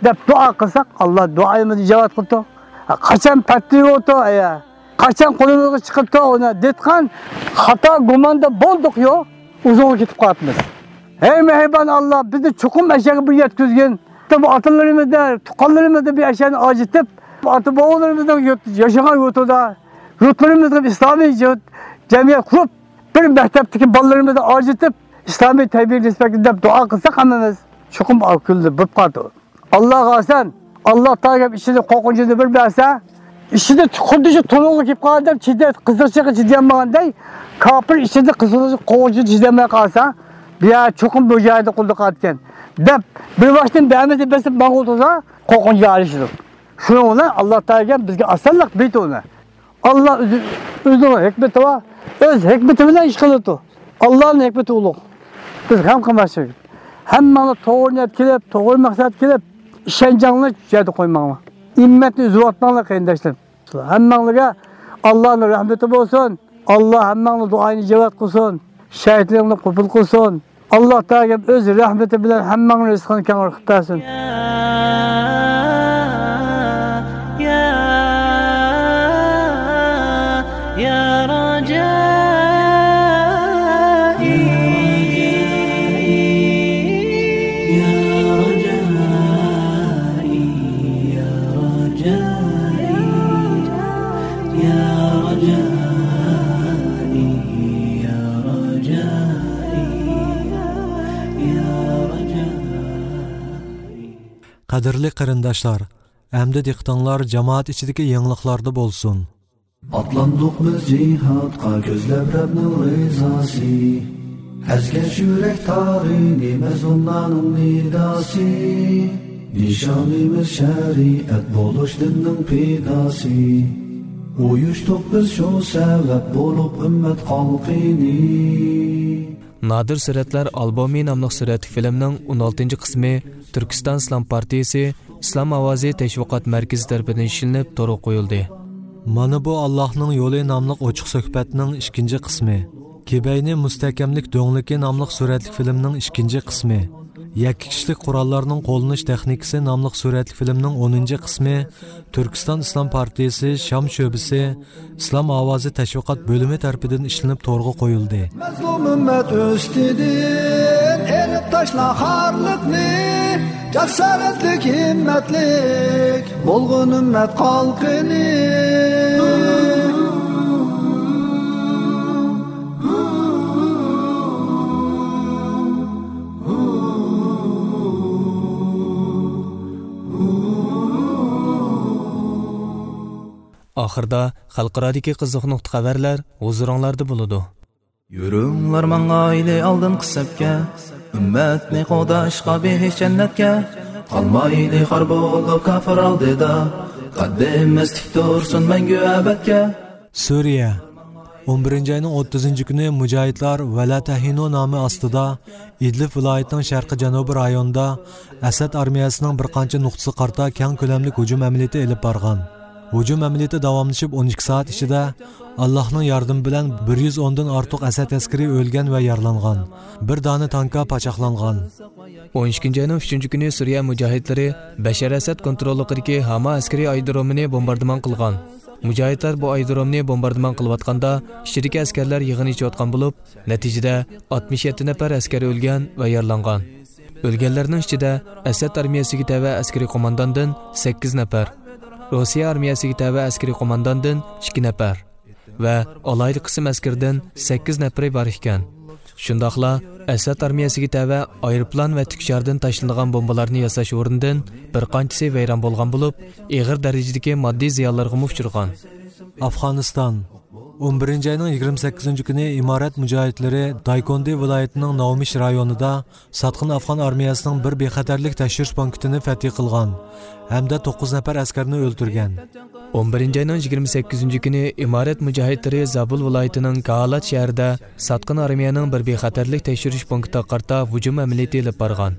دەپ دۇئا قىلساق، ئاللا دۇئايىمىزنى ئىجابەت قىلىپتۇ. قاچان پەتلىۋوتۇ، ئەيە. قاچان قولىمىزغا چىقىپتۇ، ئۇنى دېتقان خاتا گۇماندا بولدۇق، يو، ئۇزۇنغا كېتىپ قالىپمىز. ھەي مېھرىبان ئاللا، بىزنى چوقۇم ئەشەگە بىر يەتكۈزگىن. بۇ ئاتىلىرىمىزنى، تۇغقانلىرىمىزنى بىر ئەشەنى ئاجىتىپ، ئاتا بوۋىلىرىمىزنىڭ يۇرت-، ياشىغان يۇرتىدا، يۇرتلىرىمىزغا بىر ئىسلامىي يۇرت، جەمئىيەت قۇرۇپ، بىر مەكتەپتىكى بالىلىرىمىزنى ئاجىتىپ، ئىسلامىي تەربىيە نىسبەتلىك دەپ دۇئا قىلساق ھەممىمىز، چوقۇم ئاقىللىق بولۇپ قالىدۇ. ئاللاغا ئاسان، ئاللا تائالا ئىچىدە قورقۇنچىنى بىر بەرسە، ئىچىدە خۇددى شۇ تونۇغا كېلىپ قالغاندەك، چىدە-، قىزىقچىغا چىدىيالمىغاندەك، كاپىر ئىچىدە قىزىقچى قورقۇنچىنى چىدىيالماي قالسا، بۇ يەر چوقۇم بۇ جايدا قۇلدۇق قىلىدىكەن، دەپ، بىر باشتىن بەرمىسە بېسىپ ماڭغۇ تۇرسا، قورقۇنچ ئېرىشىدۇ. شۇنىڭ بىلەن ئاللا تائالا بىزگە ئاسانلىق بېرىدۇ ئۇنى. ئاللا ئۆزى، ئۆزىنىڭ ھېكمىتى بار، ئۆز ھېكمىتى بىلەن ئىش قىلىدۇ. ئاللانىڭ ھېكمىتى ئۇلۇغ. بىز غەم قىلماسلىق كېرەك. ھەممەڭلار توغرا نىيەت كېلىپ، توغرا مەقسەت كېلىپ، ئىشەنچىڭلارنى يەردە قويماڭلار. ئۈممەتنى ئۈزۈۋاتماڭلار، قېرىنداشلىرىم. ھەممەڭلارگە ئاللانىڭ رەھمىتى بولسۇن. ئاللا ھەممەڭلار دۇئاينى ئىجابەت قىلسۇن. شېھىتلىرىڭلارنى قوبۇل قىلسۇن. ئاللا تائالا ئۆز رەھمىتى بىلەن ھەممەڭنىڭ رىزقىنى كەڭرى قىلىپ بەرسۇن. يا، يا، يا رجائي، يا رجائي، يا رجائي، يا رجائي، يا رجائي، يا رجائي. قەدىرلىك قېرىنداشلار، ئەمدى دىققىتىڭلار جامائەت ئىچىدىكى يېڭىلىقلاردا بولسۇن. ئاتلاندۇق بىز جىھادقا، كۆزلەپ رەبنىڭ رىزاسى. ئەزگەش يۈرەك تارىنى، مەزلۇملارنىڭ نىداسى. نىشانىمىز شەرىئەت بولۇش دىننىڭ پىداسى. ئۇيۇشتۇق بىز شۇ سەۋەب بولۇپ ئۈممەت خەلقىنى. نادىر سۈرەتلەر ئالبومى ناملىق سۈرەتلىك فىلىمنىڭ ئون ئالتىنچى قىسمى تۈركىستان ئىسلام پارتىيىسى ئىسلام ئاۋازى تەشۋىقات مەركىزى تەرىپىدىن ئىشلىنىپ تورغا قويۇلدى. مانا بۇ ئاللاھنىڭ يولى ناملىق ئوچۇق سۆھبەتنىڭ ئىككىنچى قىسمى. كېبەينى مۇستەھكەملىك دۆڭلۈكى ناملىق سۈرەتلىك فىلىمنىڭ ئىككىنچى قىسمى. يەككە كىشىلىك قوراللارنىڭ قوللىنىش تېخنىكىسى ناملىق سۈرەتلىك فىلىمنىڭ ئونىنچى قىسمى تۈركىستان ئىسلام پارتىيىسى شام شۆبىسى ئىسلام ئاۋازى تەشۋىقات بۆلۈمى تەرىپىدىن ئىشلىنىپ تورغا قويۇلدى. مەزلۇم ئۈممەت ئۈستىدىن ئېلىپ تاشلا خارلىقنى، جاسارەتلىك، ھىممەتلىك بولغىن ئۈممەت خەلقىنى. ئاخىردا خەلقئارادىكى قىزىق نۇقتا خەۋەرلەر ھۇزۇرۇڭلاردا بولىدۇ. يۈرۈڭلار ماڭايلى ئالدىنقى سەپكە، ئۈممەتنى قوغداشقا بېھىش جەننەتكە. قالمايلى خار بولۇپ كاپىر ئالدىدا، قەددىمىز تىك تۇرسۇن مەڭگۈ ئەبەدكە. سۈرىيە. ئون بىرىنچى ئاينىڭ ئوتتۇزىنچى كۈنى مۇجاھىدلار ۋەلا تەھىنۇ نامى ئاستىدا ئىدلىب ۋىلايىتىنىڭ شەرقىي جەنۇبىي رايونىدا ئەسەد ئارمىيەسىنىڭ بىر قانچە نۇقتىسىغا قارىتا كەڭ كۆلەملىك ھۇجۇم ئەمەلىيىتى ئېلىپ بارغان. ھۇجۇم ئەمەلىيىتى داۋاملىشىپ ئون ئىككى سائەت ئىچىدە، ئاللاھنىڭ ياردىمى بىلەن بىر يۈز ئوندىن ئارتۇق ئەسەد ئەسكىرى ئۆلگەن ۋە يارىلانغان. بىر دانە تانكا پاچاقلانغان. ئون ئىككىنچى ئاينىڭ ئۈچىنچى كۈنى سۈرىيە مۇجاھىدلىرى بەشەر ئەسەد كونتروللۇقىدىكى ھاما ئەسكىرىي ئايرودرومىنى بومباردىمان قىلغان. مۇجاھىدلار بۇ ئايرودرومنى بومباردىمان قىلىۋاتقاندا، ئىچىدىكى ئەسكەرلەر يىغىن ئېچىۋاتقان بولۇپ، نەتىجىدە ئاتمىش يەتتە نەپەر ئەسكەر ئۆلگەن ۋە يارىلانغان. ئۆلگەنلەرنىڭ ئىچىدە ئەسەد ئارمىيەسىگە تەۋە ئەسكىرىي قومانداندىن سەككىز نەپەر، روسىيە ئارمىيەسىگە تەۋە ئەسكىرىي قومانداندىن ئىككى نەپەر ۋە ئالاھىدە قىسىم ئەسكىرىدىن سەككىز نەپىرى بار ئىكەن. شۇنداقلا ئەسەد ئارمىيەسىگە تەۋە ئايروپىلان ۋە تىكىشاردىن تاشلىنىدىغان بومبىلارنى ياساش ئورنىدىن بىر قانچىسى ۋەيران بولغان بولۇپ، ئېغىر دەرىجىدىكى ماددىي زىيانلارغىمۇ ئۇچرىغان. ئافغانىستان. ئون بىرىنچى ئاينىڭ يىگىرمە سەككىزىنچى كۈنى ئىمارەت مۇجاھىدلىرى دايكوندى ۋىلايىتىنىڭ ناۋمىش رايونىدا ساتقىن ئافغان ئارمىيەسىنىڭ بىر بىخەتەرلىك تەكشۈرۈش پونكىتىنى فەتھى قىلغان ھەمدە توققۇز نەپەر ئەسكەرنى ئۆلتۈرگەن. ئون بىرىنچى ئاينىڭ يىگىرمە سەككىزىنچى كۈنى ئىمارەت مۇجاھىدلىرى زابۇل ۋىلايىتىنىڭ كاھالات شەھىرىدە ساتقىن ئارمىيەنىڭ بىر بىخەتەرلىك تەكشۈرۈش پونكىتىغا قارىتا ھۇجۇم ئەمەلىيىتى ئېلىپ بارغان.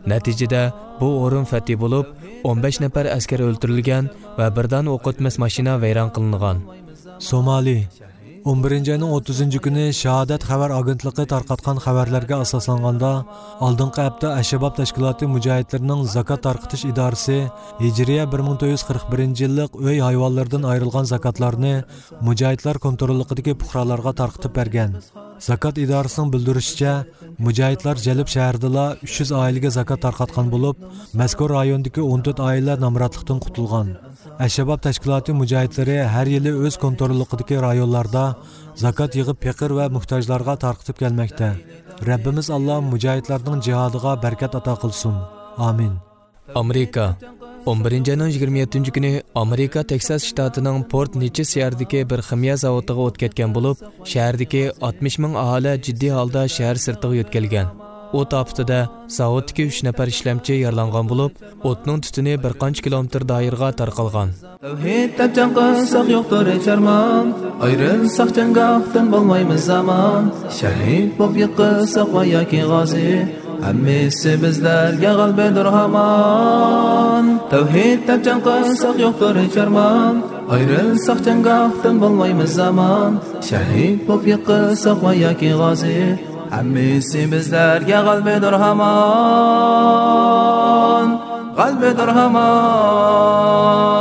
نەتىجىدە، بۇ ئورۇن فەتھى بولۇپ، ئون بەش نەپەر ئەسكەر ئۆلتۈرۈلگەن ۋە بىر دانە ئوق ئۆتمەس ماشىنا ۋەيران قىلىنغان. سومالى. ئون بىرىنچى ئاينىڭ ئوتتۇزىنچى كۈنى شاھادەت خەۋەر ئاگېنتلىقى تارقاتقان خەۋەرلەرگە ئاساسلانغاندا، ئالدىنقى ھەپتە ئەششەباب تەشكىلاتى مۇجاھىدلىرىنىڭ زاكات تارقىتىش ئىدارىسى ھىجرىيە بىر مىڭ تۆت يۈز قىرىق بىرىنچى يىللىق ئۆي ھايۋانلىرىدىن ئايرىلغان زاكاتلارنى مۇجاھىدلار كونتروللۇقىدىكى پۇقرالارغا تارقىتىپ بەرگەن. زاكات ئىدارىسىنىڭ بىلدۈرۈشىچە، مۇجاھىدلار جەلىپ شەھىرىدىلا ئۈچ يۈز ئائىلىگە زاكات تارقاتقان بولۇپ، مەزكۇر رايوندىكى ئون تۆت ئائىلە نامراتلىقتىن قۇتۇلغان. ئەششەباب تەشكىلاتى مۇجاھىدلىرى ھەر يىلى ئۆز كونتروللۇقىدىكى رايونلاردا زاكات يىغىپ، پېقىر ۋە موھتاجلارغا تارقىتىپ كەلمەكتە. رەببىمىز ئاللا مۇجاھىدلارنىڭ جىھادىغا بەرىكەت ئاتا قىلسۇن. ئامىن. ئامېرىكا. ئون بىرىنچى ئاينىڭ يىگىرمە يەتتىنچى كۈنى ئامېرىكا تېكساس شتاتىنىڭ پورت نېچىس شەھىرىدىكى بىر خىمىيە زاۋۇتىغا ئوت كەتكەن بولۇپ، شەھەردىكى ئاتمىش مىڭ ئاھالە جىددىي ھالدا شەھەر سىرتىغا يۆتكەلگەن. ئوت ئاپىتىدە زاۋۇتتىكى ئۈچ نەپەر ئىشلەمچى يارىلانغان بولۇپ، ئوتنىڭ تۈتۈنى بىر قانچە كىلومېتىر دائىرىغا تارقالغان. تەۋھىد دەپ جەڭ قىلساق يوقتۇر ھېچ ئارمان، ئايرىلساق جەڭگاھتىن بولمايمىز ئامان. شەھىد بوپ يىقىلساق ۋە ياكى غازى، ھەممىسى بىزلەرگە غەلىبىدۇر ھامان. تەۋھىد دەپ جەڭ قىلساق يوقتۇر ھېچ ئارمان، ئايرىلساق جەڭگاھتىن بولمايمىز ئامان. شەھىد بوپ يىقىلساق ۋە ياكى غازى، ھەممىسى بىزلەرگە غەلىبىدۇر ھامان. غەلىبىدۇر ھامان.